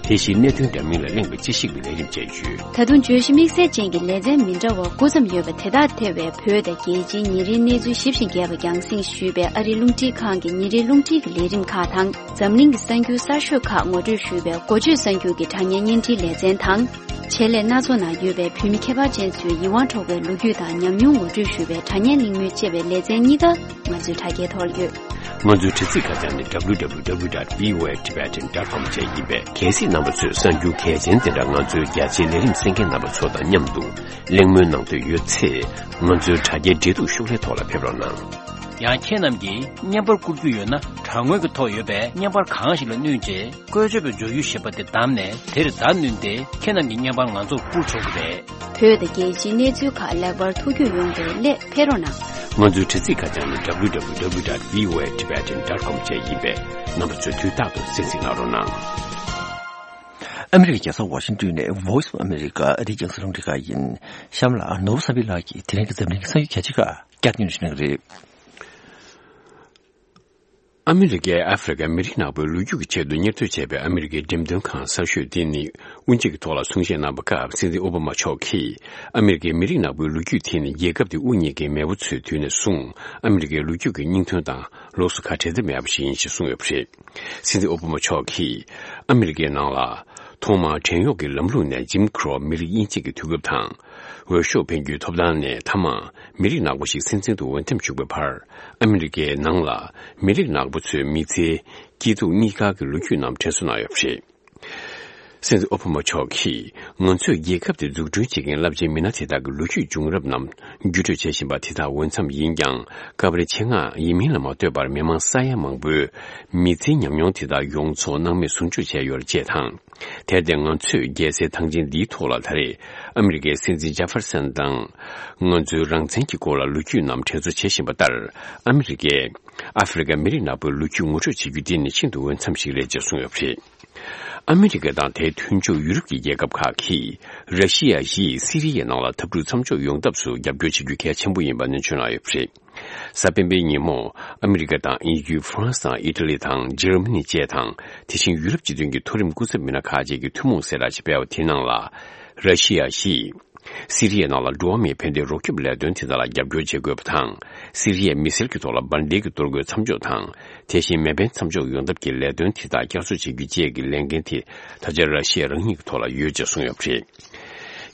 དེ་བཞིན་གནད་དོན་འདྲ་མིན་ལ་གླེང་བའི་དཔྱད་ཞིབ་ཀྱི་ལས་རིམ་བཅས་ཡོད། ད་དུང་བརྗོད་གཞི་དམིགས་བསལ་ཅན་གྱི་ལེ་ཚན་མི་འདྲ་བ་དགུ་ཙམ་ཡོད་པ་དེ་དག་ཐེ་བའི་བོད་དང་རྒྱལ་སྤྱིའི་ཉིན་རེའི་གནས་ཚུལ་ཞིབ་ཅིང་རྒྱས་པ་རྒྱང་སྲིང་ཞུས་པའི་ཨ་རིའི་རླུང་འཕྲིན་ཁང་གི་ཉིན་རེའི་རླུང་འཕྲིན་གྱི་ལས་རིམ་ཁག་དང་། འཛམ་གླིང་གི་གསར་འགྱུར་གསར་ཤོས་ཁག་ངོ་སྤྲོད་ཞུས་པའི་འགོ་བརྗོད་གསར་འགྱུར་གྱི་དྲ་བརྙན་བརྙན་འཕྲིན་ལེ་ཚན་དང་། ཆེད་ལས་སྣ་ཚོགས་ནང་ཡོད་པའི་བོད་མི་ཁྱད་པར་ཅན་ཚོའི་ཡིད་དབང་འཕྲོག་པའི་ལོ་རྒྱུས་དང་ཉམས་མྱོང་ངོ་སྤྲོད་ཞུ་བའི་དྲ་བརྙན་གླེང་མོལ་བཅས་པའི་ལེ་ཚན་གཉིས་ཀ་ང་ཚོའི་དྲ་རྒྱའི་ཐོག་ལ་ཡོད། ང་ཚོའི་དྲ་ཚིགས་ཁ་བྱང་ནི་W W W dot V O A Tibetan dot com བཅས་ཡིན་པས། གལ་སྲིད་རྣམ་པ་ཚོས་གསར་འགྱུར་གལ་ཆེན་དེ་འདྲ་ང་ཚོའི་རྒྱ་ཆེའི་ལས་རིམ་གསན་མཁན་རྣམ་པ་ཚོ་དང་མཉམ་དུ་གླེང་མོལ་གནང་འདོད་ཡོད་ཚེ། ང་ཚོའི་དྲ་རྒྱའི་འབྲེལ་གཏུག་ཤོག་ལྷེ་ཐོག་ལ་ཕེབས་རོགས་གནང་། ཡང་ཁྱེད་རྣམས་ཀྱིས་བརྙན་པར་བསྐུར་རྒྱུ་ཡོད་ན། དྲ་ངོས་ཀྱི་ཐོག་ཡོད་པའི་བརྙན་པར་གང་ཞིག་ལ་བསྣུན་རྗེས། བཀོལ་སྤྱོད་པའི་འབྱོར་ཡུལ་ཞེས་པ་དེ་བདམས་ནས། དེར་བརྡ་བསྣུན་ཏེ་ཁྱེད་རྣམས་ཀྱི་བརྙན་པར་ང་ཚོར་བསྐུར་ཆོག་གི་རེད། བོད་དང་རྒྱལ་སྤྱིའི་གནས་ཚུལ་ཁག་ལེགས་པར་ཐུགས་རྒྱུས་ཡོང་བའི་སླད་ཕེབས་རོགས་གནང་། ང་ཚོའི་དྲ་ཚིགས་ཁ་བྱང་ནི་W W W dot V O A Tibetan dot com བཅས་ཡིན་པས། རྣམ་པ་ཚོས་དུས་རྟག་ཏུ་གསན་གཟིགས་གནང་རོགས་གནང་། ཨ་མི་རི་ཀའི་རྒྱལ་ས་ཝ་ཤིང་ཏོན་ནས་Voice of America ཨ་རིའི་རྒྱང་སྲིང་རླུང་འཕྲིན་ཁང་ཡིན། གཤམ་ལ་ནོར་བུ་བསམ་འཕེལ་ལགས་ཀྱིས་དེ་རིང་གི་འཛམ་གླིང་གི་གསར་འགྱུར་རྒྱ་ཆེ་ཁག་བསྐྱར་སྟོན་ཞུ་གནང་གི་རེད། ཨ་མི་རི་ཀས་ཨ་ཧྥེ་རི་ཁའི་མི་རིགས་ནག་པོའི་ལོ་རྒྱུས་ཀྱི་ཆེད་དུ་གཉེར་གཏོད་བྱས་པའི་ཨ་མི་རི་ཀའི་འགྲེམས་སྟོན་ཁང་གསར་ཤོས་དེ་ནི་དབུ་འབྱེད་ཀྱི་ཐོག་ལ་གསུང་བཤད་གནང་བའི་སྐབས། སྲིད་འཛིན་ཨོ་བྷ་མ་མཆོག་གིས་ཨ་མི་རི་ཀའི་མི་རིགས་ནག་པོའི་ལོ་རྒྱུས་དེ་ནི་རྒྱལ་ཁབ་དེ་དབུ་བརྙེས་མཁན་མེས་པོ་ཚོའི་དུས་ནས་བཟུང་ཨ་མི་རི་ཀའི་ལོ་རྒྱུས་ཀྱི་སྙིང་དོན་དང་ལོགས་སུ་ཁ་བྲལ་ཐབས་མེད་པ་ཞིག་ཡིན་ཞེས་གསུངས་ཡོད་པ་རེད། སྲིད་འཛིན་ཨོ་བྷ་མ་མཆོག་གིས་ཨ་མི་རི་ཀའི་ནང་ལ་ཐོག་མར་བྲན་གཡོག་གི་ལམ་ལུགས་ནས་Jim Crow མི་རིགས་དབྱེ་འབྱེད་ཀྱི་དུས་སྐབས་དང་། འོས་ཤོག་འཕེན་རྒྱུའི་ཐོབ་ཐང་ནས་མཐའ་མར་མི་རིགས་ནག་པོ་ཞིག་སྲིད་འཛིན་དུ་འོས་འདེམས་བྱུང་བའི་བར། ཨ་མི་རི་ཀའི་ནང་ལ་མི་རིགས་ནག་པོ་ཚོའི་མི་ཚེའི་སྐྱིད་སྡུག་གཉིས་ཀ་གི་ལོ་རྒྱུས་རྣམས་དྲན་གསོ་གནང་ཡོད་པ་རེད། སྲིད་འཛིན་ཨོ་བྷ་མ་མཆོག་གིས། ང་ཚོས་རྒྱལ་ཁབ་དེ་འཛུགས་སྐྲུན་བྱེད་མཁན་རླབས་ཆེན་མི་སྣ་དེ་དག་གི་ལོ་རྒྱུས་བྱུང་རབས་རྣམས་བརྒྱུད་སྤྲོད་བྱེད་བཞིན་པ་དེ་དག་འོས་འཚམ་ཡིན་ཀྱང་། སྐབས་རེ་ཆེད་མངགས་ཡིན་མིན་ལ་མ་ལྟོས་པར་མི་མང་ས་ཡ་མང་པོའི་མི་ཚེའི་ཉམས་མྱོང་དེ་དག་ཡོངས་རྫོགས་སྣང་མེད་ཟུང་འཇུག་བྱས་ཡོད་རེད་ཅེས་དང་། དེར་བརྟེན་ང་ཚོས་རྒྱལ་སའི་ཐང་ཆེན་འདིའི་ཐོག་ལ་ད་རེས་ཨ་མི་རི་ཀའི་སྲིད་འཛིན་ཇེ་ཧྥེར་སན་དང་། ང་ཚོའི་རང་བཙན་གྱི་སྐོར་ལ་ལོ་རྒྱུས་རྣམས་དྲན་གསོ་བྱེད་བཞིན་པ་ལྟར། ཨ་མི་རི་ཀས་ཨ་ཧྥེ་རི་ཁའི་མི་རིགས་ནག་པོའི་ལོ་རྒྱུས་ངོ་སྤྲོད་བྱེད་རྒྱུ་འདི་ནི་ཤིན་ཏུ་འོས་འཚམ་ཞིག་རེད་ཅེས་གསུངས་ཡོད་པ་རེད། ཨ་མི་རི་ཀ་དང་དེའི་མཐུན་ཕྱོགས་ཡུ་རོབ་ཀྱི་རྒྱལ་ཁབ་ཁག་གིས་ར་ཤི་ཡ་ཡིས་སི་རི་ཡའི་ནང་ལ་འཐབ་འཁྲུག་མཚམས་འཇོག་ཡོང་ཐབས་སུ་རྒྱབ་སྐྱོར་བྱེད་རྒྱུ་གལ་ཆེན་པོ་ཡིན་པ་སྣེ་ཁྲིད་གནང་ཡོད་པ་རེད། གཟའ་སྤེན་པའི་ཉིན་མོ། ཨ་མི་རི་ཀ་དང་དབྱིན་ཡུལ། ཧྥ་རན་སི་དང་ཨི་ཊ་ལི་དང་འཇར་མ་ནི་བཅས་དང་། དེ་བཞིན་ཡུ་རོབ་སྤྱི་མཐུན་གྱི་མཐོ་རིམ་སྐུ་ཚབ་མི་སྣ་ཁག་ཅིག་གིས་ཐུན་མོང་གསལ་བསྒྲགས་ཤིག་སྤེལ་བ་དེའི་ནང་ལ། ར་ཤི་ཡ་ཡིས་སི་རི་ཡའི་ནང་ལ་འགྲོ་བ་མིའི་ཕན་བདེའི་རོགས་སྐྱོབ་ལས་དོན་དེ་དག་ལ་རྒྱབ་སྐྱོར་བྱེད་དགོས་པ་དང་། སི་རི་ཡའི་མི་སེར་གྱི་ཐོག་ལ་འབར་མདེལ་གྱི་གཏོར་རྒོལ་མཚམས་འཇོག་དང་། དེ་བཞིན་མེ་འཕེན་མཚམས་འཇོག་ཡོང་ཐབས་ཀྱི་ལས་དོན་དེ་དག་བསྐྱར་གསོ་བྱེད་རྒྱུ་བཅས་ཀྱི་ལས་འགན་དེ་ད་ཆ་ར་ཤི་ཡ་རང་ཉིད་ཀྱི་ཐོག་ལ་ཡོད་ཅེས་གསུངས་ཡོད་པ་རེད།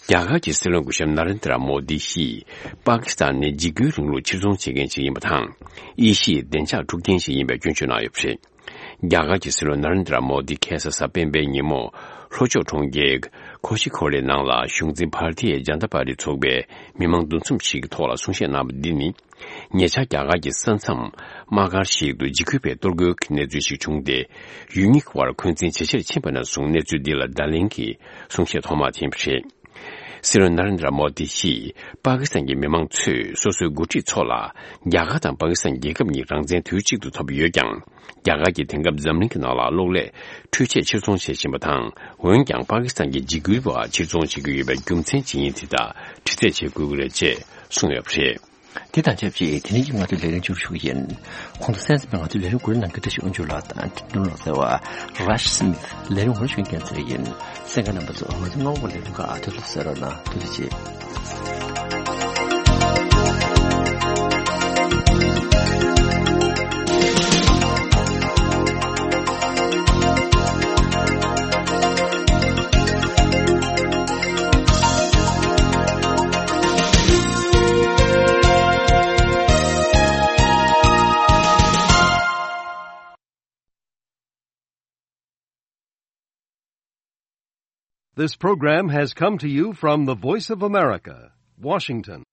རྒྱ་གར་གྱི་སྲིད་བློན་སྐུ་ཞབས་ན་རེན་དྲ་མོ་དི་ཞིས། པ་ཀི་སི་ཐན་ནི་འཇིགས་སྐུལ་རིང་ལུགས་ཕྱིར་ཚོང་བྱེད་མཁན་ཞིག་ཡིན་པ་དང་། དབྱེ་ཞིབ་བདེ་འཇགས་འཁྲུག་རྐྱེན་ཞིག་ཡིན་པའི་སྐྱོན་བརྗོད་གནང་ཡོད་པ་རེད། རྒྱ་གར་གྱི་སྲིད་བློན་ན་རེན་དྲ་མོ་དི་ཁ་སང་གཟའ་སྤེན་པའི་ཉིན་མོ། ལྷོ་ཕྱོགས་གྲོང་ཁྱེར་ཁོ་ཤི་ཁོ་ལའི་ནང་ལ་གཞུང་འཛིན་བྷར་ཏི་ཡ་ཇན་ཏ་པར་ཏི་ཚོགས་པའི་མི་མང་འདུ་འཛོམས་ཤིག་གི་ཐོག་ལ་གསུང་བཤད་གནང་བ་འདི་ནི། ཉེ་ཆར་རྒྱ་གར་གྱི་ས་མཚམས་དམག་སྒར་ཞིག་ཏུ་འཇིགས་སྐུལ་བའི་གཏོར་རྒོལ་གྱི་གནས་ཚུལ་ཞིག་བྱུང་སྟེ། ཡུལ་གཉིས་ཀྱི་དབར་འཁོན་འཛིན་ཇེ་ཆེར་ཕྱིན་པ་ནས་བཟུང་གནས་ཚུལ་འདི་ལ་བརྡ་ལན་གྱི་གསུང་བཤད་ཐོག་མ་དེ་ཡིན་པ་རེད། སྲིད་བློན་ན་རེན་དྲ་མོ་དི་ཞིས་པ་ཀི་སི་ཐན་གྱི་མི་མང་ཚོས་སོ་སོའི་འགོ་ཁྲིད་ཚོ་ལ་རྒྱ་གར་དང་པ་ཀི་སི་ཐན་རྒྱལ་ཁབ་གཉིས་རང་བཙན་དུས་གཅིག་ཏུ་ཐོབ་ཡོད་ཀྱང་། རྒྱ་གར་གྱིས་དེང་སྐབས་འཛམ་གླིང་གི་ནང་ལ་གློག་ཀླད་འཕྲུལ་ཆས་ཕྱིར་ཚོང་བྱེད་བཞིན་པ་དང་། འོན་ཀྱང་པ་ཀི་སི་ཐན་གྱི་འཇིགས་སྐུལ་བ་ཕྱིར་ཚོང་བྱེད་ཀྱི་ཡོད་པའི་རྒྱུ་མཚན་ཇི་ཡིན་དེ་དག་དྲི་རྩད་བྱེད་དགོས་ཀྱི་རེད་ཅེས་གསུངས་ཡོད་པ་རེད། དེ་དང་ཆབས་ཅིག་དེ་རིང་གི་ང་ཚོའི་ལས་རིམ་མཇུག་ཞུ་གི་ཡིན། གོང་དུ་གསན་གཟིགས་པའི་ང་ཚོའི་ལས་རིམ་གོ་སྒྲིག་གནང་མཁན་བཀྲ་ཤིས་དབང་ཕྱུག་ལགས་དང་འབྲི་གྲུབ་ལགས་ཟེར་བ་Rush Smith ལས་རིམ་ཧུར་བཞིན་རྒྱག་མཁན་ཚོ་ཡིན། གསན་མཁན་རྣམ་པ་ཚོ་ང་ཚོའི་སྔ་པོ་ལས་རིམ་ཁག་ཨ་ཐུར་ལ་གསན་རོགས་གནང་། ཐུགས་རྗེ་ཆེ། This program has come to you from the Voice of America, Washington.